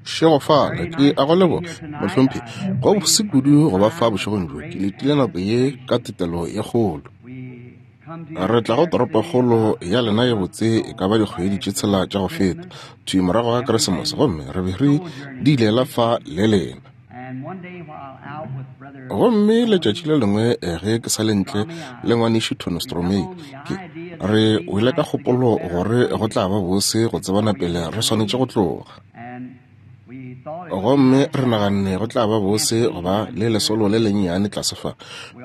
Šegofala, ke a go leboga, mohlomphegi. Go bose kudu go ba fa bošegong bjo. Ke letile nako ye ka tetelo ye kgolo. Re tla go toropokgolo ya lena ye botse e ka ba dikgwedi tše tshela tša go feta, thwi morago ga Keresemose, gomme re be re diilela fa le lena. Gomme letšatši le lengwe ge ke sa le ntle le ngwanešu Tony Stromei, ke re wele ka kgopolo gore go tla ba bose go tsebana pele re swanetše go tloga. Gomme re naganne go tla ba bose go ba le lesolo le lennyane tlase fa,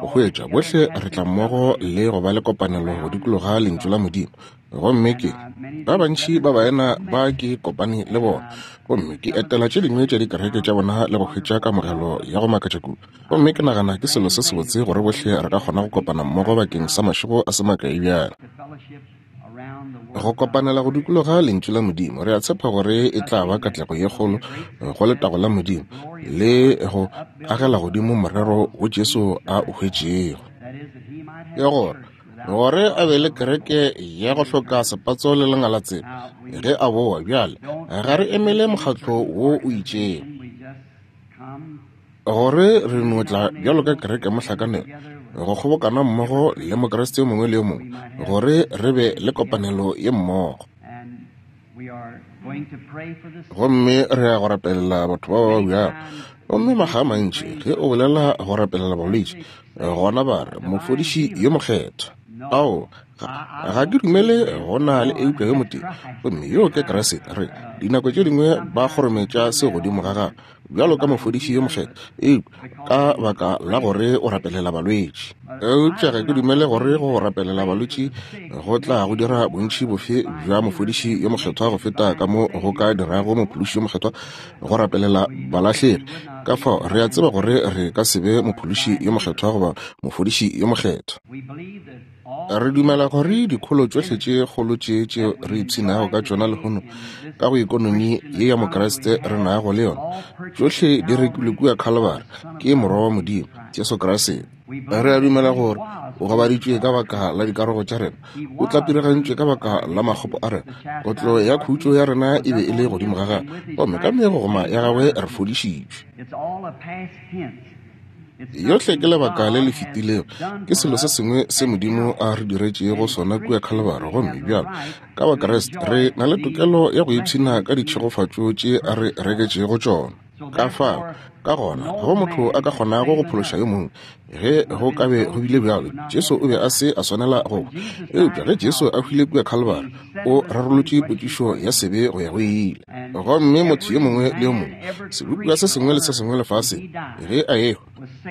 go hwetša bohle re tla mmogo le go ba le kopanelo go dikologa Lentšu la Modimo. Gomme ke ba bantši ba baena ba ke kopane le bona, gomme ke etela tše dingwe tša dikereke tša bona le go hwetša kamogelo ya go makatša kudu. Gomme ke nagana ke selo se sebotse gore bohle re ka kgona go kopana mmogo bakeng sa mašego a se makae bjale. Go kopanela go dikologa Lentšu la Modimo, re a tshepa gore e tla ba katlego ye kgolo go letago la Modimo le go agela godimo morero wo Jesu a o hwetšego. Ke gore gore a be le kereke ya go hloka sepatso le lengalatsela ge a boa. Bjale ga re emele mokgatlo wo o itšego, gore re no tla bjalo ka kereke mohlakanelo go kgobokana mmogo le Mokriste yo mongwe le yo mongwe, gore re be le kopanelo ye mmogo. Gomme re ya go rapelela batho ba ba babjago. Gomme makga a mantši ge o bolela go rapelela balwetši, gona ba re, Mofodiši yo Mokgethwa. Ao, ga, ga ke dumele go na le eupša yo motee, gomme yoo ke Kriste. Re, dinako tše dingwe ba kgorometša se godimo ga gago bjalo ka mofodiši yo mokgethwa, eupša ka baka la gore o rapelela balwetši. Eupša ga ke dumele gore go rapelela balwetši go tla go dira bontši bofe bja mofodiši yo mokgethwa go feta ka mo go ka dirago mophološi yo mokgethwa go rapelela balahlegi. Ka fao re a tseba gore re ka se be mophološi yo mokgethwa goba mofodiši yo mokgethwa. Re dumela gore dikholo tšohle tše kgolo tše tše re ipshinago ka tšona lehono ka go ekonomi ye ya Mokriste re nago le yona, tšohle di rekilwe kua Khalibari ke Morwa wa Modimo, Jesu Kriste. Re a dumela gore o gobaditšwe ka baka la dikarogo tša rena, o tlapirigantšwe ka baka la makgopo a rena, kotlo ya khutšo ya rena e be e le godimo ga gagwe, gomme ka megogoma ya gagwe re fodišitšwe. Yohle ke lebaka le le fetilego, ke selo se sengwe se Modimo a re diretšego sona kua Khalibari. Gomme bjalo ka Bakriste re na le tokelo ya go ipshina ka ditšhegofatšo tše a re reketšego tšona. Ka fao, ka gona, go motho a ka kgonago go phološa yo mongwe, ge go ka be go bile bjalo, Jesu o be a se a swanela go hwa. Eupša ge Jesu a hwile kua Khalibari, o rarolotše potšišo ya sebe go ya go ile. Gomme motho yo mongwe le yo mongwe, sebopiwa se sengwe le se sengwe lefaseng, ge a ehwa,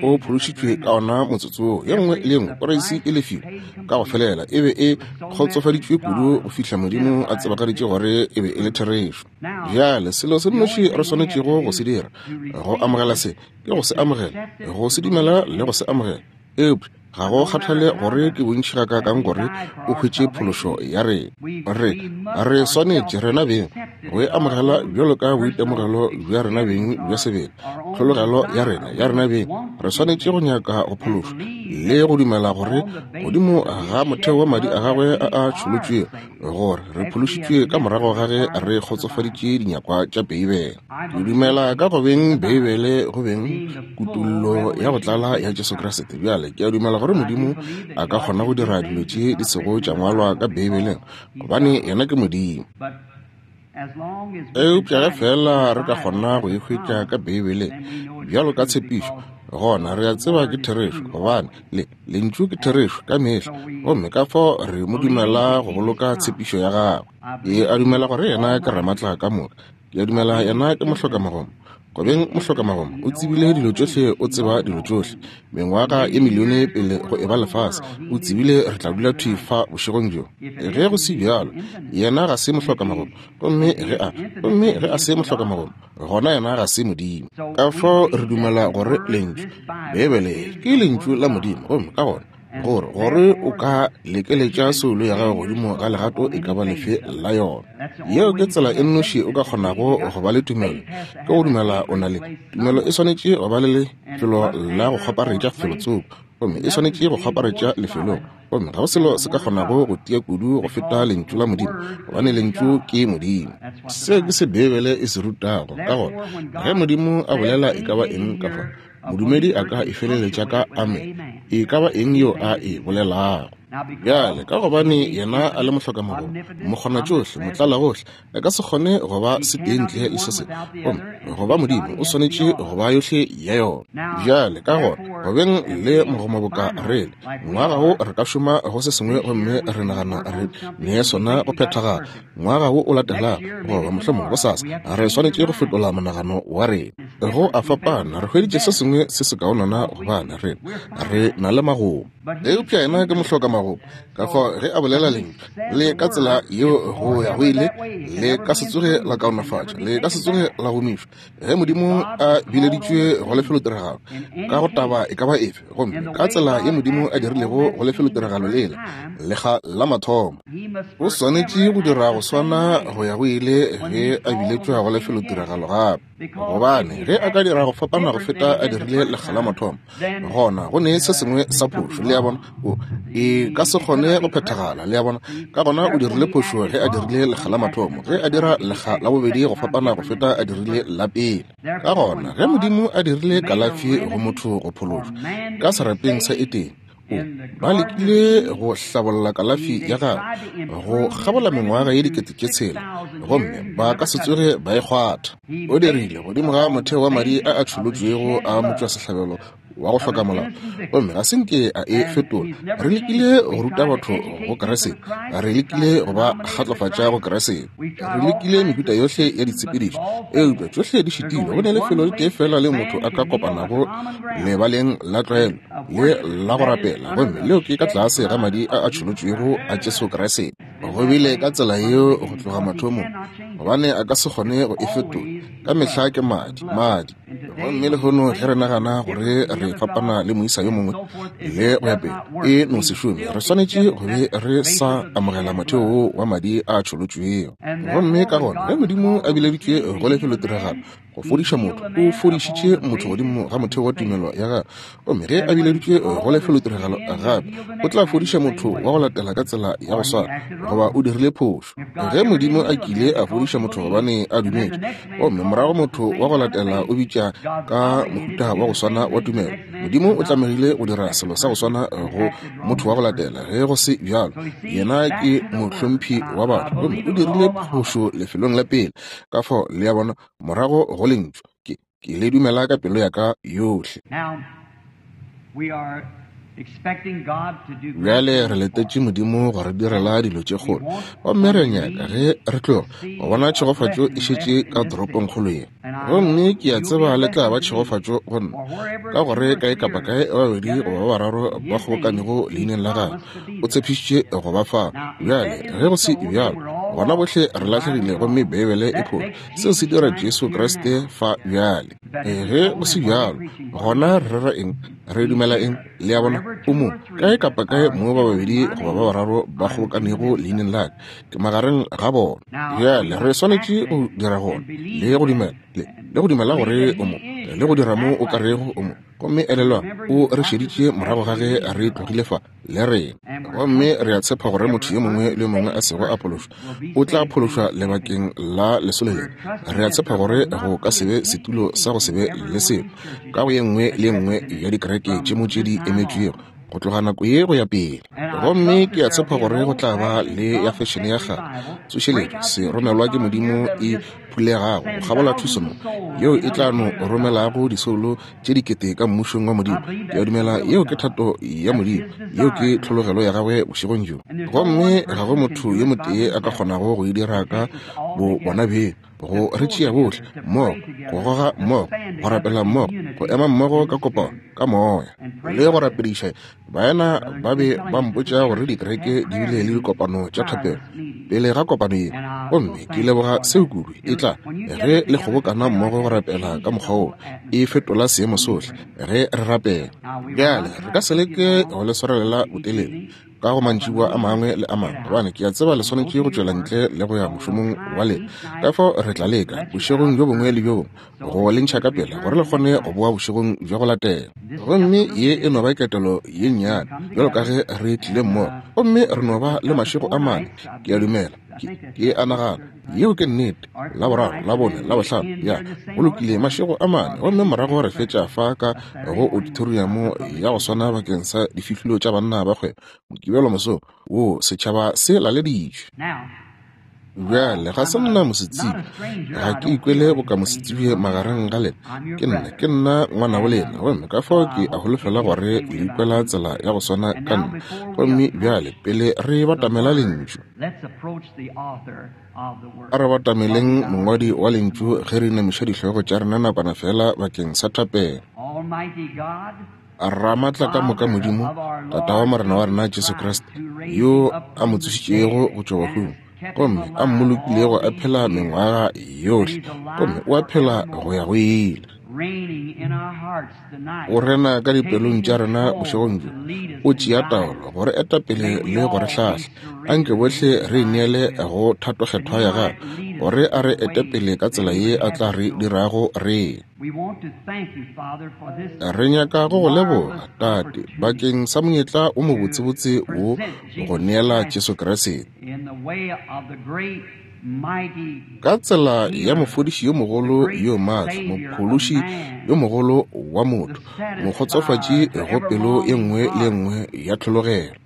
o phološitšwe ka ona motsotso woo. Ye nngwe le ye nngwe poreisi e lefiwe ka go felela, e be e kgotsofaditšwe kudu go fihla Modimo a tsebagaditše gore e be e le therešo. Bjale selo se nnoši re swanetšego go se dira go amogela se ke go se amogela, go se dumela le go se amogela. Eupša ga go kgathale gore ke bontši gakaakang gore o hwetše phološo ya rena, re, re swanetše rena beng go e amogela bjalo ka boitemogelo bja rena beng bja sebele, tlhologelo ya rena, ya rena beng. Re swanetše go nyaka go phološwa le go dumela gore godimo ga motheo wa madi a gagwe a a tšholotšwego, gore re phološitšwe ka morago ga ge re kgotsofaditše dinyakwa tša Beibele. Ke dumela ka go beng Beibele go beng kutollo ya go tlala ya Jesu Kriste. Bjale ke a dumela gore Modimo a ka kgona go dira dilo tše di sego tša ngwalwa ka Beibeleng, gobane yena ke Modimo. Eupša ge feela re ka kgona go e hwetša ka Beibeleng bjalo ka tshepišo, gona re a tseba ke therešo, gobane le Lentšu ke therešo ka mehla, gomme ka fao re mo dumela go boloka tshepišo ya gagwe. Ke a dumela gore yena ke Ramatla ka moka. Ke a dumela yena ke mohlokamagomo. Go beng mohlokamagomo, o tsebile dilo tšohle, o tseba dilo tšohle. Mengwaga ye milione pele go eba lefase, o tsebile re tla dula thwi fa bošegong bjo. Ge go se bjalo, yena ga se mohlokamagomo. Gomme ge a, gomme ge a se mohlokamagomo, gona yena ga se Modimo. Ka fao re dumela gore Lentšu, Beibele, ke Lentšu la Modimo, gomme ka gona gore gore o ka lekeletša soulo ya gago godimo ga legato e ka ba lefe la yona. Yeo ke tsela e nnoši o ka kgonago go ba le tumelo, ke go dumela o na le tumelo. E swanetše go ba le lefelo la go kgwaparetša felotsoko. Gomme e swanetše go kgwaparetša lefelong. Gomme ga go selo se ka kgonago go tia kudu go feta Lentšu la Modimo, gobane Lentšu ke Modimo. Seo ke se Beibele e se rutago. Ka gona, ge Modimo a bolela e ka ba eng ka fa, modumedi a ka e feleletša ka amen, e ka ba eng yeo a e bolelago. Bjale, ka gobane Yena a le mohlokamagolo, mokgonatšohle, motlalagohle, a ka se kgone go ba setee ntle le se sengwe. Gomme go ba Modimo, o swanetše go ba yohle ya yona. Bjale, ka gona, go beng le mogoma boka re le, ngwaga wo re ka šoma go se sengwe gomme re nagana re ne sona go phethagala. Ngwaga wo o latelago, goba mohlomongwe gosasa, re swanetše go fetola monagano wa rena. Go a fapana, re hweditše se sengwe se sekaonana gobane re, re na le magomo. Eupša yena ke mohloka magomo, ka fao ge a bolela lentšu le ka tsela yeo go ya go ile, le ka se tsoge la kaonafatša, le ka se tsoge la gomišwa. Ge Modimo a bileditšwe go lefelotiragalo ka go taba e ka ba efe, gomme ka tsela ye Modimo a dirilego go lefelotiragalo lela lekga la mathomo, o swanetše go dira go swana go ya go ile ge a biletšwa go lefelotiragalo gape. Gobane ge a ka dira go fapana go feta a dirile lekga la mathomo, gona go ne se sengwe sa phošo. Le a bona? O e ka se kgone go phethagala. Le a bona? Ka gona o dirile phošo ge a dirile lekga la mathomo, ge a dira lekga la bobedi go fapana go feta a dirile la pele. Ka gona ge Modimo a dirile kalafi go motho go phološwa ka serapeng sa Edene, o ba lekile go hlabolla kalafi ya gagwe go kgabola mengwaga ye 6000, gomme ba ka se tsoge ba e kgwatha. O dirile godimo ga motheo wa madi a a tšholotšwego a motšwasehlabelo wa go hloka molao, gomme ga se nke a e fetola. Re lekile go ruta batho go Kriste, re lekile go ba kgatlofatša go Kriste, re lekile mehuta yohle ya ditshepedišo, eupša tšohle di šitilwe. Go ne lefelo le tee fela le motho a ka kopanago lebaleng la tlwaelo le la go rapela, gomme leo ke ka tlase ga madi a a tšholotšwego a Jesu Kriste. Go bile ka tsela yeo go tloga mathomong, gobane a ka se kgone go e fetola. Ka mehla ke madi, madi. Gomme lehono ge re nagana gore re fapana le moisa yo mongwe le go ya pele, e no se šome. Re swanetše go be re sa amogela motheo wo wa madi a tšholotšwego. Gomme ka gona ge Modimo a bileditšwe go lefelotiragalo go fodiša motho, o fodišitše motho godimo ga motheo wa tumelo ya gagwe. Gomme ge a bileditšwe go lefelotiragalo gape, o tla fodiša motho wa go latela ka tsela ya go swana, goba o dirile phošo. Ge Modimo a kile a fodiša motho gobane a dumetše, gomme morago motho wa go latela o bitša ka mohuta wa go swana wa tumelo, Modimo o tlamegile go dira selo sa go swana go motho wa go latela. Ge go se bjalo, yena ke mohlomphi wa batho, gomme o dirile phošo lefelong la pele. Ka fao, le a bona, morago go lentšu, ke, ke le dumela ka pelo ya ka yohle. Bjale re letetše Modimo go re direla dilo tše kgolo, gomme re nyaka ge re tloga go bona tšhegofatšo e šetše ka toropongkgolo ye. Gomme ke a tseba le tla ba tšhegofatšo go nna, ka gore kae kapa kae ba babedi goba ba bararo ba kgobokanego leineng la gagwe, o tshepišitše go ba fao. Bjale ge go se bjalo, gona bohle re lahlegile, gomme Beibele e phošo. Seo se dira Jesu Kriste fa bjale. Ge go se bjalo, gona re rera eng? Re dumela eng? Le a bona, o mo kae kapa kae mo ba babedi goba ba bararo ba kgobokanego leineng la ka, ke magareng ga bona. Bjale re swanetše go dira gona le go dumela, le, le go dumela gore o mo, le go dira mo o ka rego o mo. Gomme elelwa, o re šeditše morago ga ge re tlogile fa le rena. Gomme re a tshepa gore motho yo mongwe le yo mongwe a sego a phološwa o tla phološwa lebakeng la lesolo le. Re a tshepa gore go ka se be setulo sa go se be le selo ka go ye nngwe le ye nngwe ya dikereke tše mo tše di emetšwego go tloga nako ye go ya pele. Gomme ke a tshepa gore go tla ba le ya fešene ya kgale tsošeletšo se romelwa ke Modimo e phulegago go kgabola thuso mo, yeo e tla no romelago disoulo tše dikete ka mmušong wa Modimo. Ke a dumela yeo ke thato ya Modimo, yeo ke tlhologelo ya gagwe bošegong bjo. Gomme ga go motho yo motee a ka kgonago go e dira ka bo bona beng, go re tšea bohle mmogo, go goga mmogo, go rapela mmogo, go ema mmogo ka kopano, ka moya, le go rapediša. Baena ba be ba mpotša gore dikereke di bile le dikopano tša thapelo pele ga kopano ye, gomme ke leboga seo kudu. E tla ge le kgobokana mmogo go rapela ka mokgwa wo, e fetola seemo sohle ge re rapela. Bjale re ka se leke go le swarelela botelele. ka go mantšiboa a mangwe le a mangwe, gobane ke a tseba le swanetše go tšwela ntle le go ya mošomong wa lena. Ka fao re tla leka, bošegong bjo bongwe le bjo bongwe, go le ntšha ka pela, gore le kgone go boa bošegong bja go latela. Gomme ye e no ba ketelo ye nnyane, bjalo ka ge re tlile mmogo. Gomme re no ba le mašego a mane, ke a dumela, ke, ke a nagana. Yeo ke nnete. Laboraro, Labone, Labohlano, ya, go lokile, mašego a mane. Gomme morago re fetša fa ka go auditoriamo ya go swana bakeng sa difihlolo tša banna ba kgwebo, Mokibelo mosong wo, setšhaba se laleditšwe. Bjale, ga se nna mosetsebje, ga ke ikwele boka mosetsebje magareng ga lena. Ke nna, ke nna ngwanabo lena, gomme ka fao ke a holofela gore le ikwela tsela ya go swana ka nna. Gomme bjale, pele re batamela Lentšu, A re batameleng mongwadi wa Lentšu ge re inamiša dihlogo tša rena nakwana feela bakeng sa thapelo. Ramatlakamoka Modimo, Tata wa Morena wa rena Jesu Kriste, yo a mo tsošitšego go tšwa bahung, gomme a mmolokilego a phela mengwaga yohle, gomme o a phela go ya go ile. O rena ka dipelong tša rena bošegong bjo, o tšea taolo go re eta pele le go re hlahla. Anke bohle re ineele go thatokgethwa ya gagwe, gore a re ete pele ka tsela ye a tla re dirago re. Re nyaka go go leboga, Tate, bakeng sa monyetla o mobotsebotse wo go neela Jesu Kriste. Ka tsela ya mofodiši yo mogolo yo maatla, mophološi yo mogolo wa motho, mokgotsofatši go pelo ye nngwe le ye nngwe ya tlhologelo.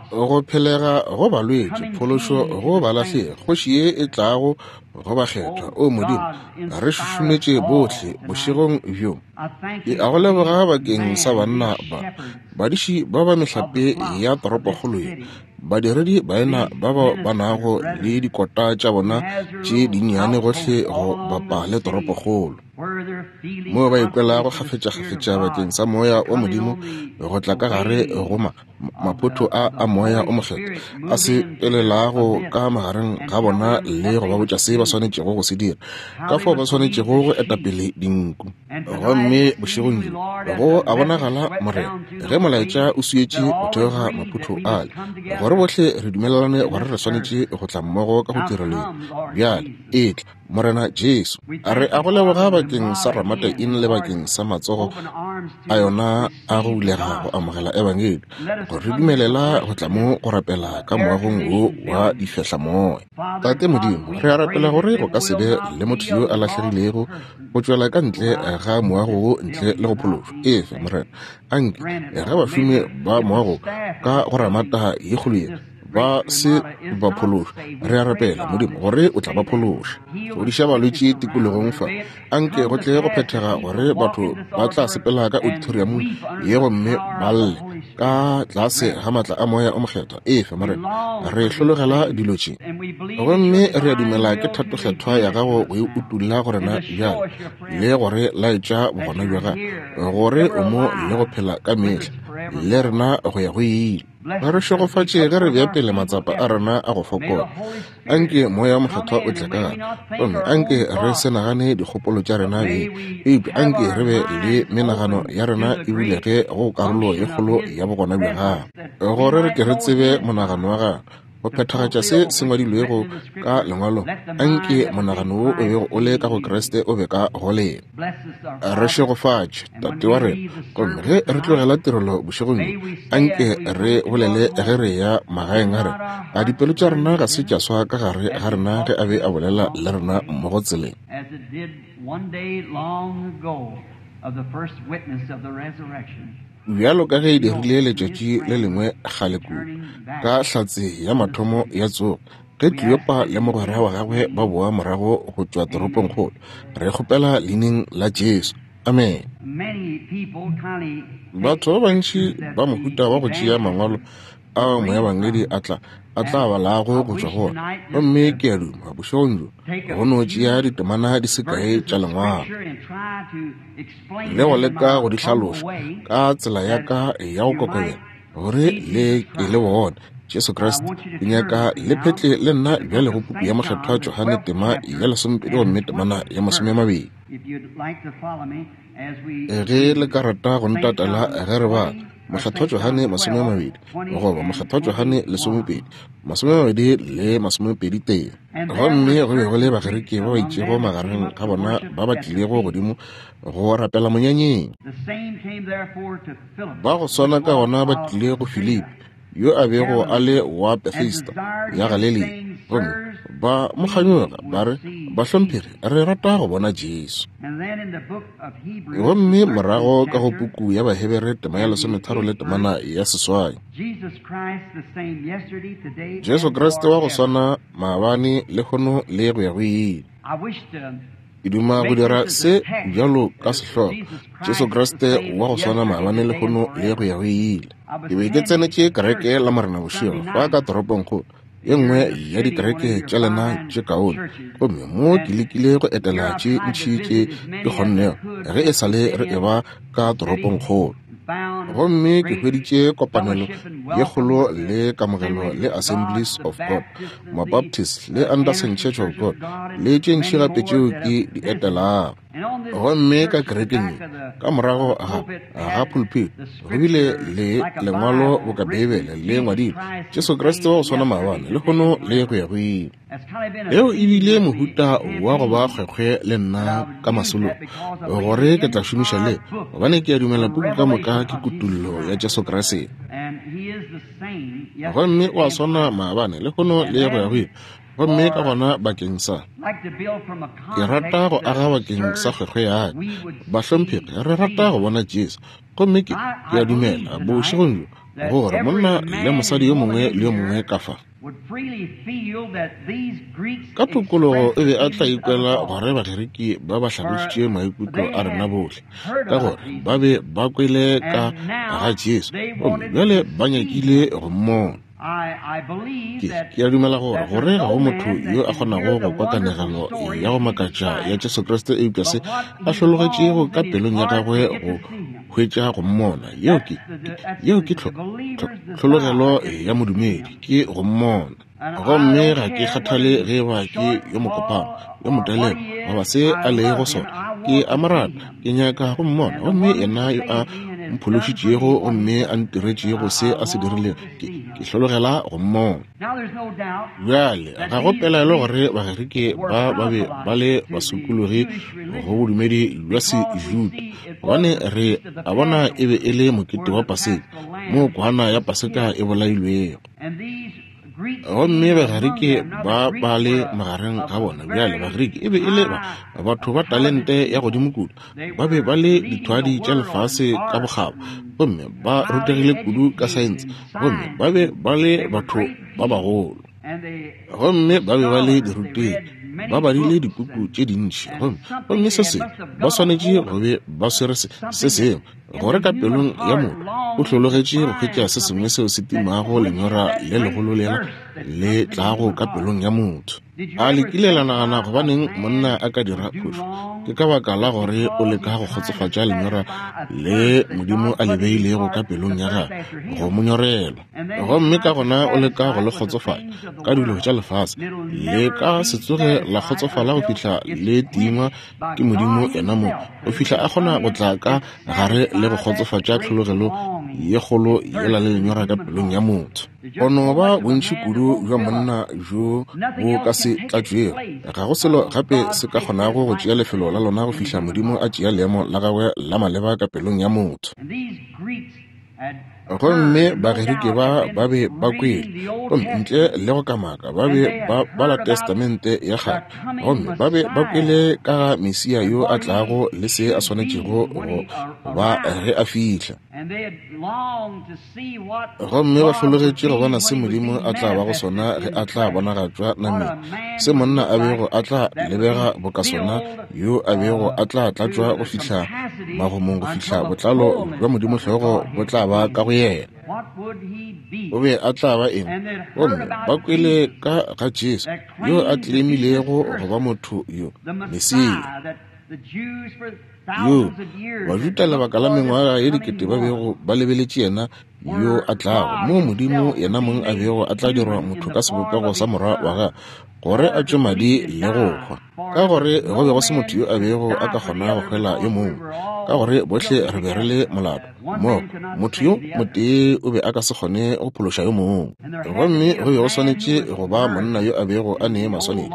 Go phelega go balwetši, phološo go balahlegi, kgoši ye e tlago go bakgethwa. O Modimo, re šušumetše bohle bošegong bjo. Ke a go leboga bakeng sa banna ba, badiši ba ba mehlape ya toropokgolo ye, badiredi baena ba ba ba nago le dikota tša bona tše dinnyane gohle go bapa le toropokgolo, moo ba ikwelago kgafetšakgafetša bakeng sa Moya wa Modimo go tla ka gare go ma, maphotho a a Moya o Mokgethwa a sepelelago ka magareng ga bona le go ba botša se ba swanetšego go se dira, ka fao ba swanetšego go eta pele dinku. Gomme bošegong bjo go a bonagala, Morena, ge molaetša o swietše go theoga maphotho ale, gore bohle re dumelelane gore re swanetše go tla mmogo ka go tirelo ye. Bjale etla, Morena Jesu. Re a go leboga bakeng sa Ramata Inn le bakeng sa matsogo a yona a go bulega go amogela Ebangedi, go re dumelela go tla mo go rapela ka moagong wo wa difehlamoya. Tate Modimo, re a rapela gore go ka se be le motho yo a lahlegilego go tšwela ka ntle ga moago wo ntle le go phološwa. Efe, Morena, anke ge bašomi ba moago ka go Ramata ye kgolo ye ba se ba phološwa, re a rapela Modimo gore o tla ba phološa. Fodiša balwetši tikologong fa, anke go tle go phethega gore batho ba tla sepela ka auditoriumong ye gomme ba lle ka tlase ga maatla a Moya o Mokgethwa. Efe, Morena, re hlologela dilo tše, gomme re a dumela ke thatokgethwa ya gago go e utulla go rena bjale le gore laetša bogona bja gago, gore o mo le go phela ka mehla le rena go ya go ile. Re šegofatše ge re bea pele matsapa a rena a go fokola. Anke Moya Mokgethwa o tle ka gare, gomme anke re se nagane dikgopolo tša rena beng, eupša anke re be le menagano ya rena e bulege go karolo ye kgolo ya bogona bja Gagwe, gore re ke re tsebe monagano wa Gagwe, go phethagatša se se ngwadilwego ka Lengwalong. Anke monagano wo o bego o le ka go Kriste o be ka go lena. Re šegofatše, Tate wa rena. Gomme ge re tlogela tirelo bošegong bjo, anke re bolele ge re ya magaeng a rena, a dipelo tša rena ga se tša swa ka gare ga rena ge a be a bolela le rena mmogo tseleng? Bjalo ka ge e dirile letšatši le lengwe kgale kudu, ka hlatse ya mathomo ya tsogo, Ge Kleopa le mogwera wa gagwe ba boa morago go tšwa toropongkgolo, re kgopela leineng la Jesu. Amen. Batho ba bantši ba mohuta wa go tšea mangwalo ao moebangedi a tla a tla balago go tšwa go ona, gomme ke a duma bošegong bjo go no tšea ditemana di se kae tša Lengwalo le go leka go di hlaloša ka tsela ya ka ya go kokobela, gore le ke le bone. Jesu Kriste. Ke nyaka le phetle le nna bjale go puku ya Mokgethwa Johane tema ya 12 gomme temana ya 20. Ge le ka rata go ntatela ge re bala Mokgethwa Johane 20 goba Mokgethwa Johane 12, 20 le 21. Gomme go be go le Bagerike ba ba itšego magareng ga bona ba ba tlilego godimo go rapela monyanyeng. Ba go swana ka gona ba tlile go Filipi, yo a bego a le wa Bethesda ya Galilea, gomme ba mo kganyoga, ba re, Bahlomphegi, re rata go bona Jesu. Gomme morago ka go puku ya Bahebere tema ya 13 le temana ya 8, Jesu Kriste wa go swana maabane, lehono le go ya go ile. Ke duma go dira se bjalo ka sehlogo, Jesu Kriste wa go swana maabane, lehono le go ya go ile. Ke be ke tsenetše kereke la Morena bošego fa ka toropongkgolo, ye nngwe ya dikereke tša lena tše kaone, gomme mo ke lekile go etela tše ntši tše ke kgonnego ge e sa le re eba ka toropongkgolo. Gomme ke hweditše kopanelo ye kgolo le kamogelo le Assemblies of God, Mabaptist le Anderson Church of God, le tše ntši gape tšeo ke di etelago. Gomme ka kerekeng ye, ka morago ga pulpit, go bile le lengwalo boka Beibele le ngwadilwe, Jesu Kriste wa go swana maabane, lehono le go ya go ile. Yeo e bile mohuta wa go ba kgwekgwe le nna ka masolong, gore ke tla šomiša le, gobane ke a dumela puku ka moka ke kutullo ya Jesu Kriste. Gomme o a swana maabane, lehono le go ya go ile. Gomme ka gona bakeng sa, ke rata go aga bakeng sa kgwekgwe ya ka, bahlomphegi, re rata go bona Jesu. Gomme ke a dumela bošegong bjo gore monna le mosadi yo mongwe le yo mongwe ka fa, ka tokologo o be a tla ikwela gore Bageriki ba ba hlalošitše maikutlo a rena bohle, ka gore ba be ba kwele ka ga Jesu gomme bjale ba nyakile go mmona. Ke a dumela gore gore ga go motho yo a kgonago go kwa kanegelo ya go makatša ya Jesu Kriste eupša se a hlologetšego ka pelong ya gagwe go hwetša go mmona. Yeo ke tlhologelo ya modumedi, ke go mmona. Gomme ga ke kgathale ge ba ke yo mokopana, yo motelele, goba se a lego sona, ke a mo rata, ke nyaka go mmona. Gomme yena yo a mphološitšego gomme a ntiretšego se a se dirilego, ke hlologela go mmona. Bjale ga go pelaelo gore Bagerike ba ba be ba le basokologi go bodumedi bja Sejuda, gobane re a bona e be e le mokete wa Paseka, moo kwana ya Paseka e bolailwego. Gomme Bagerike ba ba le magareng ga bona. Bjale Bagerike e be e le batho ba talente ya godimo kudu, ba be ba le dithwadi tša lefase ka bokgabo, gomme ba rutegile kudu ka saense, gomme ba be ba le batho ba bagolo, gomme ba be ba le dirutegi, ba badile dipuku tše dintši, gomme se sengwe ba swanetše go be ba swere se sengwe, gore ka pelong ya motho o hlologetše go hwetša se sengwe seo se timago lenyora le legolo lela le tlago ka pelong ya motho. A le kile la nagana gobaneng monna a ka dira phošo? Ke ka baka la gore o leka go kgotsofatša lenyora le Modimo a le beilego ka pelong ya gagwe go mo nyorelwa, gomme ka gona o leka go le kgotsofatša ka dilo tša lefase. Le ka se tsoge la kgotsofala go fihla le tingwa ke Modimo yena mo, go fihla a kgona go tla ka gare le go kgotsofatša tlhologelo ye kgolo yela le lenyora ka pelong ya motho. Go no ba bontši kudu bja monna bjo bo ka se tlatšwego. Ga go selo gape se ka kgonago go tšea lefelo la lona go fihla Modimo a tšea leemo la gagwe la maleba ka pelong ya motho. Gomme Bagerike ba ba be ba kwele, gomme ntle le go kamaka ba be ba bala Testamente ya kgale, gomme ba be ba kwele ka ga Mesia yo a tlago le se a swanetšego go ba ge a fihla. Gomme ba hlologetše go bona se Modimo a tla bago sona ge a tla bonagatšwa nameng, se monna a bego a tla lebega boka sona, yo a bego a tla tlatšwa go fihla magomong, go fihla botlalo bja Modimo hlogo bo tla ba ka go yena. O be a tla ba eng? Gomme ba kwele ka ga Jesu yo a tlemilego go ba motho yo, Mesia. Yo Bajuda lebaka la mengwaga ye dikete ba bego ba lebeletše yena yo a tlago, moo Modimo yena mong a bego a tla dirwa motho ka sebopego sa Morwa wa gagwe, gore a tšwe madi le go hwa. Ka gore go be go se motho yo a bego a ka kgona go hwela yo mongwe, ka gore bohle re be re le molato. Mmogo, motho yo motee o be a ka se kgone go phološa yo mongwe. Gomme go be go swanetše go ba monna yo a bego a ne maswanedi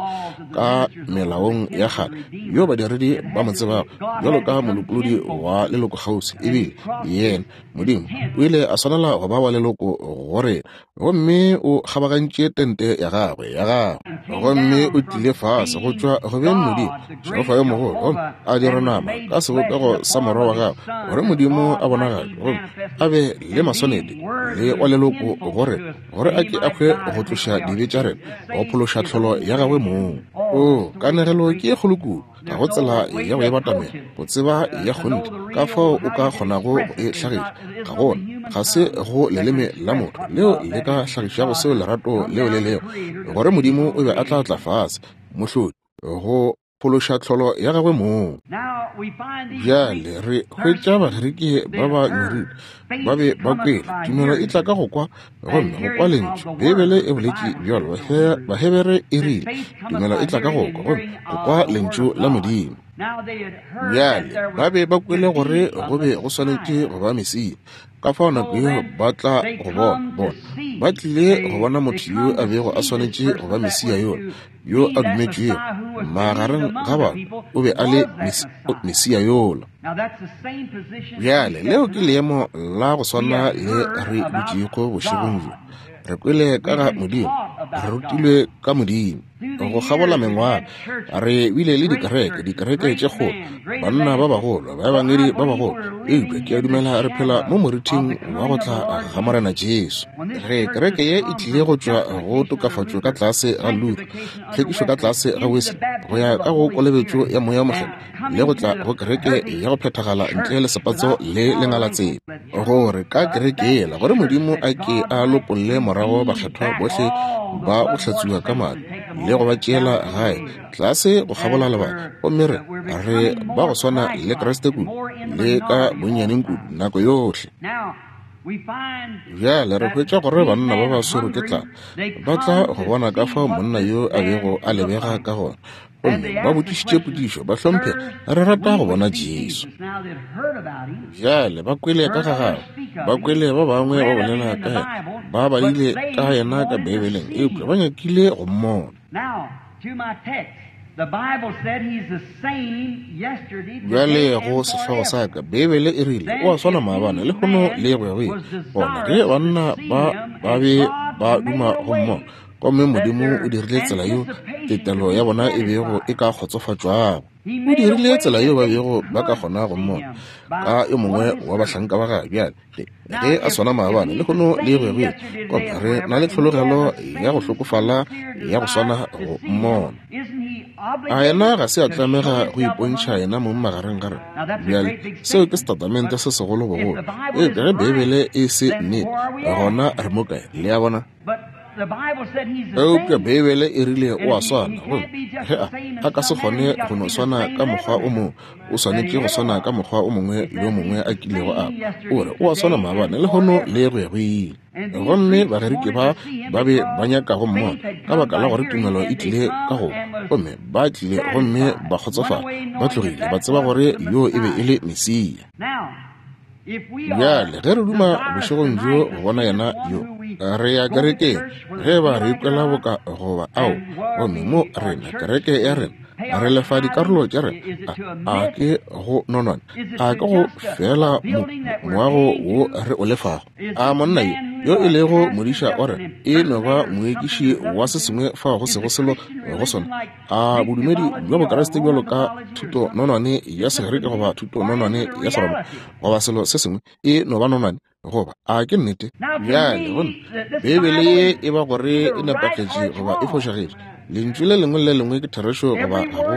ka melaong ya kgale, yo badiredi ba mo tsebago bjalo ka molopolodi wa lelokokgauswi, ebile yena Modimo o ile a swanela go ba wa leloko go rena. Gomme o kgabagantše tente ya gagwe, ya gagwe, gomme o tlile fase go tšwa go beng Modimo, Jehofa yo mogolo, gomme a dira nama ka sebopego sa morwa wa gagwe, gore Modimo a bonagatšwe, gomme a be le maswanedi le wa leloko go rena, gore a ke a hwe go tloša dibe tša rena, go phološa tlholo ya gagwe mong. Oo, kanegelo ke e kgolo kudu. Ga go tsela ya go e batamela, go tseba ya kgonthe ka fao o ka kgonago go e hlagiša. Ga gona, ga se go leleme la motho leo le ka hlagišago seo lerato leo le lego, gore Modimo o be a tla tla fase, Mohlodi, go phološa tlholo ya gagwe mong. Bjale re hwetša Bagerike ba ba nyorilwe, ba be ba kwele. Tumelo e tla ka go kwa, gomme go kwa lentšu. Beibele e boletše bjalo, Bahebere e rile, tumelo e tla ka go kwa, gomme go kwa lentšu la Modimo. Bjale ba be ba kwele gore go be go swanetše go ba Mesia, ka fao nako yeo ba tla go bona, bona ba tlile go bona motho yo a bego a swanetše go ba Mesia yola, yo a dumetšwego magareng ga batho, o be a le Mesia yola. Bjale leo ke leemo la go swana le re dutšego bošegong bjo. Re kwele ka ga Modimo, re rutilwe ka Modimo. Go kgabola mengwaga re bile le dikereke, dikereke tše kgolo, banna ba bagolo, baebangedi ba bagolo, eupša ke a dumela re phela mo morithing wa go tla ga Morena Jesu. Ge kereke ye e tlile go tšwa go tokafatšo ka tlase ga Luther, tlhwekišo ka tlase ga Wesley, go ya ka go kolobetšo ya Moya wo Mokgethwa, le go tla go kereke ya go phethagala ntle le sepatso le lengalatsela, gore ka kereke yela, gore Modimo a ke a lopolle morago bakgethwa bohle ba go hlatsuwa ka madi le go ba tšeela gae tlase go kgabola lebaka, gomme re re ba go swana le Kriste kudu le ka bonnyaneng kudu nako yohle. Bjale re hwetša gore banna ba ba swerwe ke tlala ba tla go bona ka fao monna yo a bego a lebega ka gona, gomme ba botšišitše potšišo, Bahlomphegi, re rata go bona Jesu. Bjale ba kwele ka ga gagwe, ba kwele ba bangwe ba bolela ka yena, ba badile ka yena ka Beibeleng, eupša ba nyakile go mmona. Bjale go sehlogo sa ka, Beibele e rile, O a swana maabane, lehono le go ya go ile. Gona ge banna ba ba be ba duma go mmona, gomme Modimo o dirile tsela yeo tetelo ya bona e bego e ka kgotsofatšwago. O dirile tsela yeo ba bego ba ka kgona go mmona ka yo mongwe wa bahlanka ba gagwe. Bjale ge a swana maabane, lehono le go ya go ile, gomme re na le tlhologelo ya go hlokofala ya go swana go mmona. A yena ga se a tlamega go ipontšha yena mong magareng ga rena? Bjale seo ke setatamente se segolo bogolo. Eupša ge Beibele e se nnete, gona re mo kae? Le a bona? Eupša Beibele e rile o a swana, gomme ge a, a ka se kgone go no swana ka mokgwa o mongwe, o swanetše go swana ka mokgwa o mongwe yo mongwe a kilego a ba. O re o a swana maabane, lehono le go ya go ile. Gomme Bagerike ba ba be ba nyaka go mmona, ka baka la gore tumelo e tlile ka go, gomme ba tlile gomme ba kgotsofala, ba tlogile ba tseba gore yo e be e le Mesia. Bjale ge re duma bošegong bjo go bona yena yo, re ya kerekeng, ge ba re ikwela boka goba ao, gomme mo rena, kereke ya rena, re lefa dikarolo tša rena, a ke go nonwane, a ke go fela moago wo re o lefago? A monna yo, yo e lego modiša wa rena, e no ba moekiši wa se sengwe fao go sego selo go sona? A bodumedi bja Bokriste bjalo ka thutononwane ya Segerike goba thutononwane ya Seroma goba selo se sengwe e no ba nonwane, goba a ke nnete? Bjale go nna, Beibele ye e ba gore e nepagetše goba e fošagetše. Lentšu le lengwe le le lengwe ke therešo goba ga go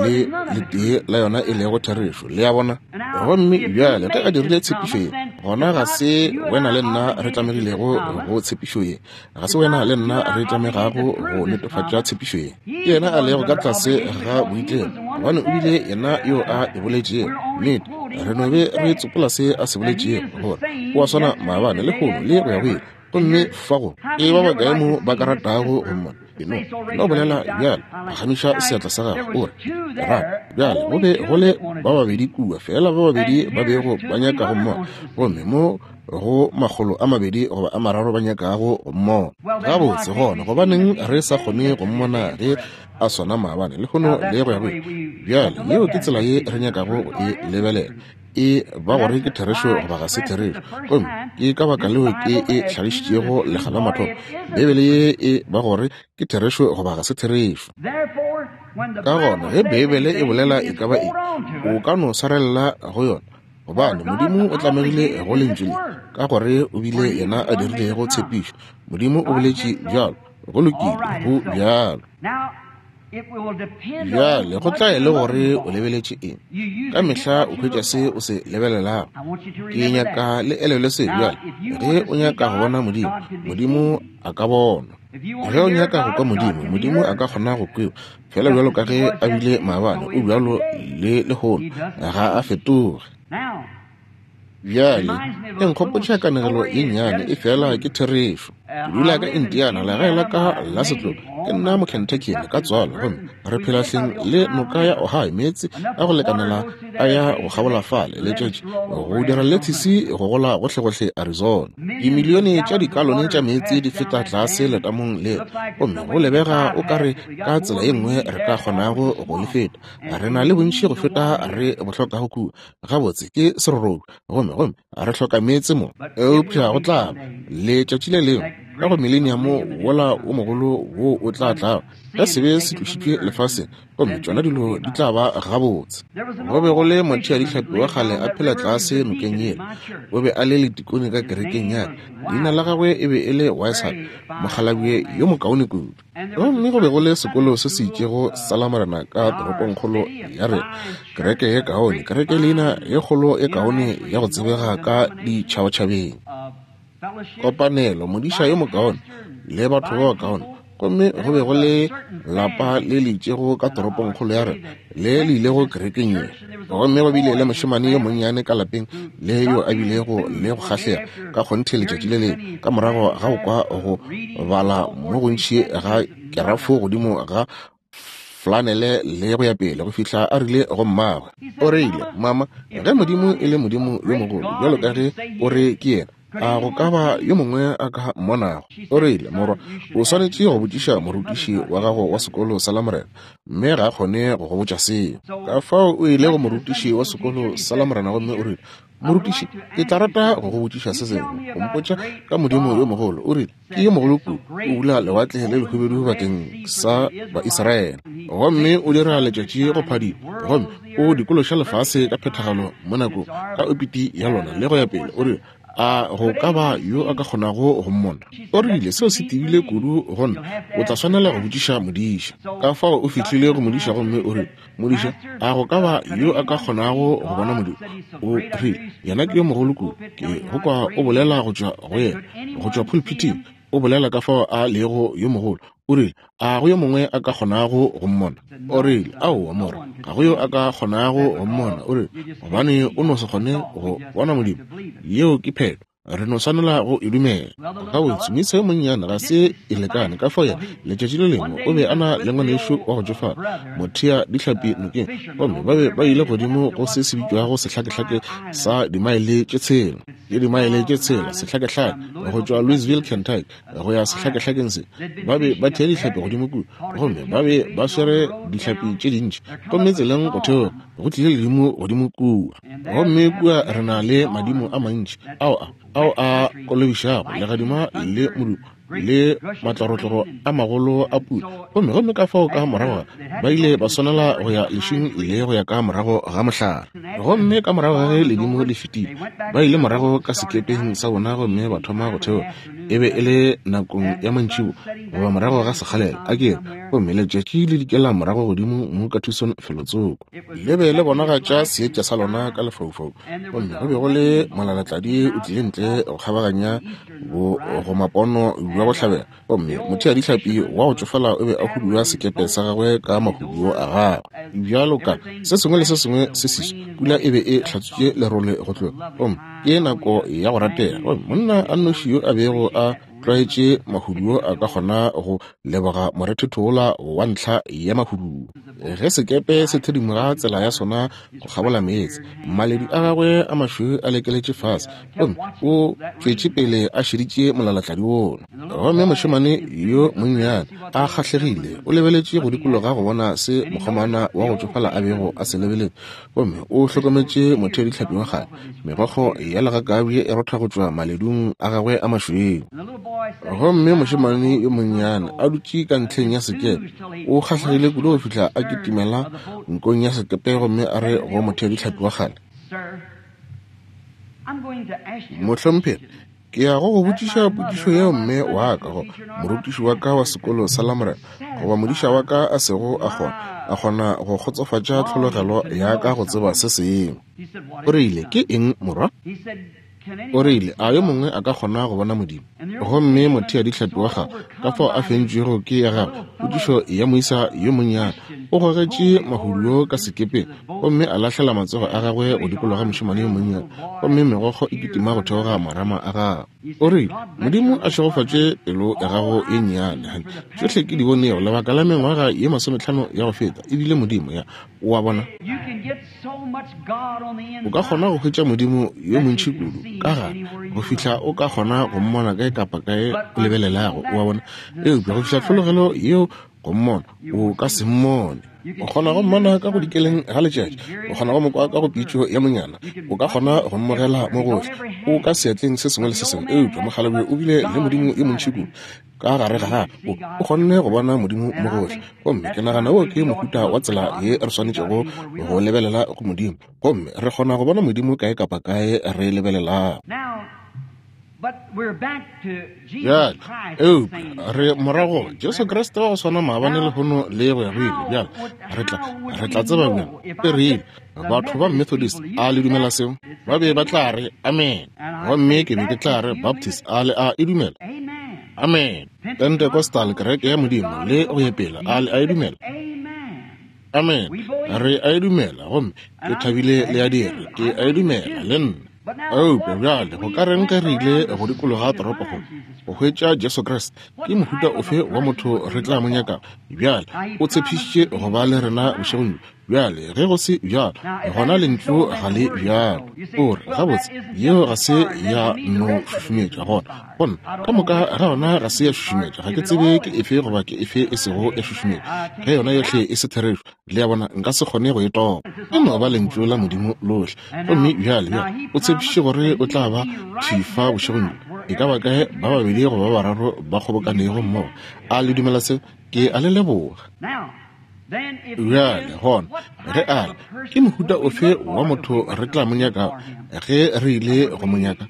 le letee la yona e lego therešo. Le a bona? Gomme bjale ge a dirile tshepišo ye, gona ga se wena le nna re tlamegilego go tshepišo ye. Ga se wena le nna re tlamegago go netefatša tshepišo ye. Ke yena a lego ka tlase ga boitlemo, gobane o bile yena yo a e boletšego. Nnete, re no be re tsopola se a se boletšego, gore o a swana maabane, lehono, le go ya go ile. Gomme fa go e ba bakae mo ba ka ratago go mmona? Eno no bolela bjale, phagamiša seatla sa gago, o re, Ke rata. Bjale go be go le ba babedi kua, feela ba babedi ba bego ba nyaka go mmona, gomme mo go 200 goba a 300 ba nyakago go mmona. Gabotse, gona gobaneng re sa kgone go mmona ge a swana maabane, lehono, le go ya go ile? Bjale yeo ke tsela ye re nyakago go e lebelela, e ba gore ke therešo goba ga se therešo. Gomme ke ka baka leo ke e hlagišitšego lekga la mathomo, Beibele ye e ba gore ke therešo goba ga se therešo. Ka gona ge Beibele e bolela e ka ba eng, o ka no swarelela go yona, gobane Modimo o tlamegile go Lentšu le, ka gore o bile yena a dirilego tshepišo. Modimo o boletše bjalo, go lokile, go bjalo. Bjale go tla e le gore o lebeletše eng. Ka mehla o hwetša se o se lebelelago. Ke nyaka le elelwe se bjale. Ge o nyaka go bona Modimo, Modimo a ka bonwa. Ge o nyaka go kwa Modimo, Modimo a ka kgona go kwewa. Fela bjalo ka ge a bile maabane, o bjalo le lehono, ga a fetoge. Bjale, e nkgopotša kanegelo ye nnyane, efela ke therešo. Ke dula ka Indiana, legae la ka la setlogo. Ke nna Mokentuckian ka tswalo, gomme re phela hleng le noka ya Ohio, meetse a go lekanela a ya go kgabola fale, letšatši go dira lethisi go gola gohlegohle Arizona. Dimilione tša dikalone tša meetse di feta tlase letamong le, gomme go lebega o ka re ka tsela ye nngwe re ka kgonago go le feta. Re na le bontši go feta re bo hlokago kua. Gabotse ke serorobi, gomme gomme re hloka meetse mo. Eupša go tla ba letšatši le lengwe ka go mileniamo wola wo mogolo wo o tla tlago, ge sebe se tlošitšwe lefaseng, gomme tšona dilo di tla ba gabotse. Go be go le motheadihlapi wa kgale a phela tlase nokeng yela. O be a le letikone ka kerekeng ya ka. Leina la gagwe e be e le Weishart, mokgalabje yo mokaone kudu. Gomme go be go le sekolo se se itšego sa Lamorena ka toropongkgolo ya rena, kereke ye kaone, kereke leina ye kgolo ye kaone ya go tsebega ka ditšhabatšhabeng, kopanelo, modiša yo mokaone le batho ba bakaone. Gomme go be go le lapa le le itšego ka toropongkgolo ya rena le le ilego kerekeng ye. Gomme go bile le mošemane yo monnyane ka lapeng le yo a bilego le go kgahlega ka kgonthe letšatši le lengwe ka morago ga go kwa go bala mo gontši ga kerafo godimo ga flanele le go ya pele go fihla a rile go mmagwe. O rile, Mama, ge Modimo e le Modimo yo mogolo bjalo ka ge o re ke yena, a go ka ba yo mongwe a ka mmonago? O rile, Morwa, o swanetše go botšiša morutiši wa gago wa sekolo sa Lamorena, mme ga a kgone go go botša seo. Ka fao o ile go morutiši wa sekolo sa Lamorena gomme o rile, Morutiši, ke tla rata go go botšiša se sengwe, go mpotša ka Modimo yo mogolo. O rile, Ke yo mogolo kudu, o bula lewatle le lehubedu bakeng sa Baisraele, gomme o dira letšatši go phadima, gomme o dikološa lefase ka phethagalo mo nakong ka opiti ya lona, le go ya pele. O rile, A go ka ba yo a ka kgonago go mmona? O rile, Seo se tebile kudu go nna, o tla swanela go botšiša modiša. Ka fao o fihlile go modiša gomme o rile, Modiša, a go ka ba yo a ka kgonago go bona Modimo? O rile, Yena ke yo mogolo kudu, ke go kwa o bolela go tšwa go yena, go tšwa phulphithing, o bolela ka fao a lego yo mogolo. O rile, A go yo mongwe a ka kgonago go mmona? O rile, Aowa, morwa, ga go yo a ka kgonago go mmona. O rile, Gobane o no se kgone go bona Modimo. Yeo ke phetho. Re no swanela go e dumela. Gabotse, moisa yo monnyane ga se e lekane. Ka fao yena, letšatši le lengwe, o be a na le ngwanešu wa go tšofala, mothea dihlapi nokeng, gomme ba be ba ile godimo go se se bitšwago sehlakehlake sa dimaele tše tshela, le dimaele tše tshela, sehlakehlake, go tšwa Louisville, Kentucky, go ya sehlakehlakeng se. Ba be ba thea dihlapi godimo kua, gomme ba be ba swere dihlapi tše dintši. Gomme tseleng go theoga, go tlile ledimo godimo kua. Gomme kua re na le madimo a mantši ao a, ao a kolobišago, legadima le modumo le matlorotloro a magolo a pula. Gomme, gomme ka fao ka morago ga, ba ile ba swanela go ya lešing le go ya ka morago ga mohlare. Gomme ka morago ga ge ledimo le fetile, ba ile morago ka sekepeng sa bona gomme ba thoma go theoga. E be e le nakong ya mantšibo goba morago ga sekgalela, a ke re, gomme letšatši le dikela morago godimo mo ka Tucson felotsoko. Le be le bonagatša seetša sa lona ka lefaufaung, gomme go be go le molalatladi o tlile ntle go kgabaganya bogomapono bja bohlabela, gomme motheadihlapi wa go tšofala o be a hudua sekepe sa gagwe ka mahuduo a gagwe. Bjalo ka se sengwe le se sengwe se seswa, pula e be e hlatswitše lerole go tloga, gomme ke nako ya go ratega. Gomme monna a nnoši yo a bego a tlwaetše mahuduo a ka kgona go leboga morethetho wola wa ntlha ya mahuduo. Ge sekepe se thedimoga tsela ya sona go kgabola meetse, maledu a gagwe a mašweu a lekeletše fase, gomme o tšwetše pele a šeditše molalatladi wola. Gomme mošemane yo monnyane a kgahlegile o lebeletše go dikologa go bona se mokgomana wa go tšofala a bego a se lebeletše, gomme o hlokometše motheadihlapi wa kgale, megokgo ya legakabje e rotha go tšwa maledung a gagwe a mašweu. Gomme mošemane yo monnyane a dutše ka ntlheng ya sekepe, o kgahlegile kudu go fihla a kitimela nkong ya sekepe gomme a re go motheadihlapi wa kgale, Mohlomphegi, ke ya go go botšiša potšišo yeo mme wa ka goba morutiši wa ka wa sekolo sa Lamorena goba modiša wa ka a sego a kgona a kgona go kgotsofatša tlhologelo ya ka go tseba se sengwe. O rile, Ke eng, morwa? O rile, A yo mongwe a ka kgona go bona Modimo? Gomme motheadihlapi wa gagwe, ka fao a fentšwego ke ya gagwe potšišo ya moisa yo monnyane, o gogetše mahuduo ka sekepeng gomme a lahlela matsogo a gagwe go dikologa mošemane yo monnyane, gomme megokgo e kitima go theoga marama a gagwe. O rile, Modimo a šegofatše pelo ya gago ye nnyane, hani. Tšohle ke di bonego lebaka la mengwaga ye masometlhano ya go feta, e bile Modimo. Ya, o a bona? O ka kgona go hwetša Modimo yo montši kudu ka gare go fihla o ka kgona go mmona kae kapa kae o lebelelago, o a bona. Eupša go fihla tlhologelo yeo go mmona, o ka se mmone. O kgona go mmona ka go dikeleng ga letšatši, o kgona go mo kwa ka go pitšo ya monyana, o ka kgona go mmogela mo gohle, o ka seatleng se sengwe le se sengwe. Eupša mokgalabje o bile le Modimo yo montši kudu ka gare ga gagwe, o kgonne go bona Modimo mo gohle. Gomme ke nagana wo ke mohuta wa tsela ye re swanetšego go lebelela go Modimo, gomme re kgona go bona Modimo kae kapa kae re lebelelago. Bjale, eupša re morago Jesu Kriste wa go swana maabane, lehono le go ya go ile. Bjale re tla, re tla tseba bjang? E rile, Batho ba Methodist, a le dumela seo? Ba be ba tla re, Amen. Gomme ke be ke tla re, Baptist, a le a e dumela? Amen. Pentecostal, kereke ya Modimo, le go ya pele, a le a e dumela? Amen. Re a e dumela, gomme ke thabile le a dira. Ke a e dumela, le nna. Eupša bjale go ka reng ge re ile go dikologa toropokgolo go hwetša Jesu Kriste? Ke mohuta ofe wa motho re tla mo nyakago? Bjale o tshepišitše go ba le rena bošegong bjo. Bjale ge go se bjalo, gona Lentšu ga le bjalo. O re, Gabotse, yeo ga se ya no šušumetša. Gona, gona, ka moka ga yona ga se ya šušumetša. Ga ke tsebe ke efe goba ke efe e sego ya šušumetša. Ge yona yohle e se therešo, Le a bona, nka se kgone go e topa. E no ba Lentšu la Modimo lohle. Gomme bjale, bjale, O tshepišitše gore O tla ba thwi fa bošegong bjo. E ka ba kae ba babedi goba ba bararo ba kgobokanego mmogo? A le dumela seo? Ke a le leboga. Bjale, gona, ge A re, Ke mohuta ofe wa motho re tla mo nyakago ge re ile go mo nyaka?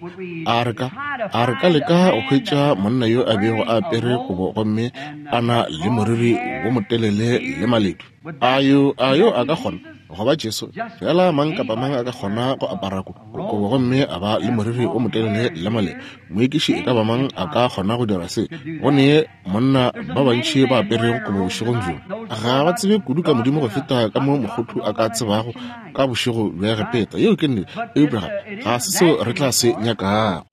A re ka, a re ka leka go hwetša monna yo a bego a apere kobo gomme a na le moriri wo motelele le maledu? A yo, a yo a ka kgona go ba Jesu? Fela mang kapa mang a ka kgona go apara ko, kobo gomme a ba le moriri wo motelele le maledu. Moekiši e ka ba mang a ka kgona go dira se. Go ne monna ba bantši ba aperego kobo bošegong bjo. Ga ba tsebe kudu ka Modimo go feta ka mo mokgothu a ka tsebago ka bošego bja Egepeta. Yeo ke nnete. Eupša ga, ga se seo re tla se nyakago.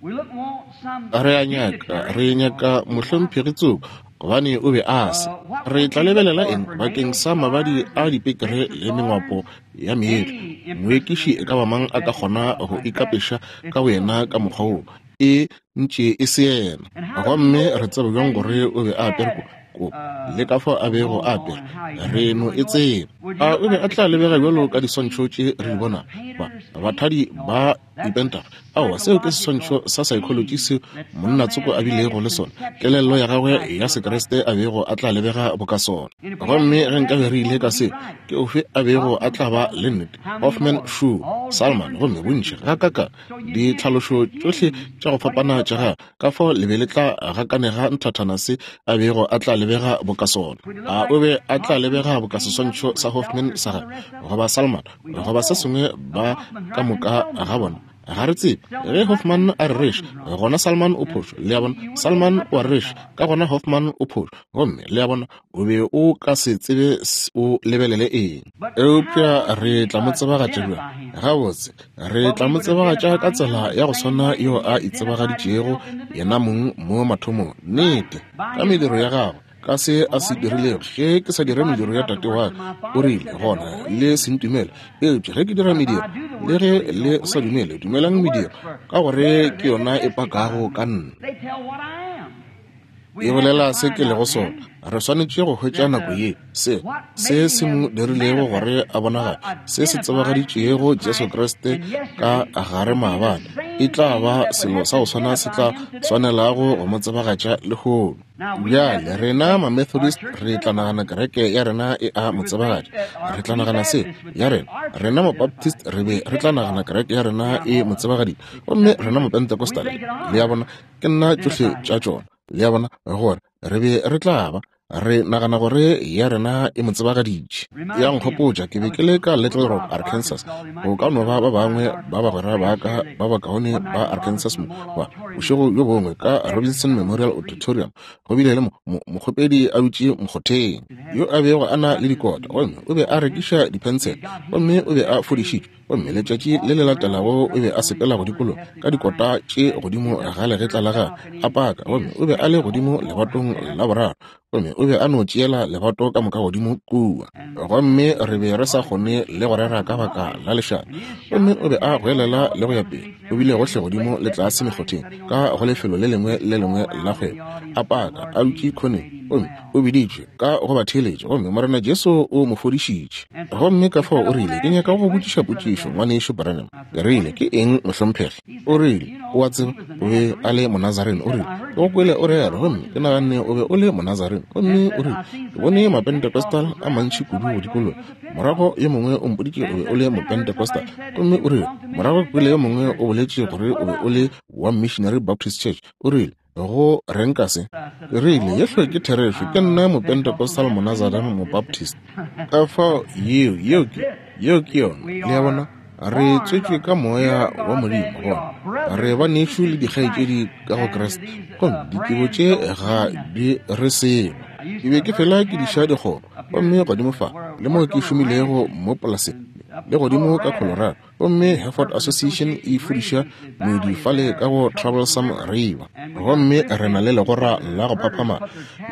Re a nyaka, re nyaka mohlomphegi tsoko, gobane o be a se. Re tla lebelela eng bakeng sa mabadi a dipekere le mengwapo ya meetlo? Moekiši e ka ba mang a ka kgona go ikapeša ka boyena ka mokgwa wo? E ntše e se yena. Gomme re tseba bjang gore o be a apere ko, kobo, le ka fao a bego a apere? Re no e tseba. A o be a tla lebega bjalo ka diswantšho tše re di bonago? Ba, Bathadi ba dipentago. Aowa, seo ke seswantšho sa saekholotši seo monna tsoko a bilego le sona, kelello ya gagwe ya Sekriste a bego a tla lebega boka sona. Gomme ge nkabe re ile ka seo, ke ofe a bego a tla ba le nnete? Hofmann, Schuh, Salman, gomme bontši gakakang ditlhalošo tšohle tša go fapana tša gagwe, ka fao le be le tla gakanega nthathana se a bego a tla lebega boka sona. A o be a tla lebega boka seswantšho sa Hofmann sa gagwe, goba Salman, goba se sengwe ba ka moka ga bona? Ga re tsebe. Ge Hofmann a rereša, gona Salman o phošo. Le a bona? Salman o a rereša, ka gona Hofmann o phošo. Gomme, le a bona, o be o ka se tsebe o lebelele eng. Eupša re tla mo tsebagatša bjang? Gabotse, re tla mo tsebagatša ka tsela ya go swana yeo a itsebagaditšego yena mong mo mathomong. Nnete, ka mediro ya gagwe, ka se a se dirilego. Ge ke sa dire mediro ya Tate wa ka, o rile, gona le se ntumele. Eupša ge ke dira mediro, le ge le sa dumele, dumelang mediro, ka gore ke yona e pakago ka nna. E bolela se ke lego sona. Re swanetše go hwetša nako ye, se, se se mo dirilego gore a bonagale, se se tsebagaditšego Jesu Kriste ka gare maabane, e tla ba selo sa go swana se tla swanelago go mo tsebagatša lehono. Bjale, rena Mamethodist re tla nagana kereke ya rena e a mo tsebagatša. Re tla nagana se, ya rena. Rena Mabaptist re be re tla nagana kereke ya rena e mo tsebagaditše. Gomme rena Mapentecostal, le a bona, ke nna tšohle tša tšona, le a bona, gore re be re tla ba re nagana gore ya rena e mo tsebagaditše. Ya nkgopotša, ke be ke le ka Little Rock, Arkansas. Go ka no ba ba bangwe ba bagwera ba ka ba bakaone ba Arkansas mo, ba bošego bjo bongwe ka Robinson Memorial Auditorium, go bile le mo, mo, mokgopedi a dutše mokgotheng, yo a bego a na le dikota, gomme o be a rekiša diphensele, gomme o be a fodišitšwe. Gomme letšatši le le latelago o be a sepela go dikologa ka dikota tše godimo ga legetla la gagwe, a paka, gomme o be a le godimo lebatong la boraro, gomme o be a no tšeela lebato ka moka godimo kua. Gomme re be re sa kgone le go rera ka baka la lešata. Gomme o be a goelela le go ya pele, o bile gohle godimo le tlase mekgotheng ka go lefelo le lengwe le lengwe la kgwebo, a paka, a dutše khoneng, gomme o biditšwe ka go batheeletši, gomme Morena Jesu o mo fodišitše. Gomme ka fao o rile, Ke nyaka go go botšiša potšišo, Ngwanešu Branham. Ke rile, Ke eng, mohlomphegi? O rile, O a tseba, o be a le Monazarene. O rile, Ke go kwele o rera, gomme ke naganne o be o le Monazarene. Gomme o rile, Ke bone Mapentecostal a mantši kudu go dikologa. Morago yo mongwe o mpoditše o be o le Mopentecostal. Gomme o rile, Morago ke kwele yo mongwe o boletše gore o be o le wa Missionary Baptist Church. O rile, Go reng ka se? Ke rile, Yehle ke therešo, ke nna Mopentecostal Monazarene Mobaptist. Ka fao yeo, yeo ke, yeo ke yona. Le a bona? Re tswetšwe ka Moya wa Modimo, gona re banešu le dikgaetšedi ka go Kriste, gomme ditebo tše ga di re selo. Ke be ke fela ke diša dikgomo, gomme godimo fa, le mo ke šomilego mo polaseng, le godimo ka Colorado, Gomme Hereford Association e fudiša moedi fale ka go Troublesome River. Gomme re na le legora la go phaphama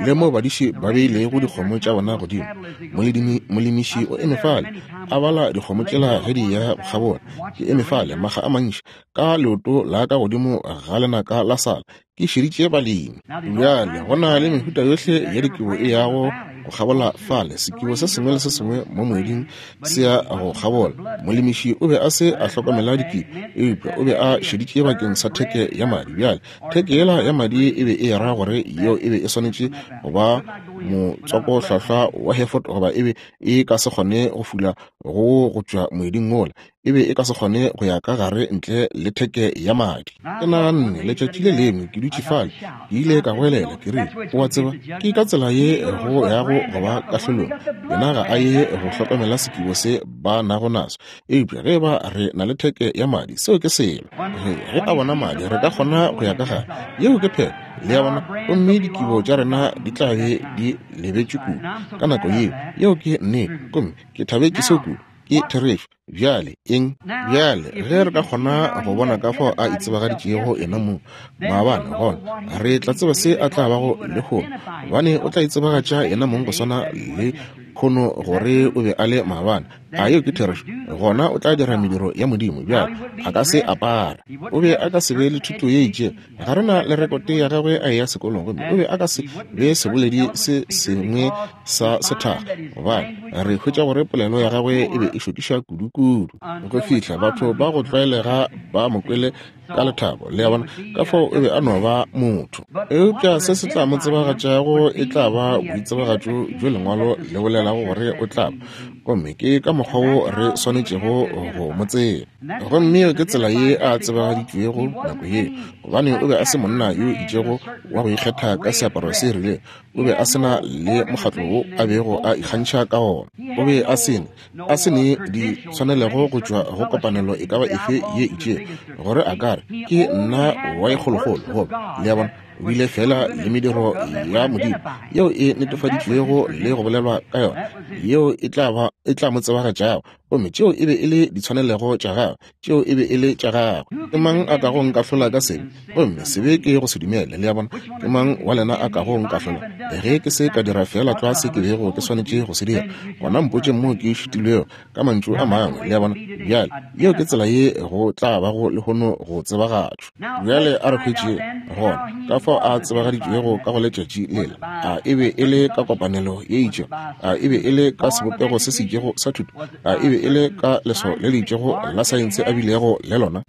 le mo badiši ba beilego dikgomo tša bona godimo. Molemi, molemiši o eme fale a bala dikgomo tšela ge di ya go kgabola. Ke eme fale makga a mantši ka leoto la ka godimo ga lenaka la sala Ke šeditše balemi. Bjale, go na le mehuta yohle ya dikibo e yago go kgabola fale. Sekibo se sengwe le se sengwe mo moeding se ya go kgabola. Molemiši o be a se a hlokomela dikibo, eupša o be a šeditše bakeng sa theke ya madi. Bjale, theke yela ya madi e be e ra gore yeo e be e swanetše go ba motswakohlwahlwa wa Hereford goba e be e ka se kgone go fula go go tšwa moeding wola. E be e ka se kgone go ya ka gare ntle le theke ya madi. Ke naganne, letšatši le lengwe, ke dutše fale, ke ile ka goelela, ke rile, O a tseba, ke ka tsela ye go yago go ba kahlolong. Yena ga a ye go hlokomela sekibo se ba nago naso. Eupša ge eba re na le theke ya madi, seo ke selo. Ge, ge a bona madi, re ka kgona go ya ka gare. Yeo ke phetho, le a bona, gomme dikibo tša rena di tla be di lebetšwe kudu ka nako yeo. Yeo ke nnete. Gomme ke thabetše seo kudu. Ke therešo. Bjale, eng? Bjale, ge re ka kgona go bona ka fao a itsebagaditšego yena mong maabane, gona re tla tseba se a tla bago lehono, gobane o tla itsebagatša yena mong go swana le khono gore o be a le maabane. A yeo ke therešo? Gona o tla dira mediro ya Modimo. Bjale, a ka se apara. O be a ka se be le thuto ye itšego. Ga re na le rekote ya gagwe a eya sekolong, gomme o be a ka se be seboledi se sengwe sa sethakga, gobane Re hwetša gore polelo ya gagwe e be e šokiša kudukudu, go fihla batho ba go tlwaelega ba mo kwele ka lethabo. Le a bona? Ka fao o be a no ba motho. Eupša se se tla mo tsebagatšago e tla ba boitsebagatšo bjo Lengwalo le bolelago gore o tla ba, gomme ke ka mokgwa wo re swanetšego go mo tseba. Gomme yeo ke tsela ye a tsebagaditšwego nako yeo, gobane o be a se monna yo itšego wa go ikgetha ka seaparo se rilego. O be a se na le mokgatlo wo a bego a ikgantšha ka wona. O be a se ne, a se ne ditshwanelego go tšwa go kopanelo e ka ba efe ye itšego, gore a ka re, Ke nna wa e kgolokgolo, goba, le a bona, o bile feela le mediro ya Modimo yeo e netefaditšwego le go bolelwa ka yona, yeo e tla ba, e tla mo tsebagatšago. Gomme tšeo e be e le ditshwanelego tša gagwe, tšeo e be e le tša gagwe. Ke mang a kago nkahlola ka sebe? Gomme sebe ke go se dumele. Le a bona? Ke mang wa lena a kago nkahlola? Ge ke se ka dira feela tlwa se ke bego ke swanetše go se dira, gona mpotšeng moo ke šitilwego, ka mantšu a mangwe. Le a bona? Bjale, yeo ke tsela ye go tla bago lehono go tsebagatšwa. Bjale a re hwetšeng gona ka fao a tsebagaditšwego ka go letšatši lela. A e be e le ka kopanelo ye itšego? A e be e le ka sebopego se se itšego sa thuto? A e be e le ka leswao le le itšego la saense a bilego le lona?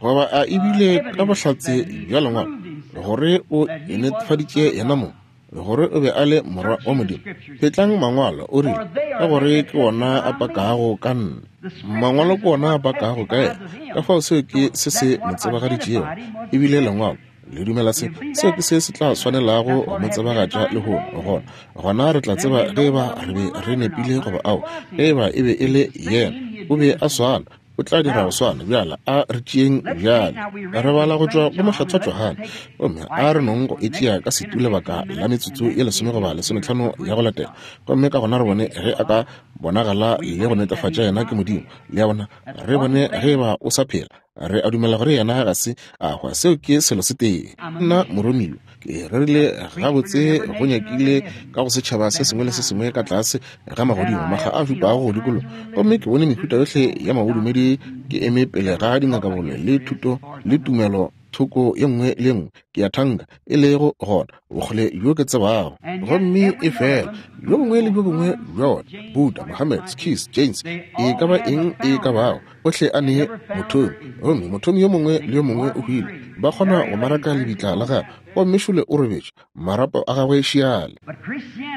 Goba a e bile ka bohlatse bja Lengwalo gore o inetefaditše yenamong gore o be a le Morwa wa Modimo? Phetlang Mangwalo, o rile, ka gore ke wona a pakago ka nna. Mangwalo ke wona a pakago ka yena. Ka fao seo ke se se mo tsebagaditšego, e bile Lengwalo. Le dumela se? Seo ke se se tla swanelago go mo tsebagatša lehono. Gona, gona re tla tseba ge eba re be re nepile goba ao, ge eba e be e le yena. O be a swana. O tla dira go swana. Bjale a re tšeeng bjale. Re bala go tšwa go Mokgethwa Johane, gomme a re nong go e tšea ka setu lebaka la metsotso ye lesome goba lesometlhano ya go latela, gomme ka gona re bone ge a ka bonagala le go netefatša yena ke Modimo. Le a bona? Re bone ge eba o sa phela. Re a dumela gore yena ga se a hwa. Seo ke selo se tee. Nna moromiwa ke rerile gabotse go nyakile ka go setšhaba se sengwe le se sengwe ka tlase ga magodimo, makga a šupago go dikologa, gomme ke bone mehuta yohle ya mabodumedi. Ke eme pele ga dingakabole le thuto le tumelo thoko ye nngwe le ye nngwe, ke a thanka e lego gona bokgole bjo ke tsebago. Gomme e fela bjo bongwe le bjo bongwe bja ona, Buddha, Mohammed, Sikhs, Jains, e ka ba eng e ka bago, ohle a ne mothomi, gomme mothomi yo mongwe le yo mongwe o hwile. Ba kgona go maraka lebitla la gagwe, gomme šole o robetše, marapo a gagwe šiale.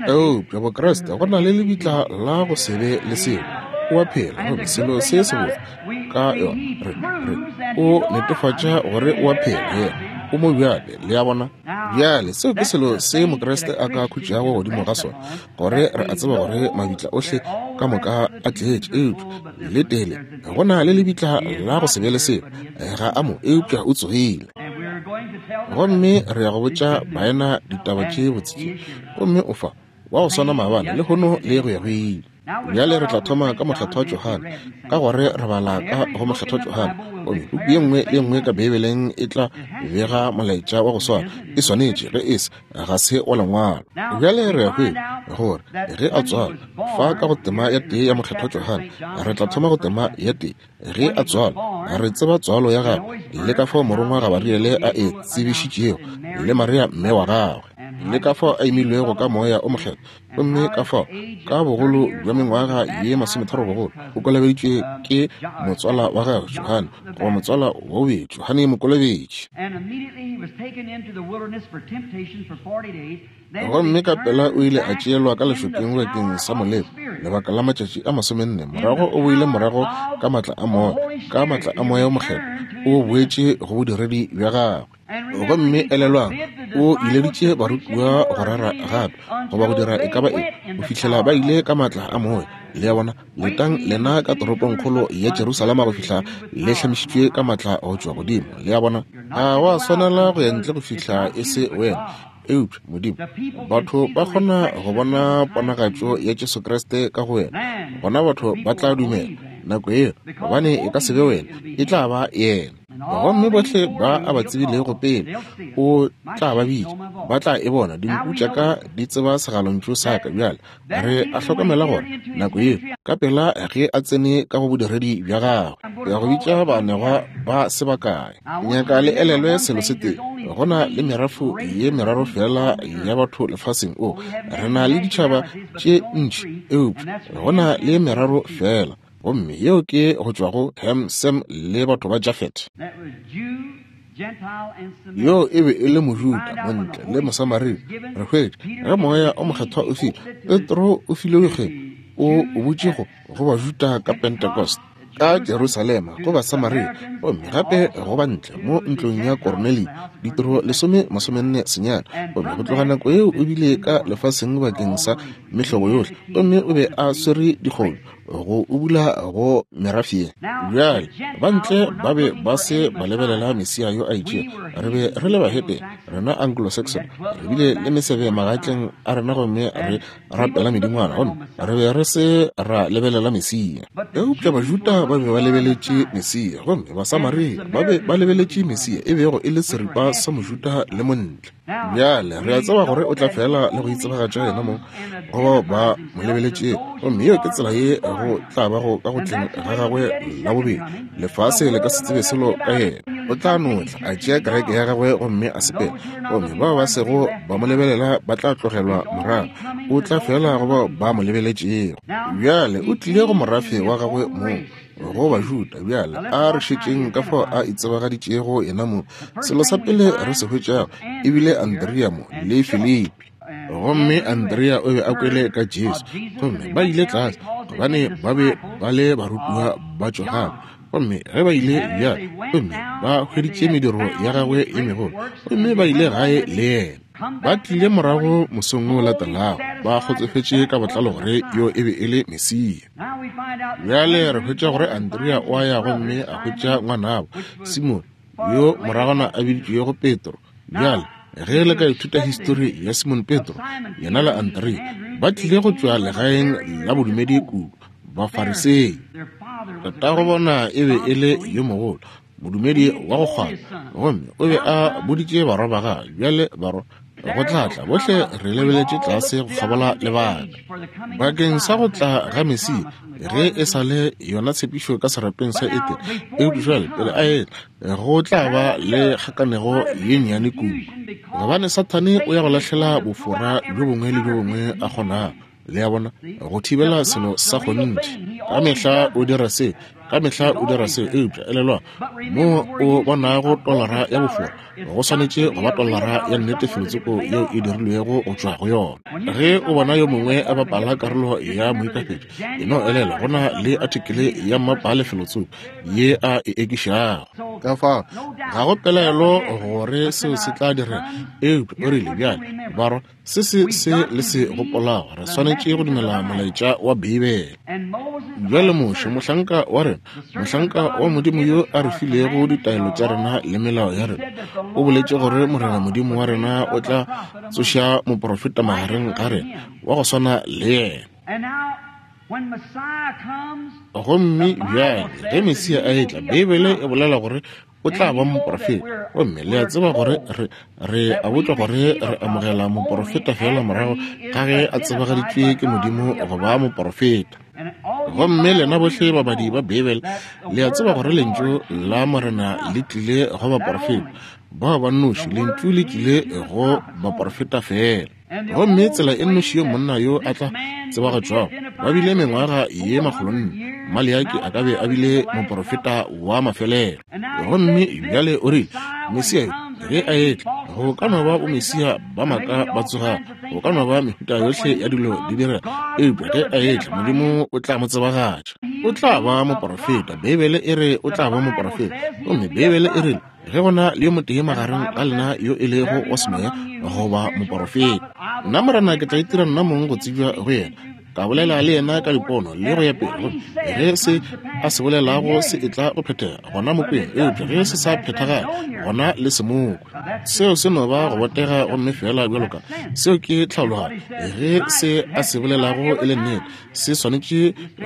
Eupša Bokriste, go na le lebitla la go se be le selo. O a phela, gomme selo se sebotse ka yona, re, re, o netefatša gore o a phela. Yena o mo bjale, le a bona. Bjale, seo ke selo se Mokriste a ka khutšago godimo ga sona, gore re a tseba gore mabitla ohle ka moka a tletše, eupša le tele go na le lebitla la go se be le selo. Ga a mo, eupša o tsogile. Gomme re ya go botša baena ditaba tše botse tše. Gomme o fa, wa go swana maabane, lehono, le go ya go ile. Bjale re tla thoma ka Mokgethwa Johane, ka gore re bala ka go Mokgethwa Johane. Gomme puku ye nngwe le ye nngwe ka Beibeleng e tla bega molaetša wa go swana. E swanetše, ge e se, ga se wa Lengwalo. Bjale re a hwetša gore ge a tswalwa, fa ka go tema ya tee ya Mokgethwa Johane, re tla thoma go tema ya tee. Ge a tswalwa, re tseba tswalo ya gagwe, le ka fao morongwa Gabariele a e tsebišitšego, le Maria mme wa gagwe, le ka fao a imilwego ka Moya o Mokgethwa, gomme ka fao ka bogolo bja mengwaga ye masometharo bogolo o kolobeditšwe ke motswala wa gagwe Johane, goba motswala wa bobedi, Johane Mokolobetši. Gomme ka pela o ile a tšeelwa ka lešokeng bakeng sa moleko lebaka la matšatši a masomenne. Morago o boile morago ka matla a moya, ka matla a moya o mokgethwa, o boetše go bodiredi bja gagwe. Gomme elelwang, o ileditše barutiwa go rera gape goba go dira e ka ba eng go fihlela ba ile ka matla a moya. Le a bona? Letang lena ka toropongkgolo ya Jerusalema go fihla le hlamišitšwe ka matla go tšwa godimo. Le a bona? Ga wa swanela go ya ntle go fihla e se wena. Eupša, Modimo, batho ba kgona go bona ponagatšo ya Jesu Kriste ka go wena, gona batho ba tla dumela nako yeo, gobane e ka se be wena, e tla ba Yena. Gomme bohle ba a ba tsebilego pele, o tla ba bitša, ba tla e bona. Dinku tša ka di tseba segalontšu sa ka. Bjale re a hlokomela gore nako yeo, ka pela ge a tsene ka go bodiredi bja gagwe, ya go bitša baanegwa ba se bakae. Nyaka le elelwe selo se tee, go na le merafo ye meraro fela ya batho lefaseng. O, re na le ditšhaba tše ntši, eupša go na le meraro fela. Gomme yeo ke go tšwa go Ham, Sem le batho ba Jafet. Yo e be e le Mojuda, Montle le Mosamaria. Re hwetša ge Moya o Mokgethwa o file, Petro o filwe kgwebo, o o butše go, go Bajuda ka Pentecost, ka Jerusalema, go Basamaria, gomme gape go bantle mo ntlong ya Kornelio, Ditiro lesome masomenne senyane. Gomme go tloga nako yeo o bile ka lefaseng bakeng sa mehlobo yohle, gomme o be a swere dikgomo go ubula go merafe ye. Bjale, ba ntle ba be ba se ba lebelela Mesia yo a itšego. Re be re le bahetene, rena Anglo-Saxon, re bile le mesebe magatleng a rena gomme re rapela medingwana, gomme re be re se ra lebelela Mesia. Eupša Bajuda ba be ba lebeletše Mesia, gomme Basamaria ba be ba lebeletše Mesia, e bego e le seripa sa Mojuda le Montle. Bjale re a tseba gore o tla fela le go itsebagatša yena mong go bao ba mo lebeletšego, gomme yeo ke tsela ye go tla bago ka go tleng ga gagwe la bobedi. Lefase le ka se tsebe selo ka yena. O tla no tla a tšea kereke ya gagwe gomme a sepela, gomme bao ba sego ba mo lebelela ba tla tlogelwa morago. O tla fela go bao ba mo lebeletšego. Bjale o tlile go morafe wa gagwe mong, go Bajuda. Bjale a re šetšeng ka fao a itsebagaditšego yena mong. Selo sa pele re se hwetšago e bile Andrea mo le Filipi. Gomme Andrea o be a kwele ka Jesu, gomme ba ile tlase gobane ba be ba le barutiwa ba Johane. Gomme ge ba ile bjale, gomme ba hweditše mediro ya gagwe ye megolo, gomme ba ile gae le yena. Ba tlile morago mosong o latelago, ba kgotsofetše ka botlalo gore yo e be e le Mesia. Bjale re hwetša gore Andrea o a ya gomme a hwetša ngwanabo, Simone, yo moragwana a biditšwego Petro. Bjale, ge le ka ithuta histori ya Simone Petro, yena le Andrea ba tlile go tšwa legaeng la bodumedi kudu, Bafarisei. Tatago bona e be e le yo mogolo, modumedi wa go kgwaba, gomme o be a boditše barwa ba gagwe, bjale barwa, go tla tla, bohle re lebeletše tlase go kgabola lebaka bakeng sa go tla ga Mesia, ge e sa le yona tshepišo ka serapeng sa Edene. Eupša jwale pele a etla, go tla ba le kgakanego ye nnyane kudu, gobane Sathane o ya go lahlela bofora bjo bongwe le bjo bongwe a kgonago, le a bona, go thibela selo sa kgonthe. Ka mehla o dira se, ka mehla o dira se. Eupša elelwa, mo o bonago tolara ya bofora, go swanetše go ba tolara ya nnete felotsoko yeo e dirilwego go tšwa go yona. Ge o bona yo mongwe a bapala karolo ya moikaketši, e no elelwa go na le athikele ya mmapale felotsoko ye a e ekišago. Ka fao ga go pelaelo gore seo se tla direga. Eupša o rile, bjale, barwa, Se se se le se gopolago, re swanetše go dumela molaetša wa Beibele. Bjale Moshe, mohlanka wa rena, mohlanka wa Modimo yo a re filego ditaelo tša rena le melao ya rena, o boletše gore Morena Modimo wa rena o tla tsoša moprofeta magareng ga rena wa go swana le yena. Gomme bjale ge Mesia a etla, Beibele e bolela gore o tla ba moporofeta. Gomme le a tseba gore re, re a botšwa gore re amogela moporofeta feela morago ga ge a tsebagaditšwe ke Modimo go ba moporofeta. Gomme lena bohle babadi ba Beibele le a tseba gore Lentšu la Morena le tlile go baporofeta bao ba nnoši, Lentšu le tlile go baporofeta feela. Gomme tsela e nnoši yo monna yo a tla tsebagatšwago, ba bile mengwaga ye makgolonne, Maleaki a ka be a bile moporofeta wa mafelelo. Gomme bjale o rile, Mesia yo, ge a etla, go ka no ba bomesia ba maaka ba tsogago, go ka no ba mehuta yohle ya dilo di direga, eupša ge a etla, Modimo o tla mo tsebagatša. O tla ba moporofeta. Beibele e re o tla ba moporofeta. Gomme Beibele e rile, Ge go na le yo motee magareng ga lena yo e lego wa semoya goba moporofeta, nna Morena ke tla itira nna mong go tsebja go yena, ka bolela le yena ka dipono le go ya pele. Gomme ge se a se bolelago se etla go phethega, gona mo kweng, eupša ge se sa phethagale, gona le se mo kwe. Seo se no ba go botega gomme feela bjalo ka seo ke tlhaologanyo. Ge se a se bolelago e le nnete, se swanetše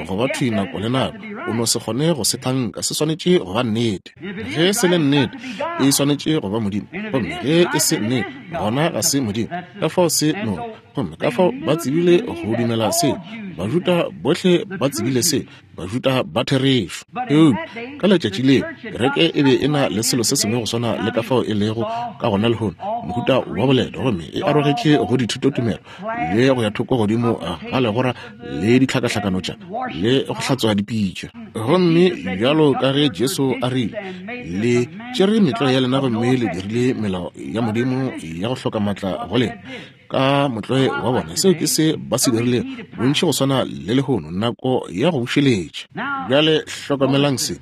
go ba thwi nako le nako. O no se kgone go se thanka, se swanetše go ba nnete. Ge se le nnete, e swanetše go ba Modimo, gomme ge e se nnete, gona ga se Modimo. Ka fao se no, gomme ka fao ba tsebile go dumela se. Bajuda bohle ba tsebile se, Bajuda ba therešo. Eupša ka letšatši leo kereke e be e na le selo se sengwe go swana le ka fao e lego ka gona lehono, mohuta wa boleta, gomme e arogetše go dithutotumelo le go ya thoko godimo ga legora le ditlhakahlakano tša le go hlatswa dipitša. Gomme bjalo ka ge Jesu a rile, Le tšere metlwae ya lena gomme le dirile melao ya Modimo ya go hloka maatla go lena. Ka motlwae wa bona, seo ke se ba se dirilego, bontši go swana le lehono, nako ya go bušeletša. Bjale hlokamelang se.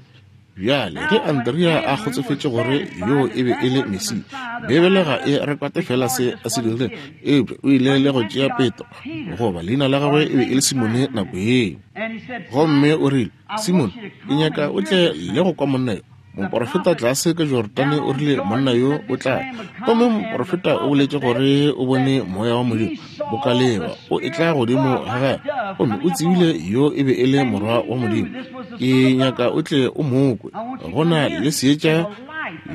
Bjale, ge Andrea a kgotsofetše gore yoo e be e le Mesia, Beibele ga e re kwate fela se a se dirilego, eupša o ile le go tšea Petro, goba leina la gagwe e be e le Simone nako yeo. Gomme o rile, Simone, ke nyaka o tle le go kwa monna yo. Moporofeta tlase ka Jordane o rile monna yo o tla. Gomme moporofeta o boletše gore o bone moya wa Modimo boka leeba o etla godimo ga gagwe, gomme o tsebile yo e be e le morwa wa Modimo. Ke nyaka o tle o mo kwe. Go na le seetša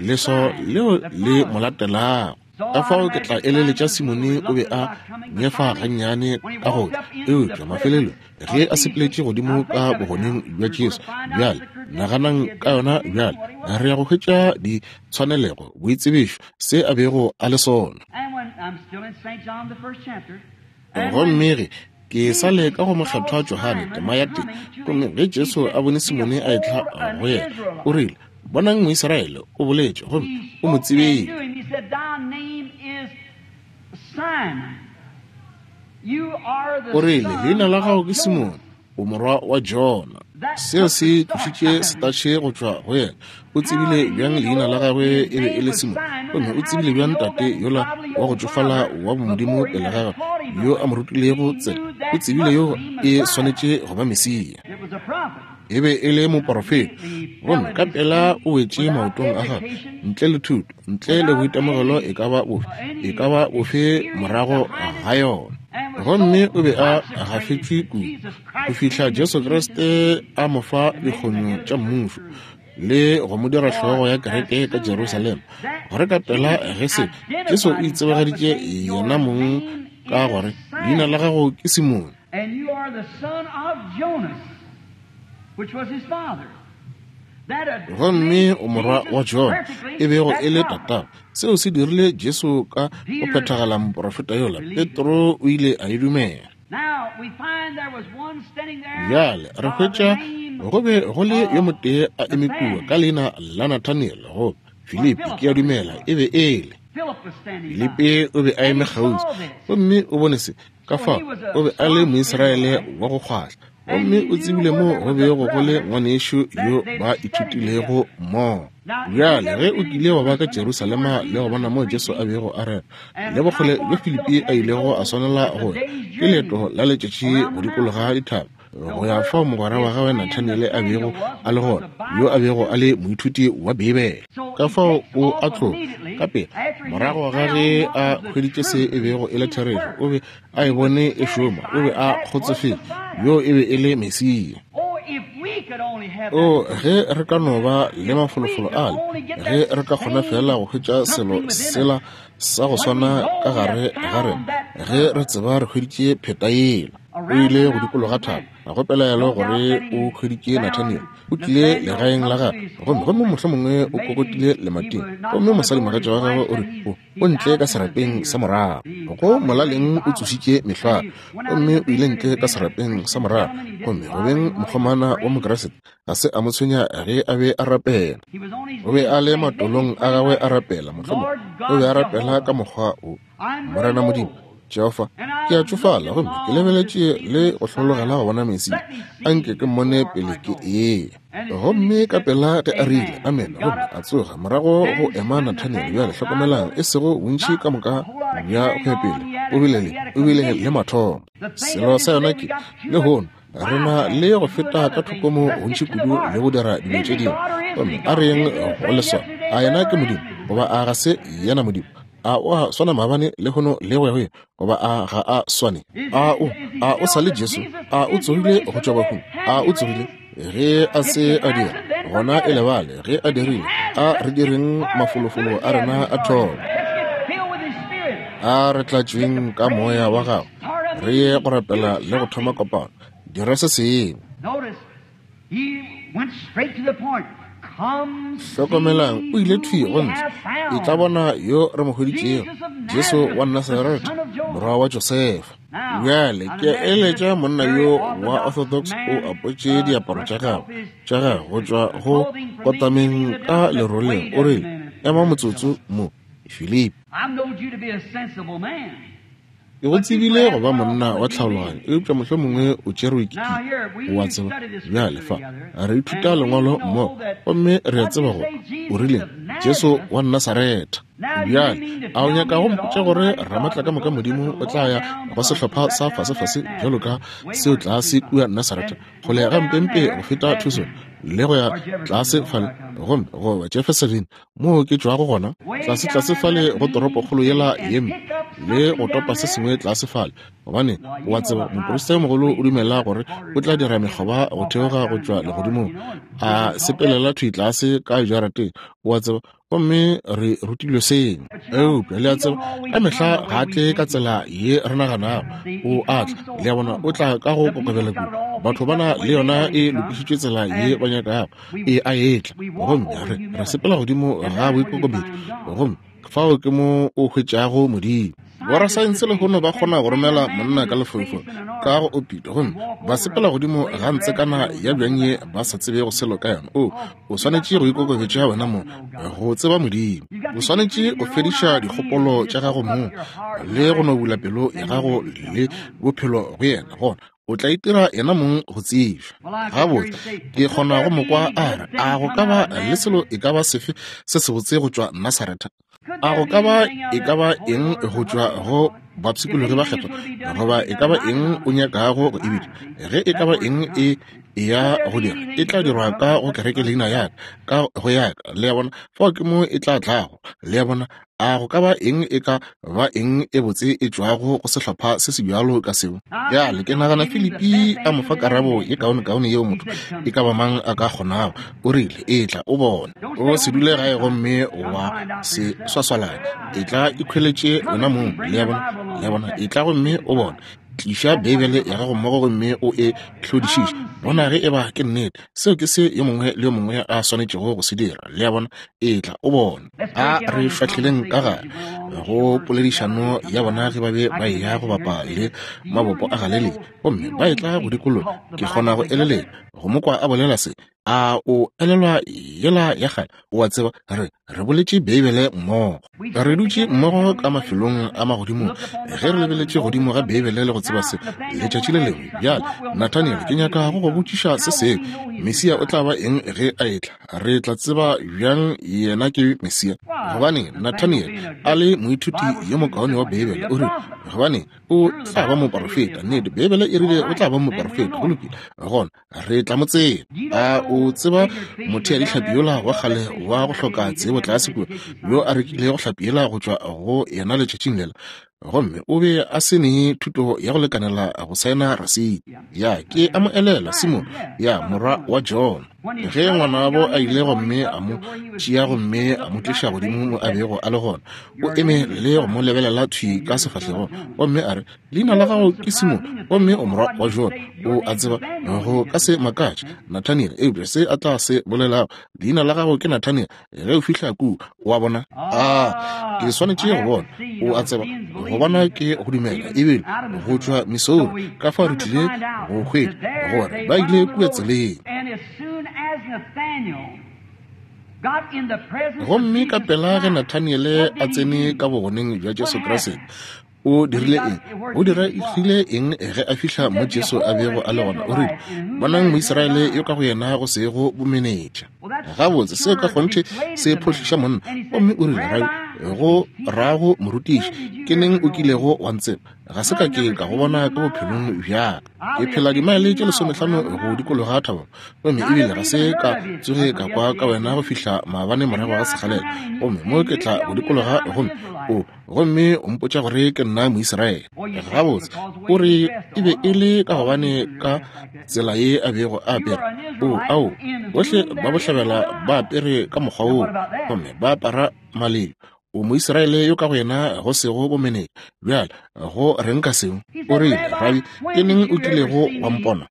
leswao leo le mo latelago. Ka fao ke tla eleletša Simone o be a nyefa gannyane ka go tla, eupša mafelelong ge a sepeletše godimo ka bogoneng bja Jesu. Bjale naganang ka yona bjale, re ya go hwetša ditshwanelego, boitsebišo, se a bego a le sona. Gomme ge ke sa le ka go mokgethwa Johane tema ya tee, gomme ge Jesu a bone Simone a etla go yena, o rile, Bonang Moisraele, o boletše, gomme o mo tsebile. O rile, Leina la gago ke Simone, o morwa wa Jona. Seo se tlošitše setatšhe go tšwa go yena. O tsebile bjang leina la gagwe e be e le Simone? Gomme o tsebile bjang tate yola wa go tšofala wa bomodimo pele ga gagwe, yo a mo rutilego tsela? O tsebile yo e swanetše go ba Mesia. E be e le moporofeta, gomme ka pela o wetše maotong a gagwe, ntle le thuto, ntle le boitemogelo e ka ba bofe, e ka ba bofe morago ga yona. Gomme o be a gafetšwe kudu go fihla Jesu Kriste a mo fa dikgonyo tša mmušo le go mo dira hlogo ya kereke ka Jerusalema, gore ka pela ge se Jesu o itsebagaditše yena mong ka gore leina la gago ke Simone. And you are the son of Jonas, which was his father. Gomme o morwa wa Jona, e bego e le tatago. Seo se dirile Jesu ka go phethagala moporofeta yola. Petro o ile a e dumela. Bjale re hwetša go be go le yo motee a eme kua ka leina la Nathaniel, goba Filipi, ke a dumela e be e le. Filipi o be a eme kgauswi gomme o bone se. Ka fao o be a le Moisraele wa go kgwahla, gomme o tsebile mo go bego go le ngwanešu yo ba ithutilego mmogo. Bjale, ge o kile wa ba ka Jerusalema le go bona moo Jesu a bego a rera, le bokgole bjo Filipi a ilego a swanela go ya, ke leeto la letšatši go dikologa dithaba, go ya fao mogwera wa gagwe Nathaniele a bego a le gona, yo a bego a le moithuti wa Beibele. Ka fao o a tloga ka pela morago ga ge a hweditše se e bego e le therešo, o be a e bone e šoma, o be a kgotsofetše, yo e be e le Mesia. O, ge re ka no ba le mafolofolo ale, ge re ka kgona feela go hwetša selo sela sa go swana ka gare ga rena, ge re tseba re hweditše pheta yela. O ile go dikologa thaba, ga go pelaelo gore o hweditše Nathaniel. O tlile legaeng la gagwe, gomme, gomme mohlomongwe o kokotile lemating, gomme mosadimogatša wa gagwe o re, O, o ntle ka serapeng sa morago. Go molaleng o tsošitše mehlware, gomme o ile ntle ka serapeng sa morago. Gomme go beng mokgomana wa Mokriste, ga se a mo tshwenya ge a be a rapela. O be a le matolong a gagwe a rapela, mohlomongwe o be a rapela ka mokgwa wo. Morena Modimo, Jehofa, ke a tšofala gomme ke lebeletše le go hlologela go bona Mesia. Anke ke mmone pele ke eya. Gomme ka pela ge a rile, Amene, gomme a tsoga, morago go ema Nathaniel. Bjale hlokomelang, e sego bontši ka moka bja go ya pele, o bile le, o bile le mathomo. Selo sa yona ke, lehono, Re na le go feta ka thoko mo gontši kudu le go dira dilo tše dingwe. Gomme a re yeng go leswao. A yena ke Modimo, goba a ga se yena Modimo? A o a swana maabane, lehono, le go ya go ile, goba a ga a swane? A o, a o sa le Jesu? A o tsogile go tšwa bahung? A o tsogile? Ge a se a dira, gona e lebale. Ge a dirile, a re direng mafolofolo a rena a thomo. A re tlatšweng ka moya wa gagwe, re ye go rapela le go thoma kopano. Dira se sengwe. Hlokomelang, o ile thwi go ntle. E tla bona yo re mo hweditšego, Jesu wa Nasaretha, morwa wa Josefa. Bjale ke eletša monna yo wa Orthodox o apotše diaparo tša gagwe tša gagwe go tšwa go kotameng ka leroleng. O rile, Ema motsotso mo, Filipi. Ke go tsebile go ba monna wa tlhaologanyo, eupša mohlomongwe o tšerwe ke o a tseba. Bjale fa re ithuta Lengwalo mmogo, gomme re a tseba gore o rile Jesu wa Nasaretha. Bjale a o nyaka go mpotša gore Ramatlakamoka Modimo o tla ya go sehlopha sa fasefase bjalo ka seo tlase kua Nasaretha, kgole gampempe go feta Tucson le go ya tlase fale, gomme goba Jeffersonville moo ke tšwago gona, tlase-tlase fale go toropokgolo yela ye mpe, le go topa se sengwe tlase fale, gobane o a tseba moprista yo mogolo o dumela gore o tla dira mekgoba go theoga go tšwa legodimong, a sepelela thwi tlase ka jarateng, o a tseba, gomme re rutilwe seo. Eupša le a tseba, ka mehla ga a tle ka tsela ye re naganago o a tla. Le a bona, o tla ka go kokobela kudu. Batho ba na le yona e lokišitšwe tsela ye ba nyakago e a etla, gomme re re sepela godimo ga boikokobetšo, gomme fao ke mo o hwetšago Modimo. Borasaense lehono ba kgona go romela monna ka lefaufau ka go opito, gomme ba sepela godimo ga ntsekana ya bjang ye ba sa tsebego selo ka yona. O, o swanetše go ikokobetša wena mong go tseba Modimo. O swanetše go fediša dikgopolo tša gago mong le go no bula pelo ya gago le bophelo go yena, gona o tla itira yena mong go tsebja. Gabotse, ke kgona go mo kwa a re, A go ka ba le selo e ka ba sefe se sebotse go tšwa Nasaretha? A go ka ba e ka ba eng go tšwa go bapshikologi ba kgethwa, goba e ka ba eng o nyakago go e bitša? Ge e ka ba eng e ya go dira, e tla dirwa ka go kereke leina ya ka, ka go ya ka. Le a bona, fao ke mo e tla tlago. Le a bona, A go ka ba eng e ka ba eng e botse e tšwago go sehlopha se se bjalo ka seo? Bjale ke nagana Filipi a mo fa karabo ye kaonekaone yeo motho e ka ba mang a ka kgonago. O rile, Etla o bone. O se dule gae gomme wa se swaswalane. Etla ikhweletše wena mong. Le a bona? Le a bona? Etla gomme o bone. Tliša Beibele ya gago mmogo gomme o e hlodišiše. Bona ge eba ke nnete. Seo ke se yo mongwe le yo mongwe a swanetšego go se dira. Le a bona? Etla o bone. A re fahleleng ka gare go poledišano ya bona ge ba be ba eya go bapa le mabopo a Galelia, gomme ba etla go dikologa. Ke kgona go eleletša go mo kwa a bolela se. A o elelwa yela ya kgale? O a tseba, re, re boletše Beibele mmogo. Re dutše mmogo ka mafelong a magodimong ge re lebeletše godimo ga Beibele le go tseba se letšatši le lengwe. Bjale, Nathaniel, ke nyaka go go botšiša se sengwe. Mesia o tla ba eng ge a etla? Re tla tseba bjang yena ke Mesia? Gobane Nathaniel, a le moithuti yo mokaone wa Beibele, o rile, gobane o tla ba moporofeta. Nnete, Beibele e rile o tla ba moporofeta. Go lokile, gona re tla mo tseba. A o tseba motheadihlapi yola wa kgale wa go hloka tsebo tlase kua, yo a rekilego hlapi yela go tšwa go yena letšatšing lela? Gomme o be a se ne thuto ya go lekanela go saena rasiti. Ya, ke a mo elelwa, Simone, ya, morwa wa John. Ge ngwanabo a ile gomme a mo tšea gomme a mo tliša godimo mo a bego a le gona, o eme le go mo lebelela thwi ka sefahlegong, gomme a re, Leina la gago ke Simone, gomme o morwa wa Jona. O a tseba, go ka se makatše Nathaniel, eupša se a tla se bolelago, leina la gago ke Nathaniel, ge o fihla kua, o a bona. A ke swanetše go bona, o a tseba, go bona ke go dumela, ebile go tšwa Missouri, ka fao re tlile go hwetša gore ba ile kua tseleng. Gomme ka pela ge Nathaniele a tsene ka bogoneng bja Jesu Kriste, O dirile eng? O diregile eng ge a fihla mo Jesu a bego a le gona? O rile, Bonang Moisraele yo ka go yena go sego bomenetša. Gabotse, seo ka kgonthe se phohliša monna. Gomme o rile, Rabi, go rago morutiši, ke neng o kilego wa ntseba? Ga se ka ke ka go bona ka bophelong bja ka. Ke phela dimaele tše 15 go dikologa thaba, gomme ebile ga se ka tsoge ka kwa ka wena go fihla maabane morago ga sekgalela. Gomme mo ke tla go dikologa, gomme o gomme o mpotša gore ke nna Moisraele. Gabotse, o re e be e le ka gobane ka tsela ye a bego a apere. O, ao, bohle ba bohlabela ba apere ka mokgwa woo, gomme ba apara malelo. O Moisraele yo ka go yena go sego bomenetša. Bjale, go reng ka seo? O rile, Rabi, ke neng o kilego wa mpona?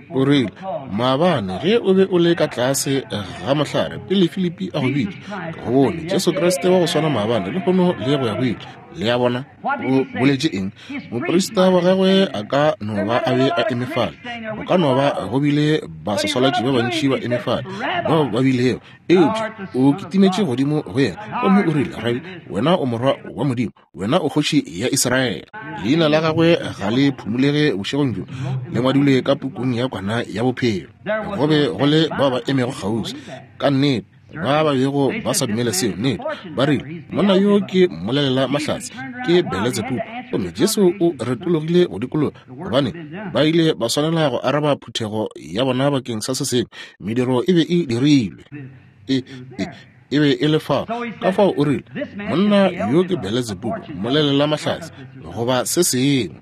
O rile, Maabane ge o be o le ka tlase ga mohlare pele Filipi a go bitša, ke go bone. Jesu Kriste wa go swana maabane, lehono le go ya go ile. Le a bona? O boletše eng? Moprista wa gagwe a ka no ba a be a eme fale. Go ka no ba go bile baswaswalatši ba bantši ba eme fale, bao ba bilego. Eupša o kitimetše godimo go yena gomme o rile, Rabi, wena o morwa wa Modimo, wena o kgoši ya Israele. Leina la gagwe ga le phumulege bošegong bjo, le ngwadilwe ka pukung ya Kwana ya Bophelo. Go be go le bao ba emego kgauswi, ka nnete, ba ba bego ba sa dumele seo. Nnete, ba rile, Monna yo ke mmolelela mahlatse, ke Beletsebubu. Gomme Jesu o retologile go dikologa, gobane ba ile ba swanela go araba phuthego ya bona bakeng sa se sengwe. Mediro e be e dirilwe, e be e le fao. Ka fao o rile, Monna yo ke Beletsebubu, mmolelela mahlatse, goba se sengwe.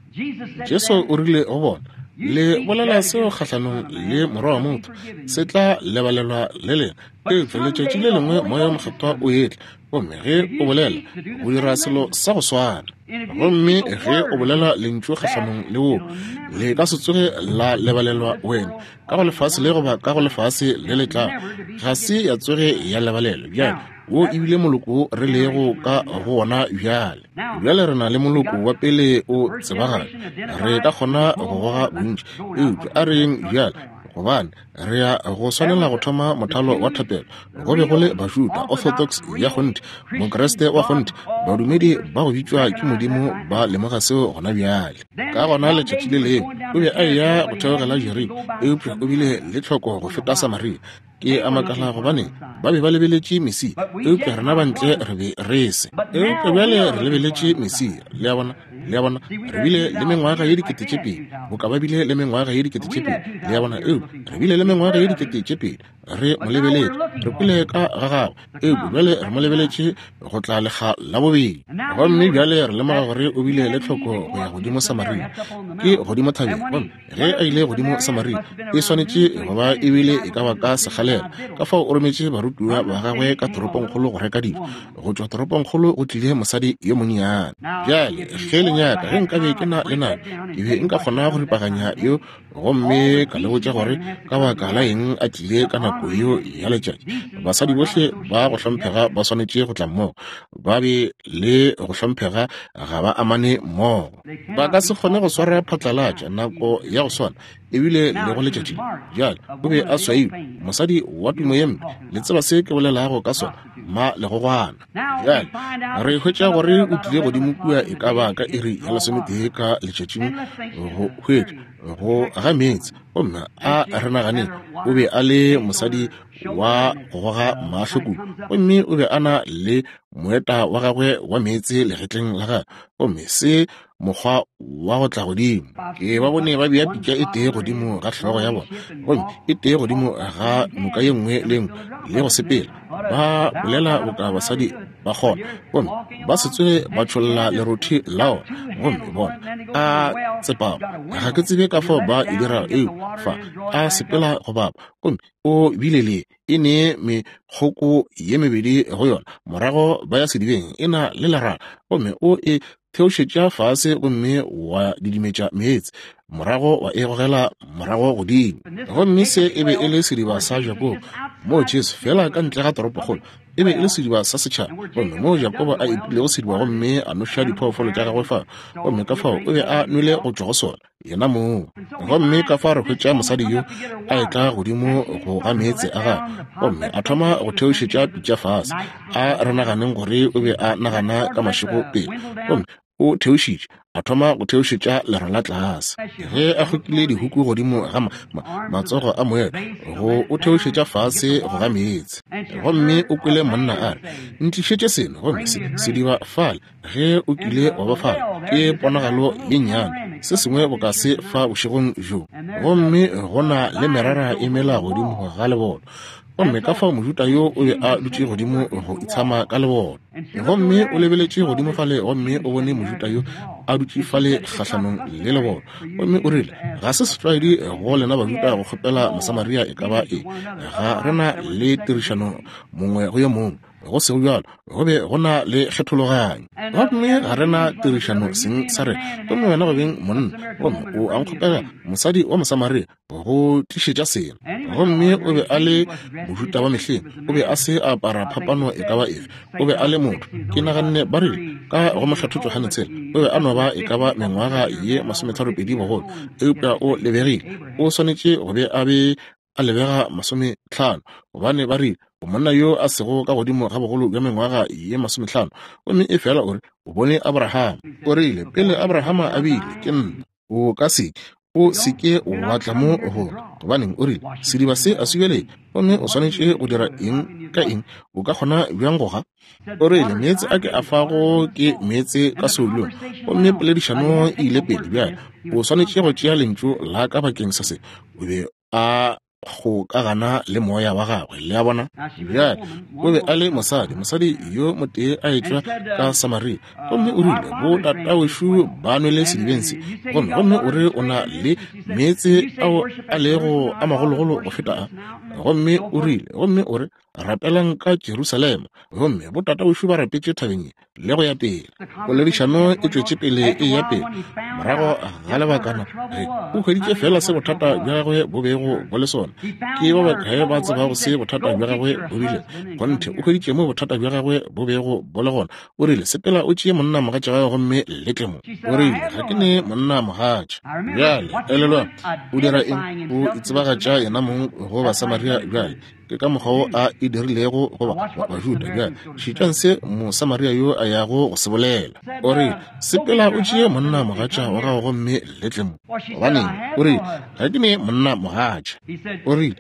Jesu o rile go bona, Le bolela seo kgahlanong le Morwa wa motho, se tla lebalelwa le lena. Eupša letšatši le lengwe Moya wo Mokgethwa o etla, gomme ge o bolela, o dira selo sa go swana. Gomme ge o bolela lentšu kgahlanong le woo, le ka se tsoge la lebalelwa wena, ka go lefase le goba ka go lefase le le tlago, ga se ya tsoge ya lebalelwa. Bjale, wo e bile moloko wo re lego ka go wona bjale. Bjale re na le moloko wa pele o tsebagala, re ka kgona go goga bontši, eupša a re yeng bjale, gobane re ya go swanela go thoma mothalo wa thapelo. Go be go le Bajuda, Orthodox ya kgonthe, Mokriste wa kgonthe, badumedi ba go bitšwa ke Modimo ba lemoga seo gona bjale. Ka gona letšatši le lengwe o be a eya go theogela Jeriko, eupša o bile le tlhoko go feta Samaria. Ke a makala gobane ba be ba lebeletše Mesia, eupša rena ba ntle re be re se. Eupša bjale re lebeletše Mesia. Le a bona? Le a bona? Re bile le mengwaga ye 2000, boka ba bile le mengwaga ye 2000. Le a bona? Eupša re bile le mengwaga ye 2000 re mo lebeletše, re kwele ka ga gagwe, eupša bjale re mo lebeletše go tla lekga la bobedi. Gomme bjale re lemoga gore o bile le tlhoko go ya godimo Samaria, ke godimo thabeng. Gomme ge a ile godimo Samaria, e swanetše go ba e bile e ka ba ka sekgalela. Ka fao o rometše barutiwa ba gagwe ka toropongkgolo go reka dijo. Go tšwa toropongkgolo go tlile mosadi yo monnyane. Bjale ge le nyaka, ge nkabe ke na le nako, ke be nka kgona go ripaganya yo gomme ka le botša gore ka baka la eng a tlile ka nako yeo ya letšatši. Basadi bohle ba go hlomphega ba swanetše go tla mmogo, ba be le go hlomphega, ga ba amane mmogo. Ba ka se kgone go swara phatlalatša nako ya go swana ebile le go letšatši. Bjale o be a swailwe, mosadi wa tumo ye mpe. Le tseba se ke bolelago ka sona, ma legogwana. Bjale re hwetša gore o tlile godimo kua e ka ba ka iri ya 11 ka letšatšing go hwetša go ga meetse, gomme a re naganeng o be a le mosadi wa go goga mahlo kudu, gomme o be a na le moeta wa gagwe wa meetse legetleng la gagwe, gomme se mokgwa wa go tla godimo. Ke ba bone ba bea pitša e tee godimo ga hlogo ya bona, gomme e tee godimo ga noka ye nngwe le nngwe, le go sepela ba bolela boka basadi ba kgona, gomme ba se tsoge ba tšholla lerothi la ona. Gomme bona a tsepama, ga ke tsebe ka fao ba e dirago, eupša fa a sepela go bapa, gomme o bile le e ne mekgoko ye mebedi go yona. Morago ba ya sedibeng, e na le lerala, gomme o e theošetša fase gomme wa didimetša meetse, morago wa e gogela morago godimo. Gomme se e be e le sediba sa Jakobo, moo Jesu, feela ka ntle ga toropokgolo, e be e le sediba sa setšhaba, gomme moo Jakobo a epilego sediba gomme a noša diphoofolo tša gagwe fao, gomme ka fao o be a nwele go tšwa go sona yena mong. Gomme ka fa re hwetša mosadi yo a etla godimo go ga meetse a gagwe, gomme a thoma go theošetša pitša fase, a re naganeng gore o be a nagana ka mašego pele, gomme O theošitše, a thoma go theošetša lerala tlase. Ge a kgokile dihuku godimo ga ma, ma, matsogo a moelo, go o theošetša fase go ga meetse. Gomme o kwele monna a re, Ntlišetše seno, gomme se, sediba fale, ge o kile wa ba fale, ke ponagalo ye nnyane, se sengwe boka se fa bošegong bjo. Gomme go na le merara e mela godimo ga leboto. Gomme ka fao Mojuda yo o be a dutše godimo go itshama ka leboto. Gomme o lebeletše godimo fale gomme o bone Mojuda yo a dutše fale kgahlanong le leboto. Gomme o rile, Ga se setlwaedi go lena Bajuda go kgopela Mosamaria e ka ba eng. Ga re na le tirišano mongwe go yo mongwe. Go sego bjalo, go be go na le kgethologanyo. Gomme ga re na tirišano seng sa rena. Gomme wena go beng monna, gomme o a nkgopela mosadi wa Mosamaria go tlišetša selo. Gomme o be a le Mojuda wa mehleng, o be a se a apara phapano e ka ba efe. O be a le motho. Ke naganne ba rile, ka go Mokgethwa Johane tshela, o be a no ba e ka ba mengwaga ye masometharopedi bogolo, eupša o lebegile o swanetše go be a be a lebega masometlhano, gobane ba rile o monna yo a sego ka godimo ga bogolo bja mengwaga ye masometlhano, gomme efela o re o bone Abrahama. O rile, Pele Abrahama a bile, ke nna. O ka se, o se ke wa tla mo go, gobaneng, o rile, sediba se a se bjale, gomme o swanetše go dira eng ka eng? O ka kgona bjang go ga? O rile, Meetse a ke a fago ke meetse ka seolong. Gomme poledišano e ile pele. Bjale, o swanetše go tšea lentšu la ka bakeng sa se. O be a kgokagana le moya wa gagwe, le a bona. Bjale, o be a le mosadi, mosadi yo motee a etšwa ka Samaria. Gomme o rile, Bo tatawešu ba nwele sedibeng se. Gomme, gomme o re o na le meetse ao a lego a magologolo go feta a. Gomme o rile, gomme o re, Rapelang ka Jerusalema. Gomme bo tatawešu ba rapetše thabeng ye, le go ya pele. Poledišano e tšwetše pele e ya pele. Morago ga lebakana, ge o hweditše feela se bothata bja gagwe bo bego bo le sona. Ke ba bakae ba tsebago se bothata bja gagwe bo bile? Kgonthe, o hweditše mo bothata bja gagwe bo bego bo le gona. O rile, Sepela o tšee monna mogatša gago gomme le tle mo. O rile, Ga ke ne monna mogatša. Bjale, elelwang, o dira eng? O itsebagatša yenamong go Basamaria bjale. Ke ka mokgwa wo a e dirilego go Bajuda. Bjale šetšang se Mosamaria yo a yago go se bolela. O rile, Sepela o tšee monna mogatša wa gago gomme le tle mo. Gobaneng, o rile, ga ke ne monna mogatša. O rile,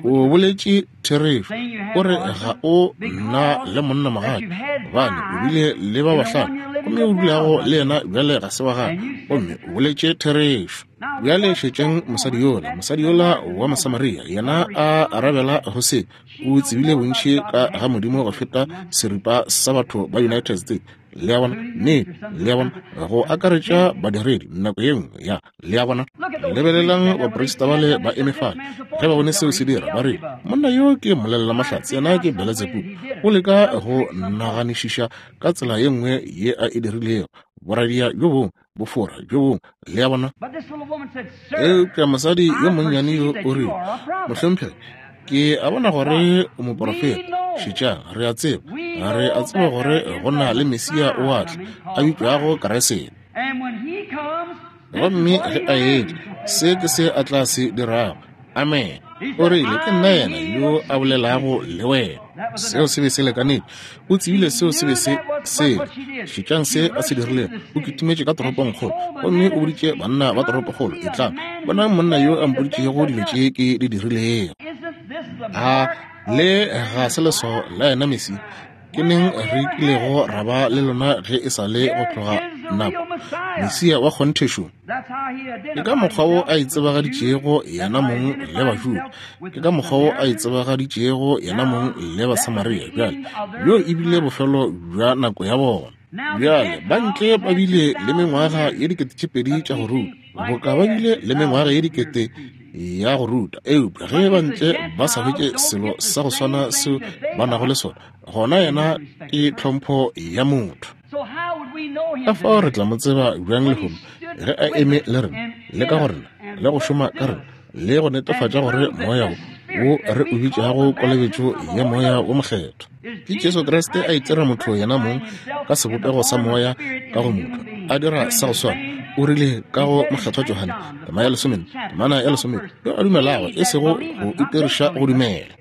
O boletše therešo. O re ga o na le monna mogatša, gobane o bile le ba bahlano, gomme o dulago le yena bjale ga se wa gago. Gomme o boletše therešo. Bjale šetšang mosadi yola, mosadi yola wa Mosamaria, yena a arabela go se. O tsebile bontši ka ga Modimo go feta seripa sa batho ba United States. Le a bona? Nnete. Le a bona? Go akaretša badiredi nako ye nngwe, ya. Le a bona? Lebelelang baprista bale ba eme fale. Ge ba bone seo se dira, ba rile, Monna yo ke mmolelela-mahlatse, yena ke Beletsebubu. O leka go naganišiša ka tsela ye nngwe ye a e dirilego. Boradia bjo bongwe bofora bjo bongwe, le a bona. Eupša mosadi yo monnyane yo o rile, Mohlomphegi, ke a bona gore o moporofeta. Šetšang, re a tseba, re a tseba gore go na le Mesia o a tla, a bitšwago Keresete. Gomme ge a etla, se ke se a tla se dirago. Amen. O rile, Ke nna yena yo a bolelago le wena. Seo se be se lekanetše. O tsebile seo se be se sele. Šetšang se a se dirilego. O kitimetše ka toropongkgolo gomme o boditše banna ba toropokgolo, Etlang, bonang monna yo a mpoditšego dilo tše ke di dirilego. A le ga se leswao la yena Mesia? Ke neng re kilego ra ba le lona ge e sa le go tloga nako? Mesia wa kgonthe šo. Ke ka mokgwa wo a itsebagaditšego yena mong le Bajuda. Ke ka mokgwa wo a itsebagaditšego yena mong le Basamaria. Bjale, bjo e bile bofelo bja nako ya bona. Bjale, ba ntle ba bile le mengwaga ye 2000 tša go ruta, boka ba bile le mengwaga ye dikete ya go ruta. Eupša ge ba ntle ba sa hwetše selo sa go swana seo ba nago le sona, gona yena ke tlhompho ya motho. Ka fao re tla mo tseba bjang lehono ge a eme le rena, le ka go rena, le go šoma ka rena, le go netefatša gore Moya wo, wo re o bitšago kolobetšo ya Moya wo Mokgethwa, ke Jesu Kriste a itira motho yena mong ka sebopego sa Moya ka go motho, a dira sa go swana. O rile ka go Mokgethwa Johane, tema ya lesomenne, temana ya lesomenne, yo a dumelago, e sego go itiriša go dumela.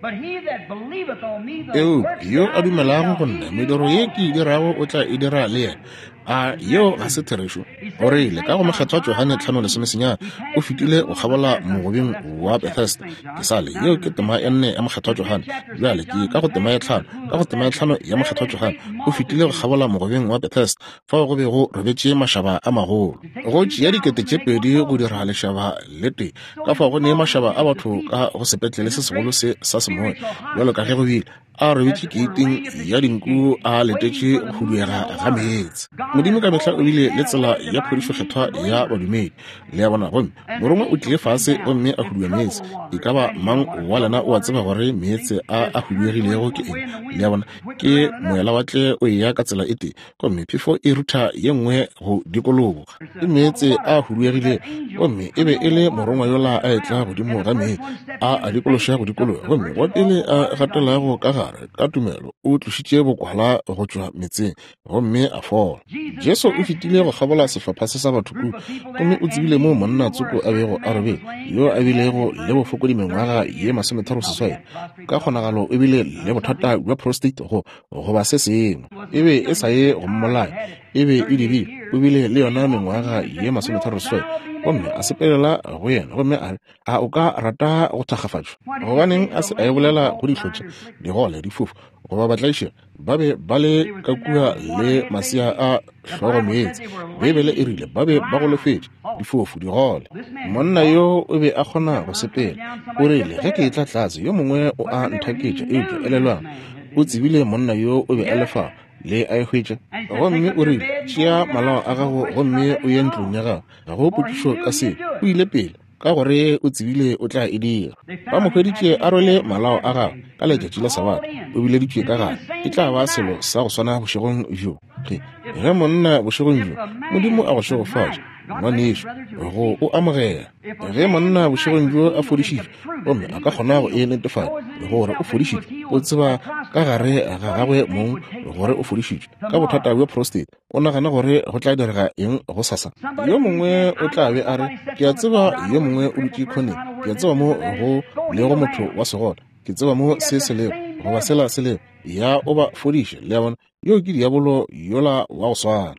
Eupša yo a dumelago go nna, mediro ye ke e dirago o tla e dira le yena. A yeo ga se therešo? O rile ka go Mokgethwa Johane 5:19, o fetile go kgabola mogobeng wa Bethesda. Ke sa le, yeo ke tema ya 4 ya Mokgethwa Johane. Bjale ke ka go tema ya 5, ka go tema ya 5 ya Mokgethwa Johane, o fetile go kgabola mogobeng wa Bethesda, fao go be go robetše mašaba a magolo. Go tšea 2000 go dira lešaba le tee, ka fao go ne mašaba a batho ka go sepetlele se segolo se sa semoya, bjalo ka ge go bile, a robetše keiting ya dinku a letetše go huduega ga meetse. Modimo ka mehla o bile le tsela ya phodišo kgethwa ya badumedi, le a bona. Gomme morongwa o tlile fase gomme a hudua meetse. E ka ba mang wa lena o a tseba gore meetse a a huduegilego ke eng? Le a bona, ke moelawatle o eya ka tsela e tee, gomme phefo e rutha ye nngwe go dikologa. Ke meetse a huduegilego, gomme e be e le morongwa yola a etla godimo ga meetse a a dikološa go dikologa, gomme wa pele a gatelago ka gare ka tumelo o tlošitše bokwala go tšwa metseng gomme a fola. Jesu o fetile go kgabola sehlopha se sa batho kua, gomme o tsebile moo monna tsoko a bego a robetše, yo a bilego le bofokodi mengwaga ye 38, ka kgonagalo o bile le bothata bja prostate go goba se sengwe. E be e sa ye go mmolaya, e be e dirile. O bile le yona mengwaga ye 38, gomme a sepelela go yena gomme a re, A o ka rata go thakgafatšwa? Gobaneng a se a e bolela go dihlotša, digole, difofu, goba batlaišegi? Ba be ba le ka kua le masea a hlogo meetse. Beibele e rile ba be ba golofetše, difofu, digole. Monna yo o be a kgona go sepela. O rile, Ge ke etla tlase, yo mongwe o a nthaketša. Eupša elelwang, o tsebile monna yo o be a le fao. Le a e hwetša? Gomme o rile, Tšea malao a gago gomme o ye ntlong ya gago. Ga go potšišo ka seo. O ile pele, ka gore o tsebile o tla e dira. Ba mo hweditše a rwele malao a gagwe ka letšatši la Sabatha, o bileditšwe ka gare. E tla ba selo sa go swana bošegong bjo. Ge, ge monna bošegong bjo, Modimo a go šegofatše, ngwanešu, go o amogela. Ge monna bošegong bjo a fodišitšwe, gomme a ka kgona go e netefatša gore o fodišitšwe, o tseba ka gare ga gagwe mong gore o fodišitšwe ka bothata bja prostate, O nagana gore go tla direga eng gosasa? Yo mongwe o tla be a re, Ke a tseba yo mongwe o dutše khoneng. Ke a tseba mo go lego motho wa segole. Ke tseba mo se se lego, goba sela se lego. Ya o ba fodiše. Le a bona? Yoo ke diabolo yola wa go swana.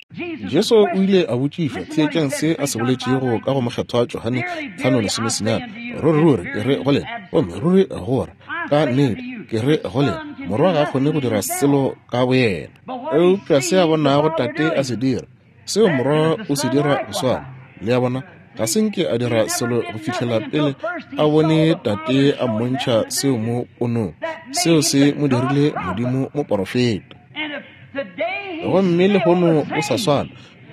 Jesu o ile a botšišwa, theetšang se a se boletšego ka go Mokgethwa Johane 5:19, Ruri, ruri, ke re go lena, gomme ruri go ra, ka nnete, ke re go lena, Morwa ga a kgone go dira selo ka boyena. Eupša se a bonago Tate a se dira, seo Morwa o se dira go swana. Le a bona? Ga se nke a dira selo go fihlela pele a bone Tate a mmontšha seo mo ponong. Seo se mo dirile Modimo moporofeta. Gomme lehono o sa swana,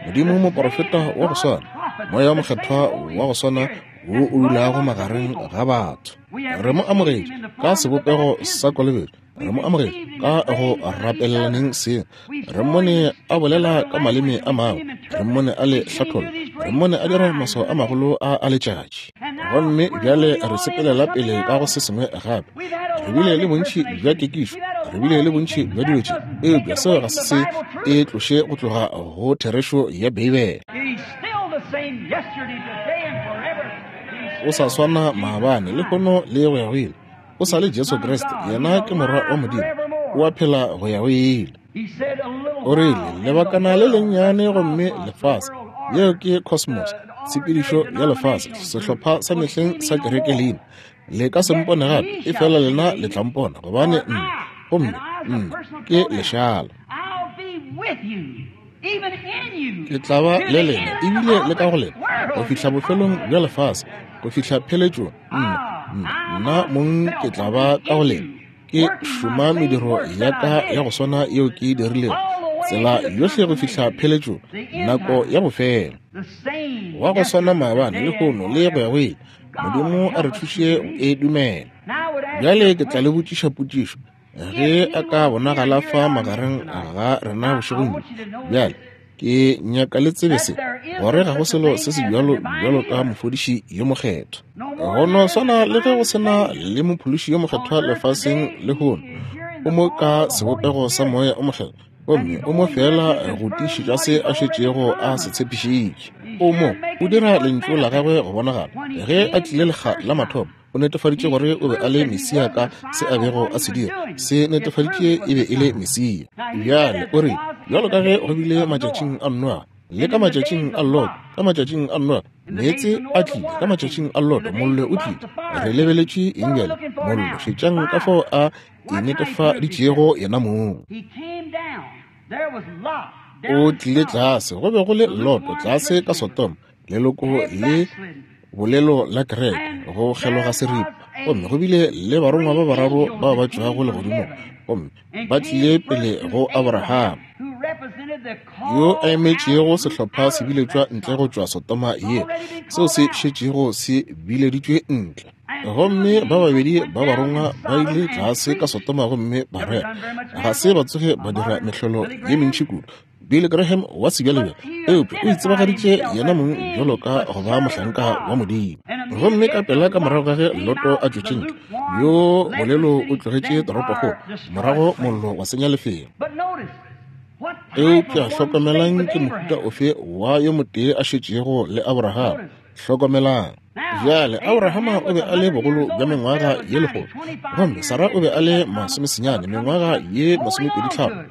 Modimo moporofeta wa go swana, Moya wa Mokgethwa wa go swana wo o dulago magareng ga batho. Re mo amogetše ka sebopego sa kolobetšo. Re mo amogetše ka go rapelelaneng seng. Re mmone a bolela ka maleme a mangwe. Re mmone a le hlatholla. Re mmone a dira maswao a magolo a a letšatši. Gomme bjale re sepelela pele ka go se sengwe gape. Re bile le bontši bja kekišo. Re bile le bontši bja dilo tše. Eupša seo ga se se e tloše go tloga go therešo ya Beibele. O sa swana maabane, lehono le go ya go ile. O sa le Jesu Kriste, yena ke Morwa wa Modimo, o a phela go ya go ile. O rile, lebakana le lennyane gomme lefase, yeo ke cosmos, tshepedišo ya lefase, sehlopha sa mehleng sa kereke leina, le ka se mpone gape, e fela lena le tla mpona, gobane nna, gomme nna ke lešala. Ke tla ba le lena, ebile le ka go lena, go fihla bofelong bja lefase, go fihla pheletšong. Nna, nna, nna mong ke tla ba ka go lena, ke šoma mediro ya ka ya go swana yeo ke e dirilego, tsela yohle go fihla pheletšong, nako ya bofelo. Wa go swana maabane, lehono, le go ya go ile. Modimo a re thuše go e dumela. Bjale ke tla le botšiša potšišo. Ge a ka bonagala fa magareng ga rena bošegong bjo, bjale ke nyaka le tsebe se, gore ga go selo se se bjalo bjalo ka mofodiši yo mokgethwa. Go no swana le ge go se na le mophološi yo mokgethwa lefaseng lehono, o mo ka sebopego sa Moya o Mokgethwa, gomme o mo feela go tiišetša se a šetšego a se tshepišitše. O mo, o dira Lentšu la gagwe go bonagala. Ge a tlile lekga la mathomo, o netefaditše gore o be a le Mesia ka se a bego a se dira. Se netefaditše e be e le Mesia. Bjale o rile, Bjalo ka ge go bile matšatšing a Noa, le ka matšatšing a Loto, ka matšatšing a Noa, meetse a tlile, ka matšatšing a Loto, mollo o tlile. Re lebeletše eng bjale? Mollo. Šetšang ka fao a inetefaditšego yena mong. O tlile tlase, go be go le Loto tlase ka Sodoma, leloko le bolelo la kereke, go kgeloga seripa. Gomme go bile le barongwa ba bararo bao ba tšwago legodimong, gomme ba tlile pele go Abraham, yo a emetšego sehlopha se biletšwa ntle go tšwa Sodoma ye, seo se šetšego se bileditšwe ntle. Gomme ba babedi ba barongwa ba ile tlase ka Sodoma gomme ba rera. Ga se ba tsoge ba dira mehlolo ye mentši kudu. Billy Graham wa sebjalebjale, eupša o itsebagaditše yena mong bjalo ka go ba mohlanka wa Modimo. Gomme ka pela ka morago ga ge Loto a tšwetše ntle, yo bolelo o tlogetše toropokgolo, morago mollo wa senya lefelo. Eupša hlokomelang ke mohuta ofe wa yo motee a šetšego le Abraham. Hlokomelang. Bjale Abrahama o be a le bogolo bja mengwaga ye lekgolo, gomme Sara o be a le masomesenyane mengwaga ye 25.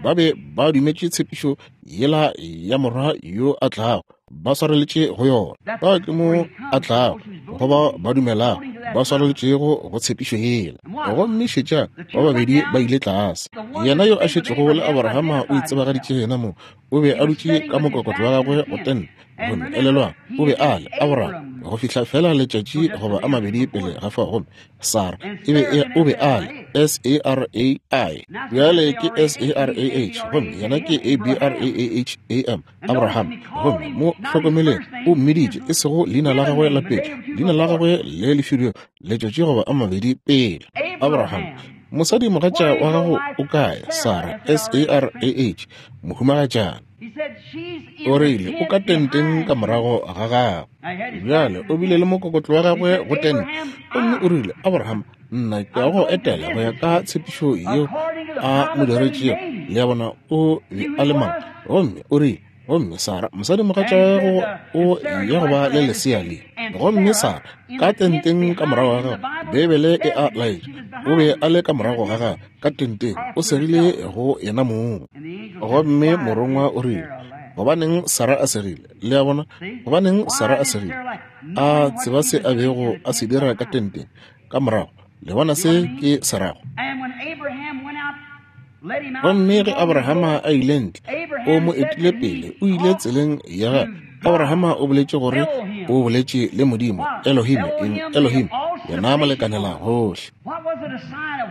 Ba be ba dumetše tshepišo yela ya morwa yo a tlago, ba swareletše go yona. Ba ke mo a tlago go ba ba dumelago, ba swareletšego go tshepišo yela. Gomme šetšang, ba babedi ba ile tlase. Yena yo a šetšego le Abrahama o itsebagaditše yena mong, o be a dutše ka mokokotlo wa gagwe go tente. Gomme elelwang, o be a le Abraham go fihla fela letšatši goba a mabedi pele ga fao. Gomme Sara e be e, o be a le S-A-R-A-I, bjale ke S-A-R-A-H, gomme yena ke A-B-R-A-A-H-A-M, Abraham. Gomme mo hlokomeleng, o mmiditše e sego leina la gagwe la pele, leina la gagwe le le filwego letšatši goba a mabedi pele, Abraham. Mosadi mogatša wa gago o kae? Sara, S-A-R-A-H, mohumagatšana. O rile, o ka tenteng ka morago ga gagwe. Bjale o bile le mokokotlo wa gagwe go tente. Gomme o rile, Abraham, nna ke ya go etela go ya ka tshepišo yeo a mo diretšego. Le a bona, o be a le mang. Gomme o rile, gomme Sara, mosadimogatša wa gago o ya go ba le lesea le. Gomme Sara, ka tenteng ka morago ga gagwe, Beibele e a laetša, o be a le ka morago ga gagwe, ka tenteng, o segile go yena mong. Gomme morongwa o rile, gobaneng Sara a segile? Le a bona? Gobaneng Sara a segile? A tseba se a bego a se dira ka tenteng, ka morago. Le bona se ke se rago? Gomme ge Abrahama a ile ntle, o mo etile pele, o ile tseleng ya gagwe. Abrahama o boletše gore o boletše le Modimo, Elohim, eng, Elohim, yena molekanela gohle.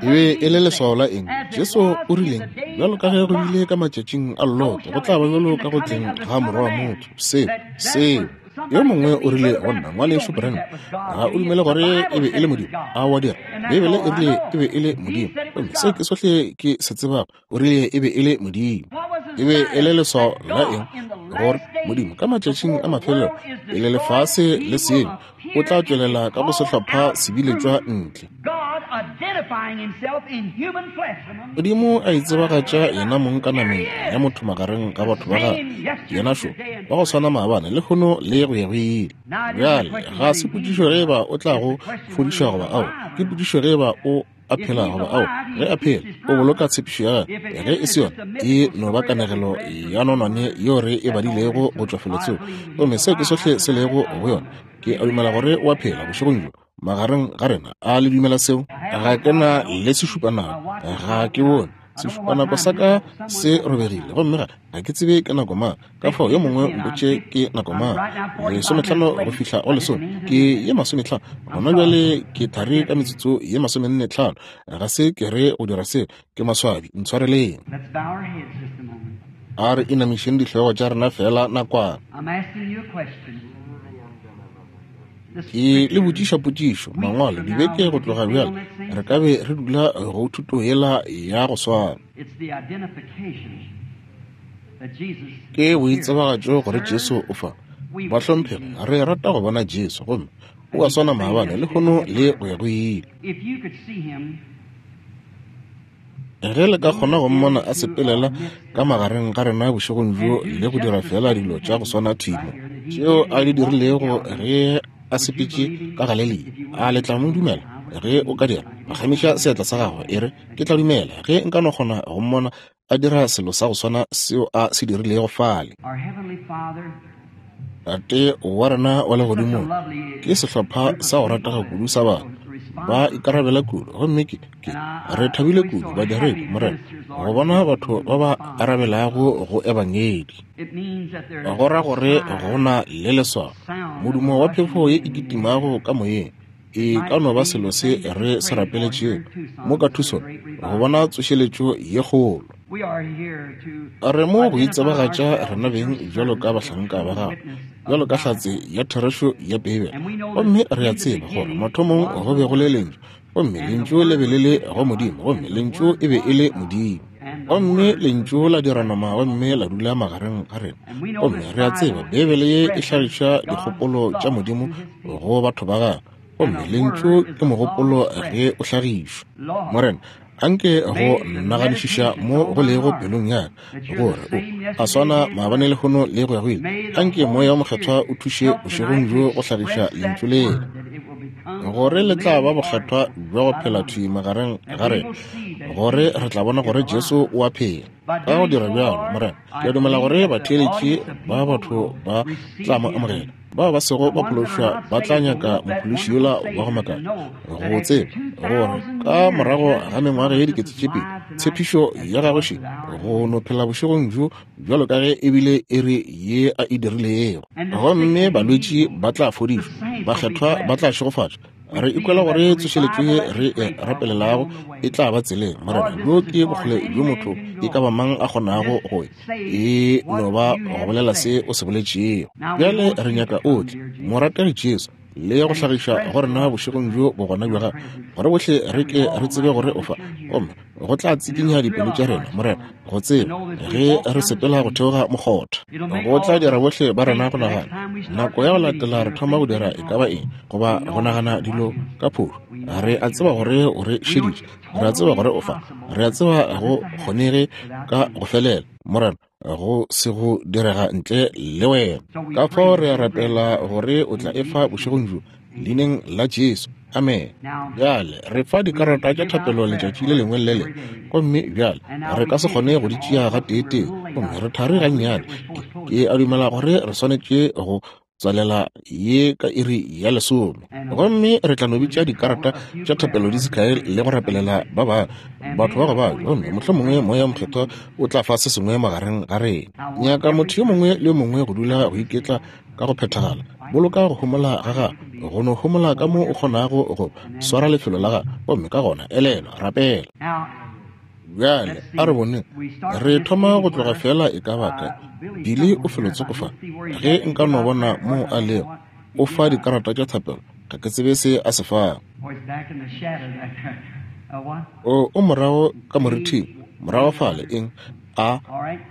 E be e le leswao la eng? Jesu o rileng? Bjalo ka ge go bile ka matšatšing a Loto, go tla ba bjalo ka go tleng ga Morwa wa motho. Seo, seo. Yo mongwe o rile go nna, Ngwanešu Branham, ga o dumele gore e be e le Modimo? A wa dira? Beibele e rile e be e le Modimo. Gomme seo ke sohle ke se tsebago. O rile e be e le Modimo. E be e le leswao la eng? Gore Modimo ka matšatšing a mafelelo, pele lefase le sengwe, o tla tšwelela ka go sehlopha sebiletšwa ntle. Modimo a itsebagatša yena mong ka nameng ya motho magareng ga batho ba gagwe. Yena šo, wa go swana maabane, lehono le go ya go ile. Bjale, ga se potšišo ge eba o tla go fodišwa goba ao, ke potšišo ge eba o a phela goba ao. Ge a phela, o boloka tshepišo ya gagwe. Ge e se yona, e no ba kanegelo ya nonwane yeo re e badilego go tšwa felotsoko, gomme seo ke sohle se lego go yona. Ke a dumela gore o a phela bošegong bjo magareng ga rena. A le dumela seo? Ga ke na le sešupanako, ga ke bone sešupanako sa ka se robegile, gomme ga ke tsebe ke nako mang. Ka fao yo mongwe mpotše ke nako mang. 15 go fihla go lesome, ke ye 50 gona bjale, ke thari ka metsotso ye 45. Ga se ke re go dira seo, ke maswabi, ntshwareleng. A re inamišeng dihlogo tša rena feela nakwana. Ke le botšiša potšišo, Mangwalo, dibeke go tloga bjale, re ka be re dula go thuto yela ya go swana. Ke boitsebagatšo gore Jesu o fa. Bahlomphegi, re rata go bona Jesu, gomme o a swana maabane, lehono le go ya go ile. Ge le ka kgona go mmona a sepelela ka magareng ga rena bošegong bjo le go dira feela dilo tša go swana thimo tšeo a di dirilego ge a sepetše ka Galelia, a le tla mo dumela? Ge o ka dira, phagamiša seatla sa gago, e re, Ke tla dumela ge nka no kgona go mmona. a dira selo sa go swana seo a se dirilego fale. Tate wa rena wa legodimong, ke sehlopha sa go ratega kudu sa batho, ba ikarabela kudu, gomme ke, ke, re thabile kudu, badiredi, Morena, go bona batho ba ba arabelago go Ebangedi. Go ra gore go na le leswao, modumo wa phefo ye e kitimago ka moyeng, e ka no ba selo se re se rapeletšego mo ka Tucson, go bona tsošeletšo ye kgolo. Re mo go itsebagatša rena beng bjalo ka bahlanka ba Gago, bjalo ka hlatse ya therešo ya Beibele. Gomme re a tseba gore mathomong go be go le Lentšu, gomme Lentšu le be le le go Modimo, gomme Lentšu e be e le Modimo. Gomme Lentšu la dira nama gomme la dula magareng ga rena. Gomme re a tseba Beibele ye e hlagiša dikgopolo tša Modimo go batho ba Gagwe, gomme Lentšu ke mogopolo ge o hlagišwa. Morena, anke go naganišiša mo go lego pelong ya ka, gore o a swana maabane lehono le go ya go ile. Anke Moya wo Mokgethwa o thuše bošegong bjo go hlagiša Lentšu lela, gore le tla ba bokgethwa bja go phela thwi magareng ga rena, gore re tla bona gore Jesu o a phela. Ka go dira bjalo, Morena, ke a dumela gore batheeletši ba batho ba tla mo amogela. Bao ba sego ba phološwa ba tla nyaka mophološi yola wa go makatša, go tseba gore ka morago ga mengwaga ye 2000, tshepišo ya gagwe še, go no phela bošegong bjo bjalo ka ge e bile iri ye a e dirilego. Gomme balwetši ba tla fodišwa, bakgethwa ba tla šegofatšwa. Re ikwela gore tsošeletšo ye re e rapelelago e tla ba tseleng, Morena. Bjo ke bokgole bjo motho e ka ba mang a kgonago go e no ba go bolela se o se boletšego. Bjale re nyaka o tle, morategi Jesu, le go hlagiša go rena bošegong bjo bogona bja gago, gore bohle re ke re tsebe gore o fa, gomme go tla tsikinya dipelo tša rena, Morena, go tseba ge re sepela go theoga mokgotha. Go tla dira bohle ba rena go nagana nako ya go latela re thoma go dira e ka ba eng, goba go nagana dilo ka phošo. Re a tseba gore o re šeditše, re a tseba gore o fa, re a tseba go kgonege ka go felela, Morena, go se go direga ntle le wena. Ka fao re a rapela gore o tla e fa bošegong bjo, leineng la Jesu. Amen. Bjale re fa dikarata tša thapelo letšatši le lengwe le le lengwe, gomme bjale re ka se kgone go di tšea gateetee, gomme re thari gannyane. Ke a dumela gore re swanetše go tswalela ye ka iri ya 10, gomme re tla no bitša dikarata tša thapelo di se kae le go rapelela ba bangwe, batho ba go babja, gomme mohlomongwe Moya wo Mokgethwa o tla fa se sengwe magareng ga rena. Nyaka motho yo mongwe le yo mongwe go dula go iketla ka go phethagala. Boloka go homola ga gago, go no homola ka mo o kgonago go swara lefelo la gago, gomme ka gona elelwa, rapela. Bjale a re boneng, re thoma go tloga feela e ka ba kae. Billy o felotsoko fa. Ge nka no bona moo a lego, o fa dikarata tša thapelo, ga ke tsebe se a se fago. O, o morago ka morithing, morago fale, eng, a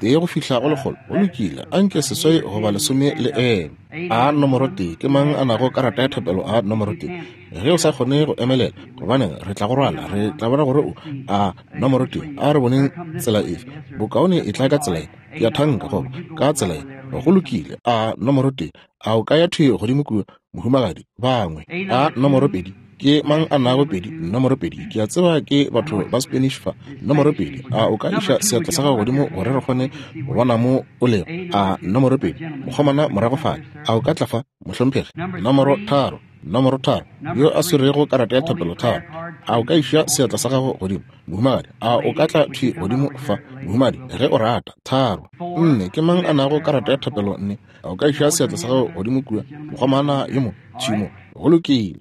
tee go fihla go lekgolo. Go lokile, a nke 8 goba 10 le eme. A nomoro 1, ke mang a nago karata ya thapelo a nomoro 1? Ge o sa kgone go emelela, gobaneng, re tla go rwala, re tla bona gore o a nomoro 1. A re boneng tsela efe bokaone, e tla ka tsela ye, ke a thanka, goba ka tsela ye. Go lokile, a nomoro 1, a o ka ya thwi godimo kua, mohumagadi? Bangwe. A nomoro 2, ke mang a nago 2? Nomoro 2, ke a tseba ke batho ba Spanish fa. Nomoro 2, a o ka iša seatla sa gago godimo gore re kgone go bona mo o lego? A nomoro 2, mokgomana morago fale, a o ka tla fa, mohlomphegi? Nomoro 3, nomoro 3, yo a swerego karata ya thapelo 3, a o ka iša seatla sa gago godimo, mohumagadi? A o ka tla thwi godimo fa, mohumagadi, ge o rata? 3, 4, ke mang a nago karata ya thapelo 4? A o ka iša seatla sa gago godimo kua, mokgomana yo mo, thwi mo? Go lokile.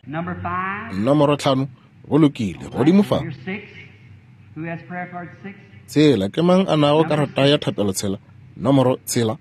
Nomoro 5, go lokile, godimo fa. 6, ke mang a nago karata ya thapelo 6? Nomoro 6.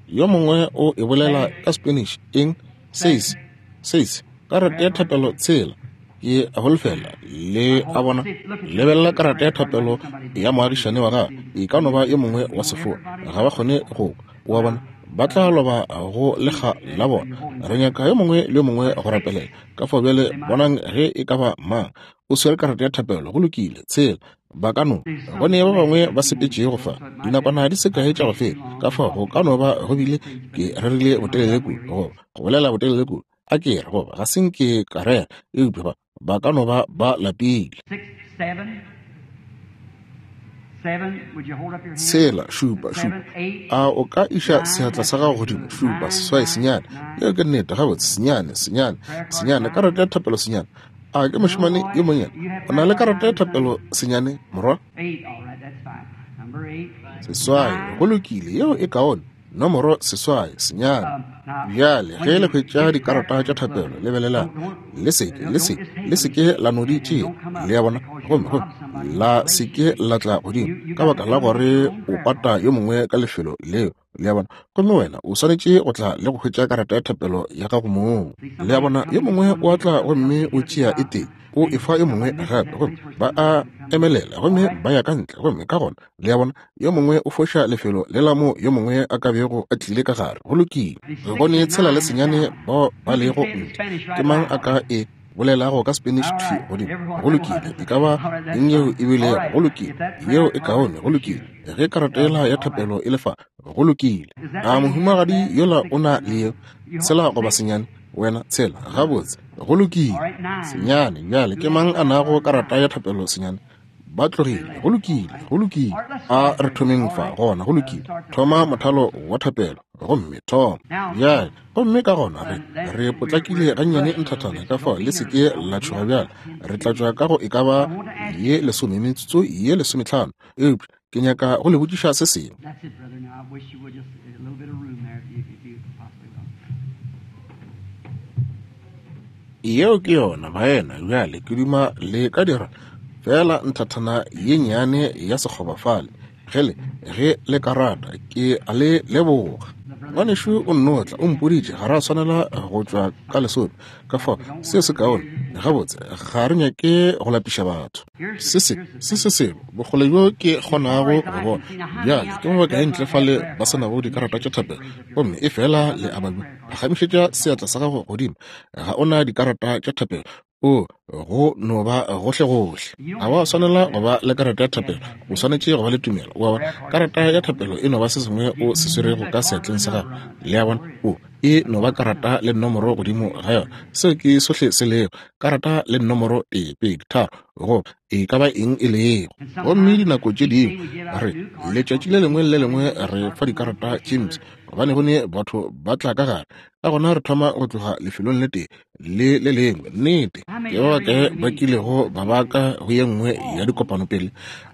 Yo mongwe o e bolela ka Spanish, eng? 6, 6, karata ya thapelo 6. Ke a holofela le a bona. Lebelela karata ya thapelo ya moagišane wa gago, e ka no ba yo mongwe wa sefoa, ga ba kgone go kwa, wa bona, ba tla loba go lekga la bona. Re nyaka yo mongwe le yo mongwe go rapelela. Ka fao bjale bonang ge e ka ba mang o swere karata ya thapelo. Go lokile, 6. Ba ka no go ne ba bangwe ba sepetšego fa dinakwana di se kae tša go feta, ka fao go ka no ba go bile ke rerile botelele kudu, goba go bolela botelele kudu, a ke re, goba ga se nke ka rera, eupša ba ka no ba ba lapile. 6, 7. Tshela, šupa, šupa. A o ka iša seatla sa gago godimo? Šupa, seswai, senyane. Yeo ke nnete. Gabotse, senyane, senyane, senyane. Karata ya thapelo, senyane. A ke mošemane yo monnyane? O na le karata ya thapelo, senyane, morwa? Seswai. Go lokile, yeo e kaone. Nomoro seswai, senyane. Bjale, ge le hwetša dikarata tša thapelo, lebelelang. Le seke, le seke, le seke la no di tšea, le a bona, gomme, gomme la seke la tla godimo, ka baka la gore o pata yo mongwe ka lefelo leo, le a bona. Gomme wena o swanetše go tla le go hwetša karata ya thapelo ya gago mong, le a bona. Yo mongwe o a tla gomme o tšea e tee, o e fa yo mongwe gape, gomme ba a emelela gomme ba ya ka ntle, gomme ka gona, le a bona, yo mongwe o foša lefelo le la mo yo mongwe a ka bego a tlile ka gare. Go lokile. Go ne tshela le senyane bao ba lego ntle. Ke mang a ka e bolelago ka Spanish thwi godimo? Go lokile. E ka ba eng yeo e bilego? Go lokile. Yeo e kaone. Go lokile. Ge karata yela ya thapelo e le fa, go lokile. A mohumagadi yola o na le yeo? Tshela goba senyane? Wena tshela. Gabotse. Go lokile. Senyane. Bjale ke mang a nago karata ya thapelo senyane? Ba tlogile. Go lokile. Go lokile. A re thomeng fa gona. Go lokile. Thoma mothalo wa thapelo. Gomme thoma. Bjale, gomme ka gona re, re potlakile gannyane nthathana, ka fao le se ke la tšhoga bjale. Re tla tšwa ka go e ka ba ye lesome, metsotso ye lesometlhano. Eupša ke nyaka go le botšiša se sengwe. Yeo ke yona, baena. Bjale ke duma le ka dira feela nthathana ye nnyane ya sekgoba fale, ge le, ge le ka rata. Ke a le leboga. Ngwanešu o nno tla, o mpoditše ga ra swanela go tšwa ka lesome. Ka fao, seo se kaone. Gabotse, ga re nyake go lapiša batho. Se se, se se selo, bokgole bjo ke kgonago go bona. Bjale, ke ba bakae ntle fale ba se nago dikarata tša thapelo, gomme efela le a babja? Phagamišetša seatla sa gago godimo. Ga o na dikarata tša thapelo. O, go no ba gohlegohle. Ga wa swanela go ba le karata ya thapelo. O swanetše go ba le tumelo. O a bona? Karata ya thapelo e no ba se sengwe o se swerego ka seatleng sa gago. Le a bona? O, e no ba karata le nomoro godimo ga yona. Seo ke sohle se lego. Karata le nomoro, tee, pedi, tharo, goba e ka ba eng e lego. Gomme dinako tše dingwe re, letšatši le lengwe le le lengwe re fa dikarata tše mpsha, gobane go ne batho ba tla ka gare. Ka gona re thoma go tloga lefelong le tee le le lengwe. Nnete, ke ba bakae ba kilego ba ba ka go ye nngwe ya dikopano pele?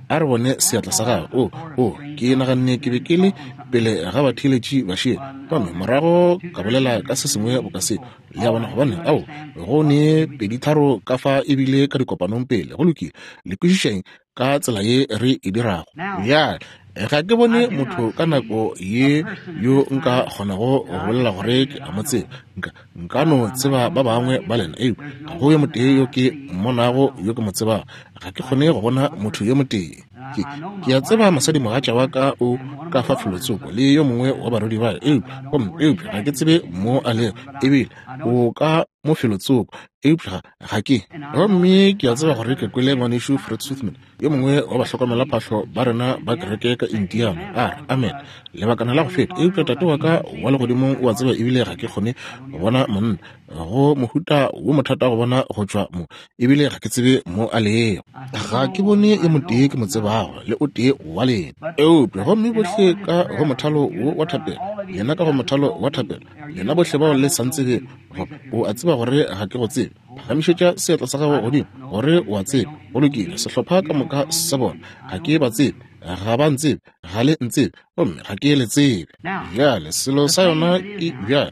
A re bone seatla sa gago. O, o, ke naganne ke be ke le pele ga batheeletši ba šele, gomme morago ka bolela ka se sengwe boka se. Le a bona? Gobane, ao, go ne peditharo ka fa ebile ka dikopanong pele. Go lokile. Le kwešišeng ka tsela ye re e dirago. Bjale, ga ke bone motho ka nako ye yo nka kgonago go bolela gore ke a mo tseba. Nka, nka no tseba ba bangwe ba lena, eupša ga go yo motee yo ke mmonago yo ke mo tsebago. Ga ke kgone go bona motho yo motee. Ke, ke a tseba mosadimogatša wa ka o ka fa felotsoko le yo mongwe wa barwedi ba, eupša, gomme, eupša ga ke tsebe mo a lego, ebile o ka mo felotsoko, eupša ga ke. Gomme ke a tseba gore ke kwele Ngwanešu Fred Sothmann, yo mongwe wa bahlokomelaphahlo ba rena ba kereke ka Indiana, a re, Amen, lebakana la go feta, eupša Tate wa ka wa Legodimong o a tseba ebile ga ke kgone go bona monna, go mohuta wo mothata go bona go tšwa mo, ebile ga ke tsebe mo a lego. Ga ke bone yo motee ke mo tsebago, le o tee wa lena. Eupša gomme bohle ka go mothalo wo wa thapelo, lena ka go mothalo wa thapelo, lena bohle bao le sa ntsebego, goba o a tseba gore ga ke go tsebe, phagamišetša seatla sa gago godimo gore o a tsebe. Go lokile, sehlopha ka moka sa bona, ga ke ba tsebe, ga ba ntsebe, ga le ntsebe, gomme ga ke le tsebe. Bjale selo sa yona ke bjale,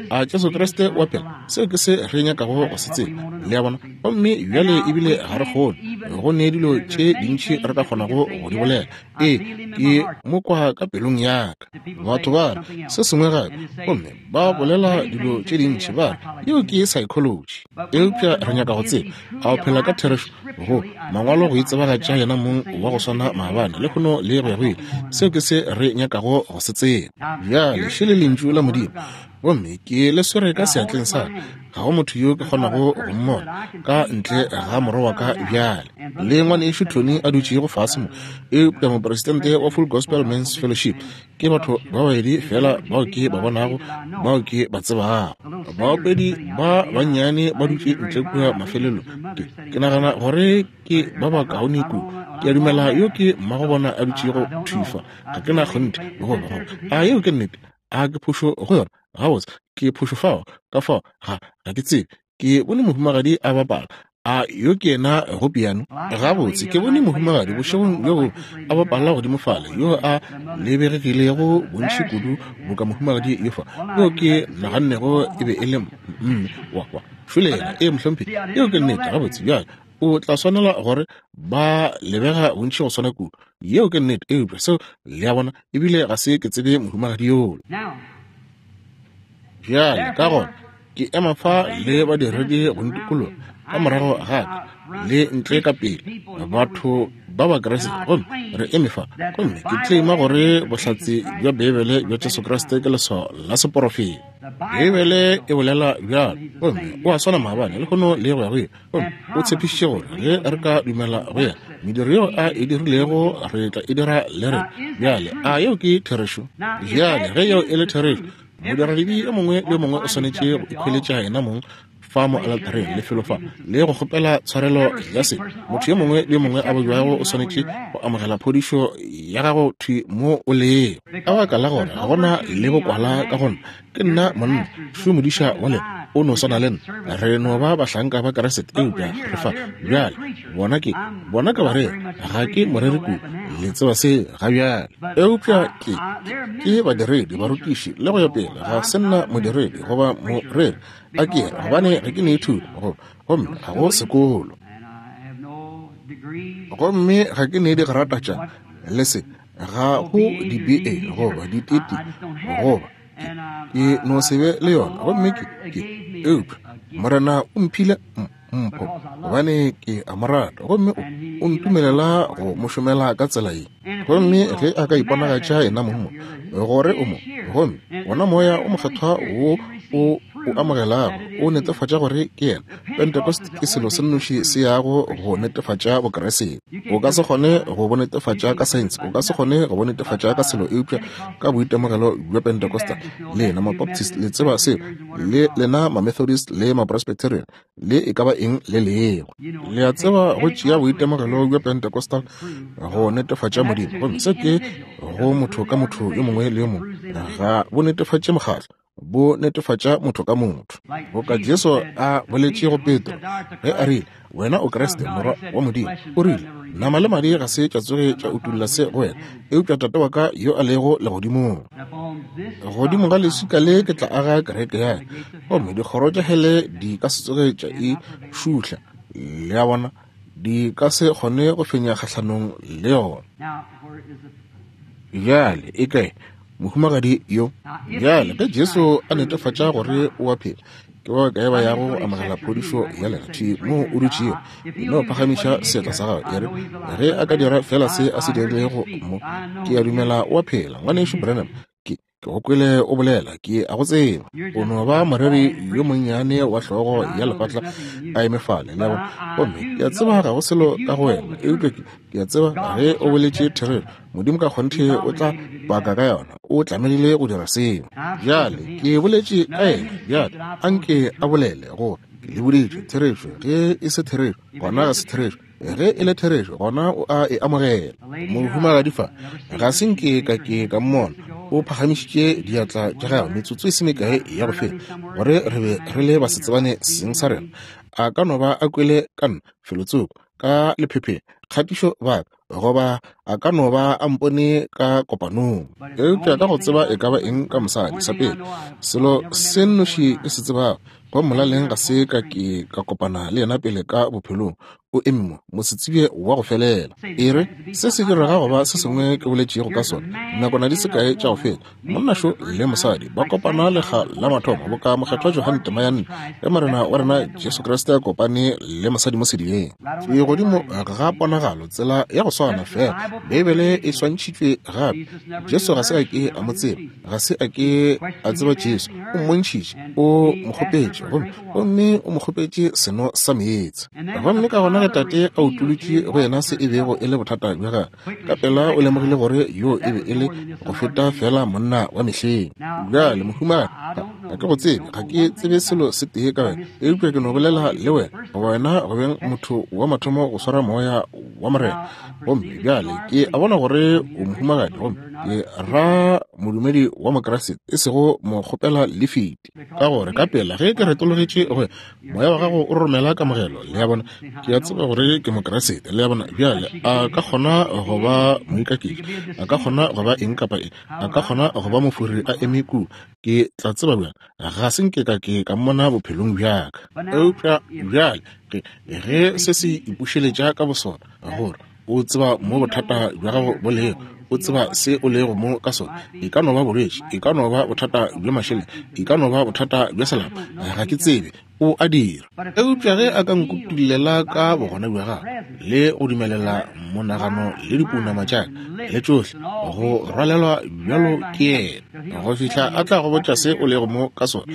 a Jesu Kriste wa phela? Seo ke se re nyakago go se tseba, le a bona. Gomme bjale ebile ga re kgone, go ne dilo tše dintši re ka kgonago go di bolela. Ee, ke mo kwa ka pelong ya ka. Batho ba re se sengwe gape, gomme ba bolela dilo tše dintši, ba re yeo ke psychology. Eupša re nyaka go tseba, a o phela ka therešo go Mangwalo go itsebagatša yena mong wa go swana maabane, lehono le go ya go ile? Seo ke se re nyakago go se tseba. Bjale, šele Lentšu la Modimo. Gomme ke le swere ka seatleng sa ka. Ga go motho yo ke kgonago go mmona ka ntle ga morwa wa ka bjale, le ngwanešu Tony a dutšego fase mo, eupša mopresidente wa Full Gospel Men's Fellowship. Ke batho ba babedi feela bao ke ba bonago, bao ke ba tsebago. Baopedi ba bannyane ba dutše ntle kua mafelelong. Ke, ke nagana gore ke ba bakaone kudu. Ke a dumela yo ke mmagobona a dutšego thwi fa. Ga ke na kgonthe, goba, goba, a yeo ke nnete? A ke phošo go yona? Gabotse, ke phošo fao. Ka fao, ga, ga ke tsebe. Ke bone mohumagadi a bapala. A yo ke yena go piano? Gabotse, ke bone mohumagadi bošegong bjo bongwe a bapala godimo fale, yo a lebegegilego bontši kudu boka mohumagadi yo fa, yo ke nagannego e be e le mme wa, wa. Šole yena, ee, mohlomphegi, yeo ke nnete. Gabotse, bjale, o tla swanela gore ba lebega bontši go swana kudu. Yeo ke nnete, eupša seo, le a bona, ebile ga se ke tsebe mohumagadi yola. Bjale, ka gona, ke ema fa le badiredi go ntikologa ka morago ga ka le ntle ka pele, batho ba Bakriste, gomme re eme fa, gomme ke tlema gore bohlatse bja Beibele bja Jesu Kriste ke leswao la seporofeta. Beibele e bolela bjalo, gomme o a swana maabane, lehono le go ya go ile. Gomme o tshepišitše gore ge re ka dumela go yena, mediro yeo a e dirilego re tla e dira le rena. Bjale, a yeo ke therešo? Bjale, ge yeo e le therešo, modiradibe yo mongwe le yo mongwe o swanetše go ikhweletša yena mong fa mo aletareng, lefelo fa, le go kgopela tshwarelo ya sebe. Motho yo mongwe le yo mongwe a babjago o swanetše go amogela phodišo ya gago thwi mo o lego. Ka baka la gore ga gona le bokwala ka go nna, Ke nna monna, šo modiša wa lena, o no swana le nna. Re no ba bahlanka ba Kriste, eupša re fa. Bjale, bona ke, bona ke bareri, ga ke moreri kudu, le tseba se ga bjale. Eupša ke, ke badiredi, barutiši, le go ya pele. Ga se nna modiredi goba moreri, a ke re, gobane ga ke ne thuto, goba, gomme ga go sekolo. Gomme ga ke ne digrata tša, le se, ga go di-BA goba di-TT goba ke no se be le yona. Gomme ke, ke, eupša Morena o mphile mpho gobane ke a mo rata, gomme o, o ntumelela go mo šomela ka tsela ye. Gomme ge a ka iponagatša yena mong mo, gore o mo, gomme wona Moya o Mokgethwa wo o o amogelago o netefatša gore ke yena. Pentecost ke selo se nnoši se yago go netefatša Bokriste. O ka se kgone go bo netefatša ka saense, o ka se kgone go bo netefatša ka selo eupša ka boitemogelo bja Pentecostal. Lena Mabaptist le tseba seo, le lena Mamethodist le Mapresbyterian, le e ka ba eng le lego. Le a tseba go tšea boitemogelo bja Pentecostal go netefatša Modimo, gomme se ke go motho ka motho yo mongwe le yo mongwe. Ga bo netefatše mokgatlo, bo netefatša motho ka motho. Boka Jesu a boletše go Petro ge a rile, Wena o Kriste, Morwa wa Modimo. O rile, Nama le madi ga se tša tsoge tša utolla se go wena, eupša Tate wa ka yo a lego legodimong. Godimo ga leswika le ke tla aga kereke ya ka, gomme dikgoro tša hele di ka se tsoge tša e šuhla. Le a bona, di ka se kgone go fenya kgahlanong le yona. Bjale e kae mohumagadi yo? Bjale ge Jesu a netefatša gore o a phela, ke ba bakae ba yago go amogela phodišo ya lena thwi moo o dutšego? No phagamiša seatla sa gago, e re, Ge a ka dira feela se a se dirilego mo, ke a dumela o a phela. Ngwanešu Branham, ke, ke go kwele o bolela, ke a go tseba. O no ba moreri yo monnyane wa hlogo ya lefatla a eme fale, le a bona. Gomme ke a tseba ga go selo ka go wena, eupša ke, ke a tseba ge o boletše therešo, Modimo ka kgonthe o tla paka ka yona. O tlamegile go dira seo. Bjale ke boletše ka yena, bjale a nke a bolele gore ke le boditše therešo. Ge e se therešo, gona ga se therešo. Ge e le therešo, gona o a e amogela. Mohumagadi fa, ga se nke ka ke ka mmona, o phagamišitše diatla tša gagwe metsotso e se mekae ya go feta, gore re be re le basetsebane seng sa rena. A ka no ba a kwele ka nna felotsoko, ka lephepheng, kgatišo baka, goba a ka no ba a mpone ka kopanong. Eupša ka go tseba e ka ba eng ka mosadi, sa pele, selo se nnoši ke se tsebago, go molaleng ga se ka ke ka kopana le yena pele ka bophelong. O eme mo, mosetsebje wa go felela. E re, se se direga go ba se sengwe ke boletšego ka sona nakwana di se kae tša go feta. Monna šo le mosadi ba kopana lekga la mathomo, boka Mokgethwa Johane tema ya 4, ge Morena wa rena Jesu Kriste a kopane le mosadi mo sedibeng. Ke godimo ga ponagalo, tsela ya go swana feela. Beibele e swantšhitšwe gape. Jesu ga se a ke a mo tseba, ga se a ke a tseba Jesu. O mmontšhitše, o mo kgopetše, gomme, gomme o mo kgopetše seno sa meetse. Gomme ka gona ge Tate a utolotše go yena se e bego e le bothata bja gagwe, ka pela o lemogile gore yo e be e le go feta fela monna wa mehleng. Bjale, mohumagadi, ga, ga ke go tsebe, ga ke tsebe selo se tee ka wena, eupša ke no bolela le wena, goba wena go beng motho wa mathomo go swara Moya wa Morena. Gomme bjale ke a bona gore o mohumagadi, gomme ke ra modumedi wa Mokriste, e sego mo kgopela lifiti, ka gore ka pela ge ke retologetše go Moya wa gago o romela kamogelo, le a bona. Ke a tseba gore ke Mokriste, le a bona. Bjale a ka kgona go ba moikaketši, a ka kgona go ba eng kapa eng, a ka kgona go ba mofori a eme kua. Ke tla tseba bjang? Ga se nke ka ke ka mmona bophelong bja ka. Eupša bjale ge, ge se se ipušeletša ka bosona, gore o tseba mo bothata bja gago bo lego, o tseba se o lego mo ka sona. E ka no ba bolwetši, e ka no ba bothata bja mašeleng, e ka no ba bothata bja selapa, ga ke tsebe. O a dira. Eupša ge a ka nkutullela ka bogona bja gagwe le go dumelela monagano le dipounama tša ka le tšohle go rwalelwa bjalo ke yena, go fihla a tla go botša se o lego mo ka sona,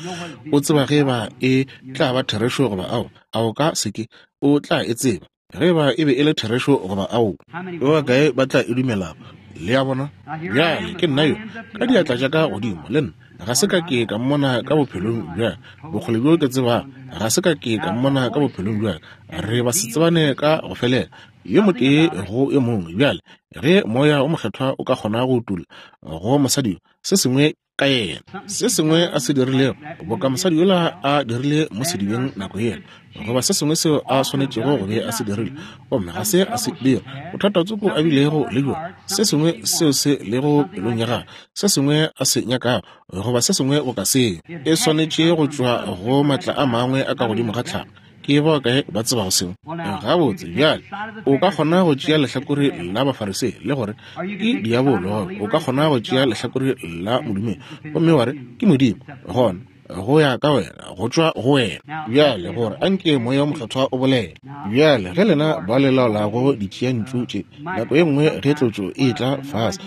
o tseba ge ba e tla ba therešo goba ao, a o ka se ke, o tla e tseba. Ge eba e be e le therešo goba aowa. Ba bakae ba tla e dumelago? Le a bona? Bjale, ke nna yo, ka diatla tša ka godimo, le nna. Ga se ka ke ka mmona ka bophelong bja bokgole bjo ke tsebago. Ga se ka ke ka mmona ka bophelong bja ka. Re ba se tsebane ka go felela, yo motee go yo mongwe. Bjale, ge Moya wo Mokgethwa o ka kgona go utolla go mosadi yo se sengwe ka yena, se sengwe a se dirilego, boka mosadi yola a dirile mo sedibeng nako yela, goba se sengwe seo a swanetšego go be a se dirile, gomme ga se a se dira, bothata tsoko a bilego le bjona, se sengwe seo se lego pelong ya gagwe, se sengwe a se nyakago, goba se sengwe boka seo, e swanetše go tšwa go maatla a mangwe a ka godimo ga tlhago. Ke ba bakae ba tsebago seo? Gabotse, bjale, o ka kgona go tšea lehlakore la Bafarisei le gore ke diabolo, o ka kgona go tšea lehlakore la modumedi gomme wa re ke Modimo. Gona go ya ka wena, go tšwa go wena. Bjale, gore a nke Moya wo Mokgethwa o bolele. Bjale, ge lena ba le laolago ditšeantšu tše, nako ye nngwe ge tlotšo e etla fase,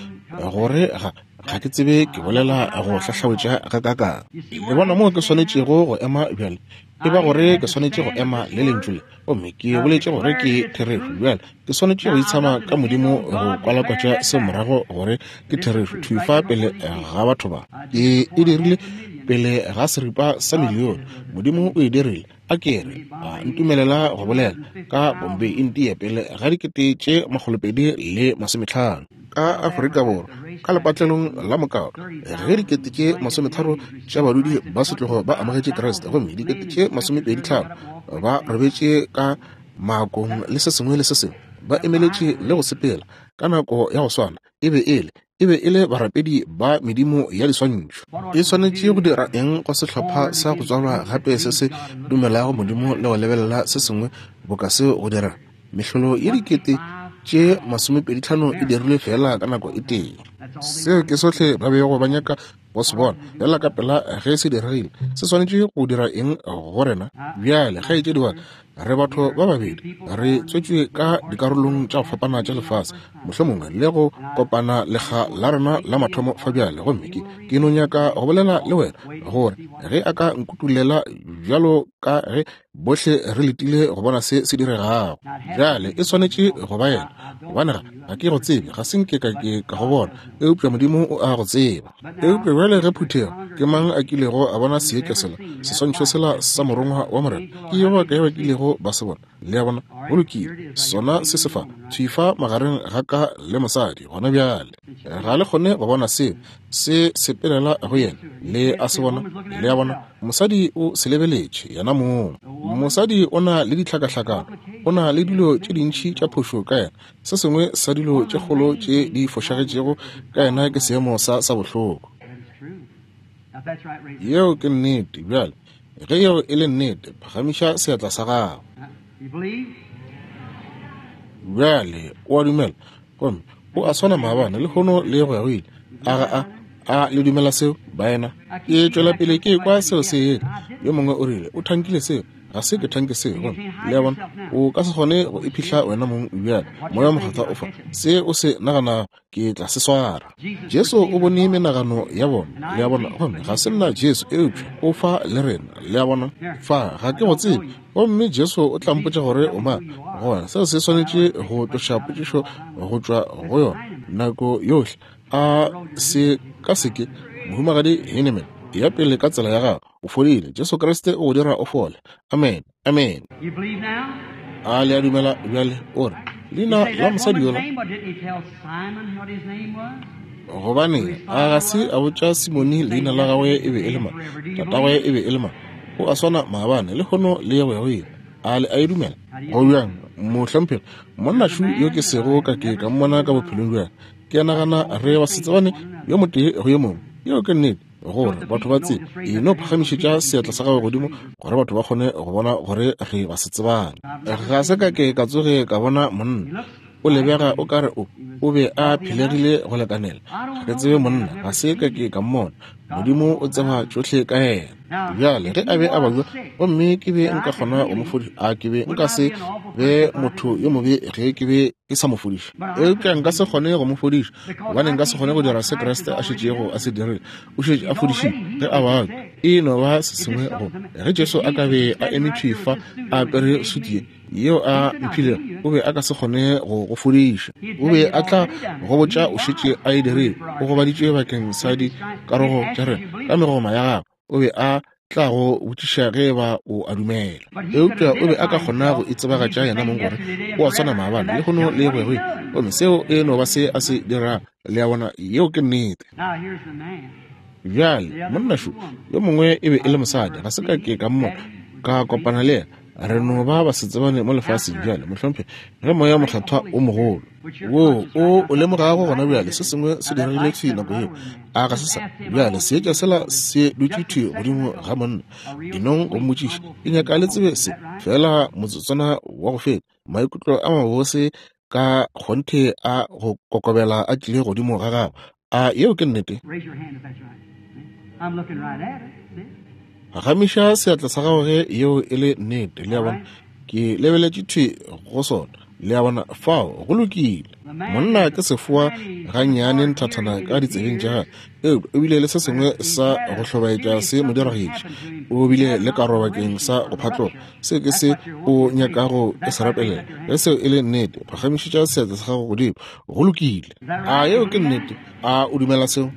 gore ga, ga ke tsebe ke bolela go hlahlawetša gakaakang. Le bona moo ke swanetšego go ema bjale? E ba gore ke swanetše go ema le Lentšu le, gomme ke boletše gore ke therešo. Bjale ke swanetše go itshama ka Modimo go kwalakwatša se morago gore ke therešo, thwi fa pele ga batho ba. Ke e dirile pele ga seripa sa milione. Modimo o e dirile. A ke re, a ntumelela go bolela ka Bombay, India, pele ga 2050. Ka Afrika Borwa, ka lepatlelong la mokao, ge 30,000 tša badudi ba setlogo ba amogetše Kriste, gomme 25,000 ba robetše ka maakong le se sengwe le se sengwe, ba emeletše le go sepela ka nako ya go swana, e be e le, e be e le barapedi ba medimo ya diswantšho. E swanetše go dira eng go sehlopha sa go tswalwa gape se se dumelago Modimo le go lebelela se sengwe boka seo go dira? Mehlolo ye 25,000 e dirilwe feela ka nako e tee. Seo ke sohle ba bego ba nyaka go se bona. Feela ka pela ge se diregile, se swanetše go dira eng go rena? Bjale, kgaetšedi wa ka, re batho ba babedi, re tswetšwe ka dikarolong tša go fapana tša lefase, mohlomongwe le go kopana lekga la rena la mathomo fa bjale. Gomme ke, ke no nyaka go bolela le wena, gore ge a ka nkutulela bjalo ka ge Bohle re letile go bona se se diregago. Bjale e swanetše go ba yena, gobane ga, ga ke go tsebe, ga se nke ka ke ka go bona, eupša Modimo o a go tseba. Eupša bjale ge phuthego, ke mang a kilego a bona seetša sela, seswantšho sela sa Morongwa wa Morena? Ke ba bakae ba kilego ba se bona? Le a bona? Go lokile, sona se se fa, thwi fa magareng ga ka le mosadi gona bjale. Ga le kgone go bona seo se sepelela go yena. Le a se bona? Le a bona? Mosadi o se lebeletše yena mong. Mosadi o na le ditlhakahlakano, o na le dilo tše dintši tša phošo ka yena. Se sengwe sa dilo tše kgolo tše di fošagetšego ka yena ke seemo sa sa bohloko. Yeo ke nnete. Bjale, ge yeo e le nnete, phagamiša seatla sa gago. Bjale o a dumela, gomme o a swana maabane, lehono le go ya go ile. A ga a? A le dumela seo, baena? Ke tšwela pele ke kwa seo se etla. Yo mongwe o rile o thankile seo. Ga se ke thanke seo. Gomme le a bona, o ka se kgone go iphihla wena mong bjale. Moya Mokgethwa o fa se o se naganago, ke tla se swara. Jesu o bone menagano ya bona, le a bona. Gomme ga se nna Jesu, eupša o fa le rena, le a bona. Fa ga ke go tsebe, gomme Jesu o tla mpotša gore o mang. Gona seo se swanetše go tloša potšišo go tšwa go yona nako yohle. A se ka se ke, Mohumagadi Heinemann, eya pele ka tsela ya gago, o fodile. Jesu Kriste o go dira o fole. Amen. Amen. A le a dumela bjale? O re, leina la mosadi yola, gobane a ga se a botša Simone leina la gagwe e be e le mang, tatagwe e be e le mang. O a swana maabane, lehono le go ya go ile. A le a e dumela? Go bjang, mohlomphegi, monnašu yo ke sego ka ke ka mmona ka bophelong bja ke nagana re basetsebane yo motee go yo mongwe. Yeo ke nnete, gore batho ba tsebe. E no phagamišetša seatla sa gago godimo gore batho ba kgone go bona gore re basetsebane. Ga se ka ke ka tsoge ka bona monna. O lebega o ka re o o be a phelegile go lekanela. Ga ke tsebe monna, ga se ka ke ka mmona. Modimo o tseba tšohle ka yena. Bjale ge a be a babja gomme ke be nka kgona go mo fodiša, a ke be nka se be motho yo mobe ge ke be ke sa mo fodiša? Eupša nka se kgone go mo fodiša, gobane nka se kgone go dira se Kriste a šetšego a se dirile. O šetše a fodišitše ge a babja. E no ba se sengwe go ge Jesu a ka be a eme thwi fa a apere sutu ye yeo a mphilego, o be a ka se kgone go go fodiša. O be a tla go botša o šetše a e dirile. O gobaditšwe bakeng sa dikarogo tša rena ka megoma ya gagwe. O be a tla go botšiša ge e ba o a dumela. Eupša o be a ka kgona go itsebagatša yena mong gore o a swana maabane, lehono le go ya go ile. Gomme seo e no ba se a se dirago. Le a bona, yeo ke nnete. Bjale, monna šo yo mongwe e be e le mosadi. Ga se ka ke ka mmona, ka kopana le yena. Re no ba basetsebane mo lefaseng bjale, mohlomphegi, ge Moya Mokgethwa o mogolo wo o o lemogago gona bjale, se sengwe se diregile thwi nako yeo. A ga se sa? Bjale seetša sela se dutše thwi godimo ga monna. Enong go mmotšiša, ke nyaka le tsebe se, feela motsotswana wa go feta, maikutlo a mabose ka kgonthe a go kokobela a tlile godimo ga gago. A yeo ke nnete? Gamiša seatla sa gago ge yeo e le nnete. Le a bona? Ke lebeletše thwi go sona. Le a bona? Fao go lokile. Monna ke sefoa gannyane nthathana ka ditsebeng tša gagwe, eupša o bile le se sengwe sa go hlobaetša se mo diragetše. O bile le karo bakeng sa go phatloga. Se ke se o nyakago ke se rapelela. Ge seo e le nnete, phagamišetša seatla sa gago godimo. Go lokile. A yeo ke nnete? A o dumela seo?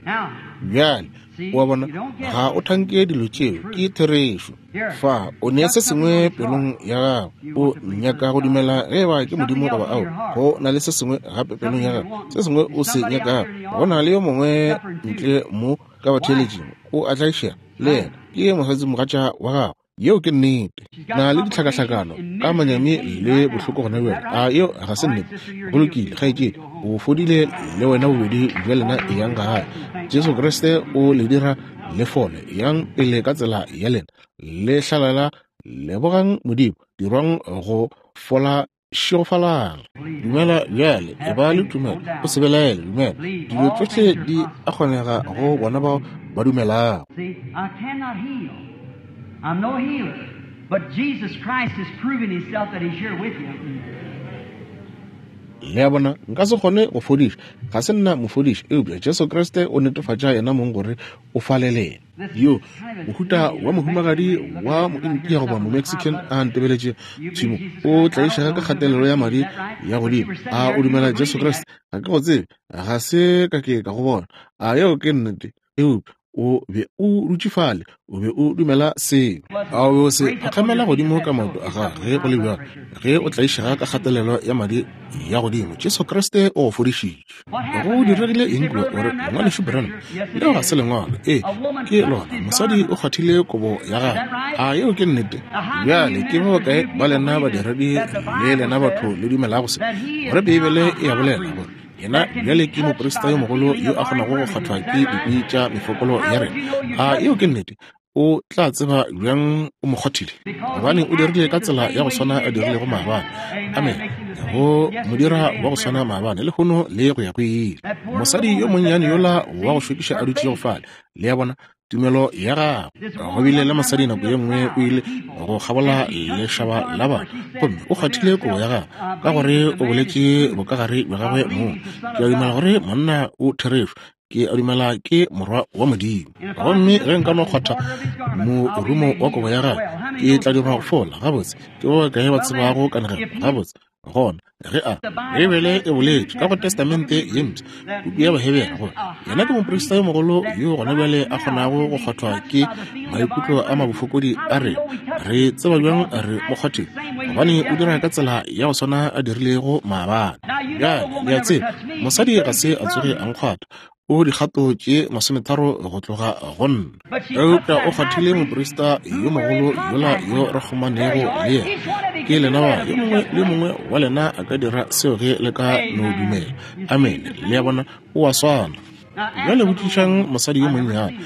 Bjale, o a bona, ga o thanke dilo tšeo, ke therešo. Fa o ne se sengwe pelong ya gago, o nyaka go dumela ge eba ke Modimo goba ao. Go na le se sengwe gape pelong ya gago, se sengwe o se nyakago. Go na le yo mongwe ntle mo ka batheeletšing, o a tlaišega le yena, ke mosadimogatša wa gago. Yeo ke nnete. Na le ditlhakahlakano ka manyami le bohloko gona bjale. A yeo ga se nnete? Go lokile, kgaetšedi, o fodile le wena, bobedi bja lena eyang gae. Jesu Kriste o le dira le fole. Yang pele ka tsela ya lena, le hlalala, lebogang Modimo, dirwang go fola. Šegofalang. Dumela bjale, e ba le tumelo, o se belaele, dumela. Dilo tšohle di a kgonega go bona bao ba dumelago. See, I cannot heal. I'm no healer. But Jesus Christ has proven himself that he's here with you. Le a bona, nka se kgone go fodiša, ga se nna mofodiši, eupša Jesu Kriste o netefatša yena mong gore o fa le lena. Yo mohuta wa mohumagadi wa Moindia goba Momexican a ntebeletše tšhimo, o tlaišega ka kgatelelo ya madi ya godimo. A o dumela Jesu Kriste? Ga ke go tsebe, ga se ka ke ka go bona. A yeo ke nnete? Eupša o be o dutše fale, o be o dumela seo. A o be o se phakgamela godimo ka maoto a gago ge go le bjalo, ge o tlaišega ka kgatelelo ya madi ya godimo, Jesu Kriste o go fodišitše. Go diregile eng kua? O re, Ngwanešu Branham, leo ga se lengwalo. Ee, ke lona. Mosadi o kgwathile kobo ya gagwe. A yeo ke nnete? Bjale, ke ba bakae ba lena badiredi le lena batho le dumelago se, gore Beibele e a bolela gore yena bjale ke moprista yo mogolo yo a kgonago go kgwathwa ke dikwi tša mefokolo ya rena? A yeo ke nnete? O tla tseba bjang o mo kgwathile? Gobane o dirile ka tsela ya go swana a dirilego maabane. Amene. Go mo dira wa go swana maabane, lehono, le go ya go ile. Mosadi yo monnyane yola wa go šokiša a dutšego fale, le a bona, tumelo ya gagwe. Go bile le mosadi nako ye nngwe o ile go kgabola lešaba la batho, gomme o kgwathile kobo ya gagwe, ka gore o boletše bokagare bja gagwe mong. Ke a dumela gore monna o therešo. Ke a dumela ke morwa wa Modimo. Gomme ge nka no kgwatha morumo wa kobo ya gagwe, ke tla dirwa go fola. Gabotse, ke ba bakae ba tsebago kanegelo? Gabotse, gona ge a Beibele e boletše ka go Testamente ye Mpsha, puku ya Bahebere, gore yena ke moprista yo mogolo yo gona bjale a kgonago go kgwathwa ke maikutlo a mabofokodi a rena. Re tseba bjang re mo kgwathile? Gobane o dira ka tsela ya go swana a dirilego maabane. Bjale, le a tseba, mosadi ga se a tsoge a nkgwatha, o dikgato tše 30 go tloga go nna. Eupša o kgwathile moprista yo mogolo yola yo re kgomanego le yena. Ke lena ba, yo mongwe le yo mongwe wa lena a ka dira seo ge le ka no dumela. Amene. Le a bona, o a swana. Bjale botšišang mosadi yo monnyane.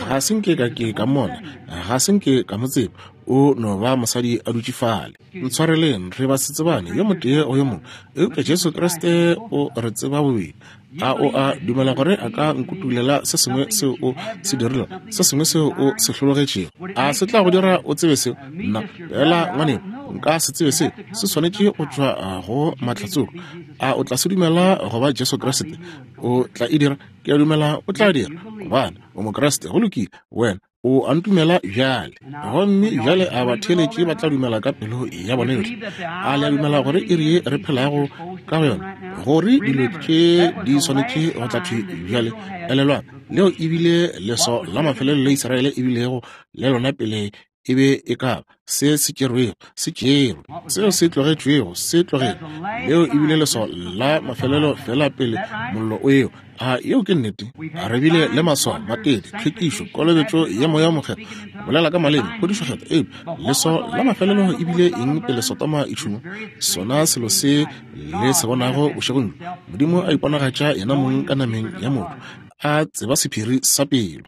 Ga se nke ka ke ka mmona, ga se nke ka mo tseba. O no ba mosadi a dutše fale. Ntshwareleng, re ba se tsebane yo motee go yo mongwe, eupša Jesu Kriste o re tseba bobedi. A o a dumela gore a ka nkutulela se sengwe seo o se dirilego, se sengwe seo o se hlologetšego? A se tla go dira o tsebe seo? Nna, fela ngwaneno, nka se tsebe seo. Se swanetše go tšwa go Mahlatsoko. A o tla se dumela go ba Jesu Kriste? O tla e dira? Ke a dumela o tla dira, gobane o Mokriste. Go lokile, wena o a ntumela bjale. Gomme bjale a batheeletši ba tla dumela ka pelo ya bona yohle? A le a dumela gore iri ye re phelago ka go yona, gore dilo tše di swanetše go tla thwi bjale? Elelwang, leo e bile leso la mafelelo le Israele e bilego le lona pele e be e ka ba se se tšerwego se tšerwe, seo se tlogetšwego se tlogetšwe. Leo e bile leswao la mafelelo fela pele mollo o ewa. A yeo ke nnete? Re bile le maswao, matete, tlhwekišo, kolobetšo ya Moya wo Mokgethwa, bolela ka maleme, phodišo kgethwa, eupša leswao la mafelelo e bile eng pele Sodoma e tšhungwa? Sona selo se le se bonago bošegong bjo, Modimo a iponagatša Yenamong ka nameng ya motho, a tseba sephiri sa pelo.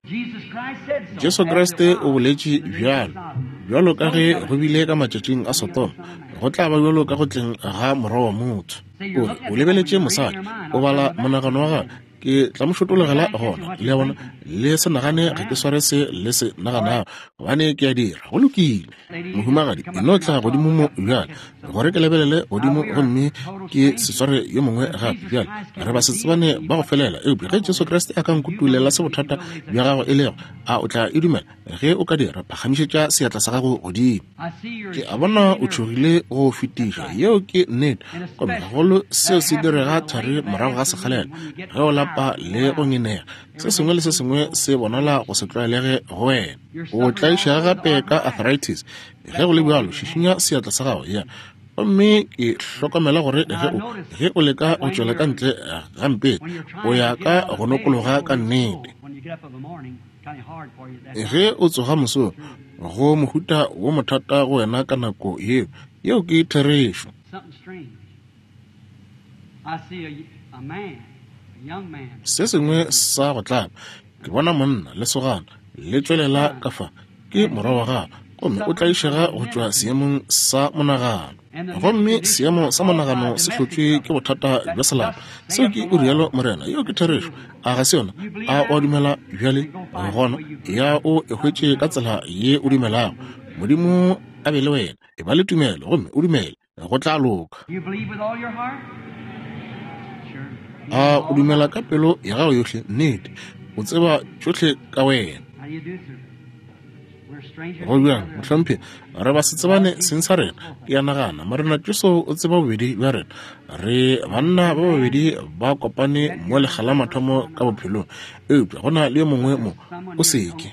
Jesu Kriste o boletše bjalo, bjalo ka ge go bile ka matšatšing a Sodoma, go tla ba bjalo ka go tleng ga Morwa wa motho. O re, o lebeletše mosadi, o bala monagano wa gagwe, ke tla mo šotologela gona. Le a bona? Le se nagane ga ke sware se le se naganago, gobane ke a dira. Go lokile. Mohumagadi, e no tla godimo mo bjale, gore ke lebelele godimo gomme ke se sware yo mongwe gape. Bjale, re ba se tsebane ba go felela, eupša ge Jesu Kriste a ka nkutulela se bothata bja gago e lego, a o tla e dumela? Ge o ka dira, phagamišetša seatla sa gago godimo. Ke a bona o tšhogile go fetiša, yeo ke nnete, gomme gagolo seo se direga thari morago ga sekgalela, ge o lapa le go ngenega, se sengwe le se sengwe se bonala go se tlwaelege go wena. O tlaišega gape ka arthritis. Ge go le bjalo, šišinya seatla sa gago. Ya. Gomme ke hlokomela gore ge o, ge o leka go tšwela ka ntle ga mpete, o ya ka go nokologa ka nnete. Ge o tsoga mosong, go mohuta wo mothata go wena ka nako yeo. Yeo ke therešo. Se sengwe sa go tlaba, ke bona monna, lesogana, le tšwelela ka fa. Ke morwa wa gago, gomme o tlaišega go tšwa seemong sa monagano. Gomme seemo sa monagano se hlotšwe ke bothata bja selapa. Seo ke o rialo Morena. Yeo ke therešo. A ga se yona? A o a dumela bjale? Gona ya o e hwetše ka tsela ye o dumelago. Modimo a be le wena. E ba le tumelo gomme o dumele. Go tla loka. A o dumela ka pelo ya gago yohle? Nnete. O tseba tšohle ka wena. Go bjang, mohlomphegi? Re ba se tsebane seng sa rena, ke a nagana. Morena Jesu o tseba bobedi bja rena. Re banna ba babedi ba kopane mo lekga la mathomo ka bophelong, eupša go na le yo mongwe mo. O se ke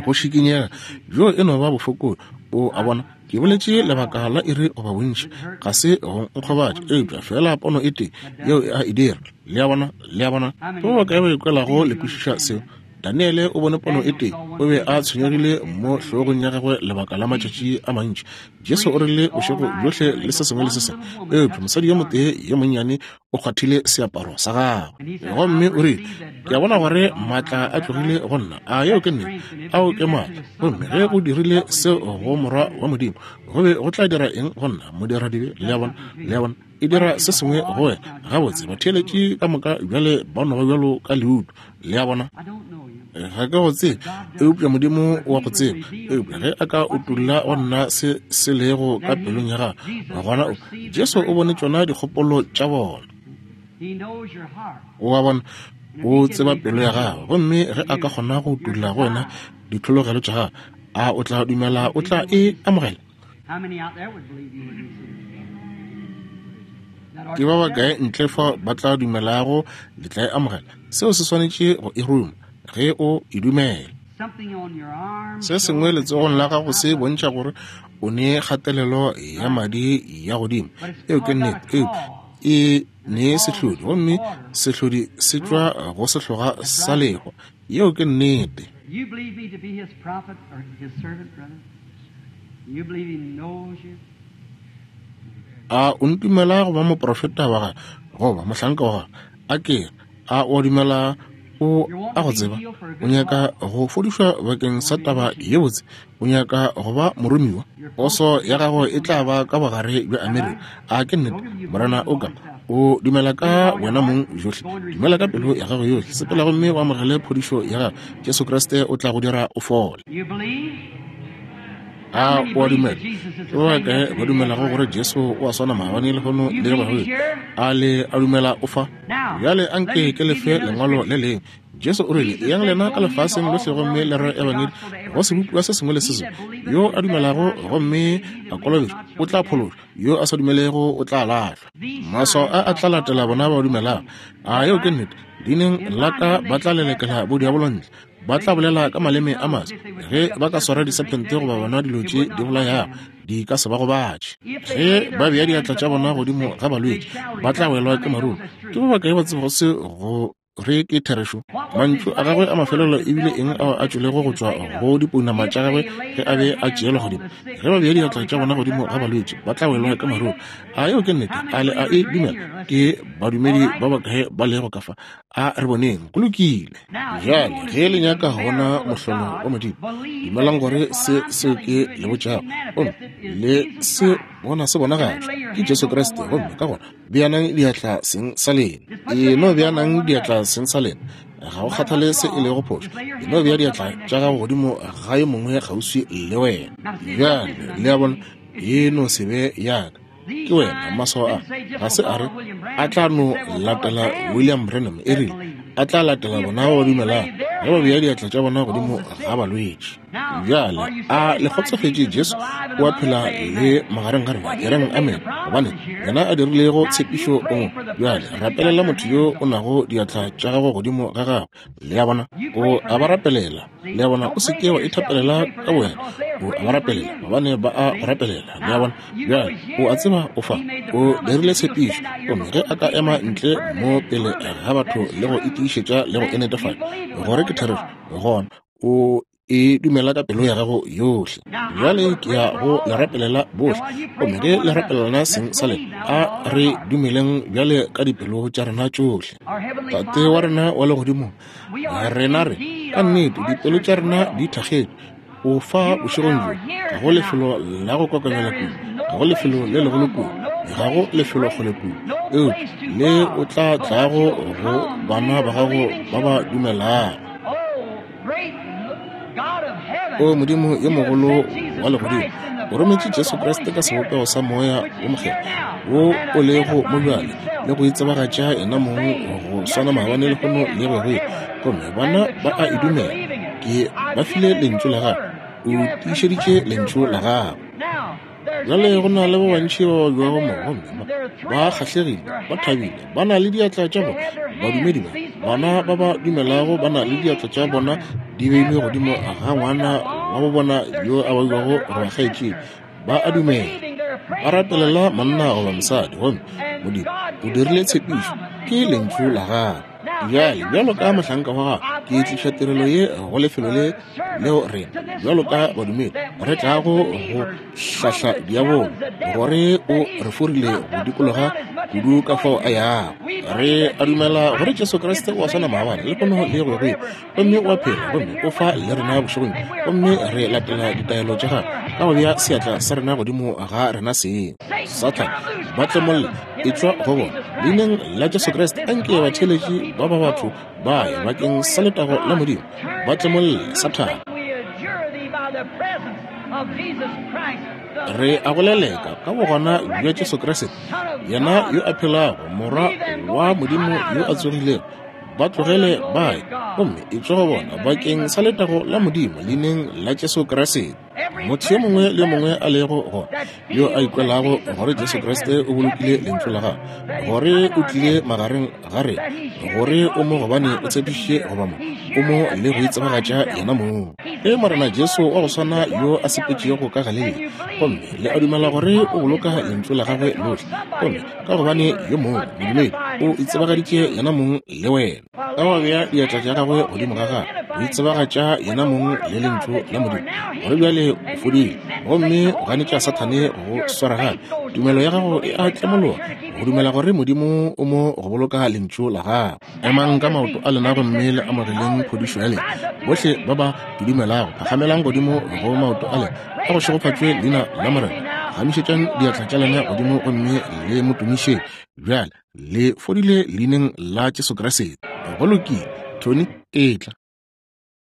go šikinyega, bjo e no ba bofokodi. O a bona, ke boletše lebaka la iri goba bontši, ga se go nkgobatša, eupša feela pono e tee yeo e a e dira. Le a bona? Le a bona? Ke ba bakae ba ikwelago le kwešiša seo? Daniele o bone pono e tee, o be a tshwenyegile mo hlogong ya gagwe lebaka la matšatši a mantši. Jesu o rile bošego bjohle le se sengwe le se sengwe, eupša mosadi yo motee yo monnyane o kgwathile seaparo sa gagwe. Gomme o rile, Ke a bona gore maatla a tlogile go nna. A yeo ke nnete? Ao ke maatla. Gomme ge go dirile seo go Morwa wa Modimo, go be go tla dira eng go nna, modiradibe? Le a bona? Le a bona? E dira se sengwe go wena. Gabotse, batheeletši ka moka bjale ba no ba bjalo ka leutu. Le a bona? Ga ke go tsebe, eupša Modimo wa go tseba. Eupša ge a ka utolla go nna se se lego ka pelong ya gago, gona o, Jesu o bone tšona dikgopolo tša bona. O a bona, o tseba pelo ya gago. Gomme ge a ka kgona go utolla go wena ditlhologelo tša gago, a o tla dumela o tla e amogela? Ke ba bakae ntle fa ba tla dumelago le tla e amogela? Seo se swanetše go e ruma ge o e dumela. Se sengwe letsogong la gago se bontšha gore o ne kgatelelo ya madi ya godimo. Eo ke nnete. Eupša e ne sehlodi, gomme sehlodi se tšwa go sehloga sa lehwa. Yeo ke nnete. You believe me to be his prophet or his servant, brother? You believe he knows you? A o ntumela go ba moprofeta wa gagwe goba mohlanka wa gagwe? A ke re, a o a dumela o a go tseba? O nyaka go fodišwa bakeng sa taba ye botse? O nyaka go ba moromiwa? Poso ya gago e tla ba ka bogare bja Amerika. A ke nnete? Morena o ka o dumela ka wena mong johle. Dumela ka pelo ya gago yohle. Sepela gomme o amogele phodišo ya gago. Jesu Kriste o tla go dira o fole. A o a dumela? Ke ba bakae ba dumelago gore Jesu o a swana maabane, lehono le go ya go ile? A le a dumela o fa? Bjale anke ke le fe lengwalo le lengwe. Jesu o rile, Eyang lena ka lefaseng lohle gomme le re ebangedi go sebopiwa se sengwe le se sengwe. Yo a dumelago gomme a kolobetšwa o tla phološwa, yo a sa dumelego o tla lahlwa. Maswao a a tla latela bona ba dumelago. A yeo ke nnete? Leineng la ka ba tla lelekela bodiabolo ntle, ba tla bolela ka maleme a maswa. Ge ba ka swara disephente goba bona dilo tše di bolayago, di ka se ba gobatše. Ge ba bea diatla tša bona godimo ga balwetši, ba tla welwa ke maruru. Ke ba bakae ba tsebago se go re ke therešo? Mantšu a gagwe a mafelelo e bile eng ao a tšwelego go tšwa go dipounama tša gagwe ge a be a tšeelwa godimo? Ge ba bea diatla tša bona godimo ga balwetši, ba tla welwa ke maruru. A yeo ke nnete? A le a e dumela? Ke badumedi ba bakae ba lego ka fa? A re boneng. Go lokile. Bjale, ge le nyaka go bona mohlolo wa Modimo, dumelang gore se seo ke le botšago gomme le se bona se bonagatšwa ke Jesu Kriste, gomme ka gona Beanang diatla seng sa lena. E no beanang diatla seng sa lena. Ga go kgathale se e lego phošo. E no bea diatla tša gago godimo ga yo mongwe kgauswi le wena. Bjale, le a bona, e no se be ya ka. Ke wena, maswao a. Ga se a re a tla no latela William Branham, e rile a tla latela bona ba ba dumelago ge ba bea diatla tša bona godimo ga balwetši. Bjale, a le kgotsofetše Jesu o a phela le magareng ga rena? E reng amen, gobane yena a dirilego tshepišo o mo. Bjale, rapelela motho yo o nago diatla tša gago godimo ga gagwe. Le a bona? O a ba rapelela. Le a bona? O se ke wa ithapelela ka bowena. O a ba rapelela, gobane ba a go rapelela. Le a bona? Bjale, o a tseba o fa. O dirile tshepišo. Gomme ge a ka ema ntle mo pele ga batho le go e tiišetša le go e netefatša gore ke therešo, gona o e dumela ka pelo ya gago yohle. Bjale ke ya go le rapelela bohle, gomme ge le rapelelana seng sa lena, a re dumeleng bjale ka dipelo tša rena tšohle. Tate wa rena wa legodimong, rena re ka nnete dipelo tša rena di thakgetše. O fa bošegong bjo, ga go lefelo la go kokobela kudu, ga go lefelo le legolo kudu, ga go lefelo kgole kudu, eupša le o tla tlago go bana ba gago ba ba dumelago. O Modimo yo mogolo wa legodimo, o rometše Jesu Kriste ka sebopego sa Moya wo Mokgethwa wo o lego mo bjale le go itsebagatša yena mong go swana maabane lehono le go go ile. Gomme bona ba a e dumela. Ke ba file Lentšu la Gago. O tiišeditše Lentšu la Gago. Bjale go na le ba bantši ba babjago mo, gomme ba, ba kgahlegile, ba thabile, ba na le diatla tša bona. Badumedi ba, bana ba ba dumelago ba na le diatla tša bona di beilwe godimo ga ngwana wa bo bona yo a babjago goba kgaetšedi. Ba a dumela. Ba rapelela monna goba mosadi, gomme Modimo o dirile tshepišo. Ke Lentšu la Gagwe. Bjale, bjalo ka mohlanka wa gago, ke tliša tirelo ye go lefelo le leo rena, bjalo ka badumedi, re tlago go hlahla diabolo gore o re forile go dikologa kudu ka fao a yago. Re a dumela gore Jesu Kriste o a swana maabane, lehono le go ya go ile, gomme o a phela gomme o fa le rena bošegong, gomme re latela ditaelo tša gagwe ka go bea seatla sa rena godimo ga rena seng. Sathane, ba tlemolle, etšwa go bona. Leineng la Jesu Kriste, anke batheeletši ba ba batho ba ye bakeng sa letago la Modimo. Ba tlemolle, Sathane. Re a go leleka ka bogona bja Jesu Kriste, yena yo a phelago, Morwa wa Modimo yo a tsogilego. Ba tlogele ba ye, gomme etšwa go bona bakeng sa letago la Modimo, leineng la Jesu Kriste. Motho yo mongwe le yo mongwe a lego gona yo a ikwelago gore Jesu Kriste o bolokile lentšu la gagwe, gore o tlile magareng ga rena, gore o mo gobane o tshepišitše goba mo, o mo le go itsebagatša yena mong. Ke Morena Jesu wa go swana yo a sepetšego ka Galilea, gomme le a dumela gore o boloka lentšu la gagwe lohle, gomme ka gobane yo mongwe modumedi o itsebagaditše yena mong le wena. Ka go bea diatla tša gagwe godimo ga gagwe, o itsebagatša yena mong le lentšu la Modimo, gore bjale o fodile, gomme o ganetša Sathane go swara gape. Tumelo ya gago e a tlemologa go dumela gore Modimo o mo go boloka lentšu la gagwe. Emang ka maoto a lena gomme le amogeleng phodišo ya lena. Bohle ba ba ke dumelago, phagamelang godimo go maoto a lena, a go šegofatšwe leina la Morena. Phagamišetšang diatla tša lena godimo gomme le mo tumišeng. Bjale le fodile leineng la Jesu Kriste. Go lokile, Tony, etla.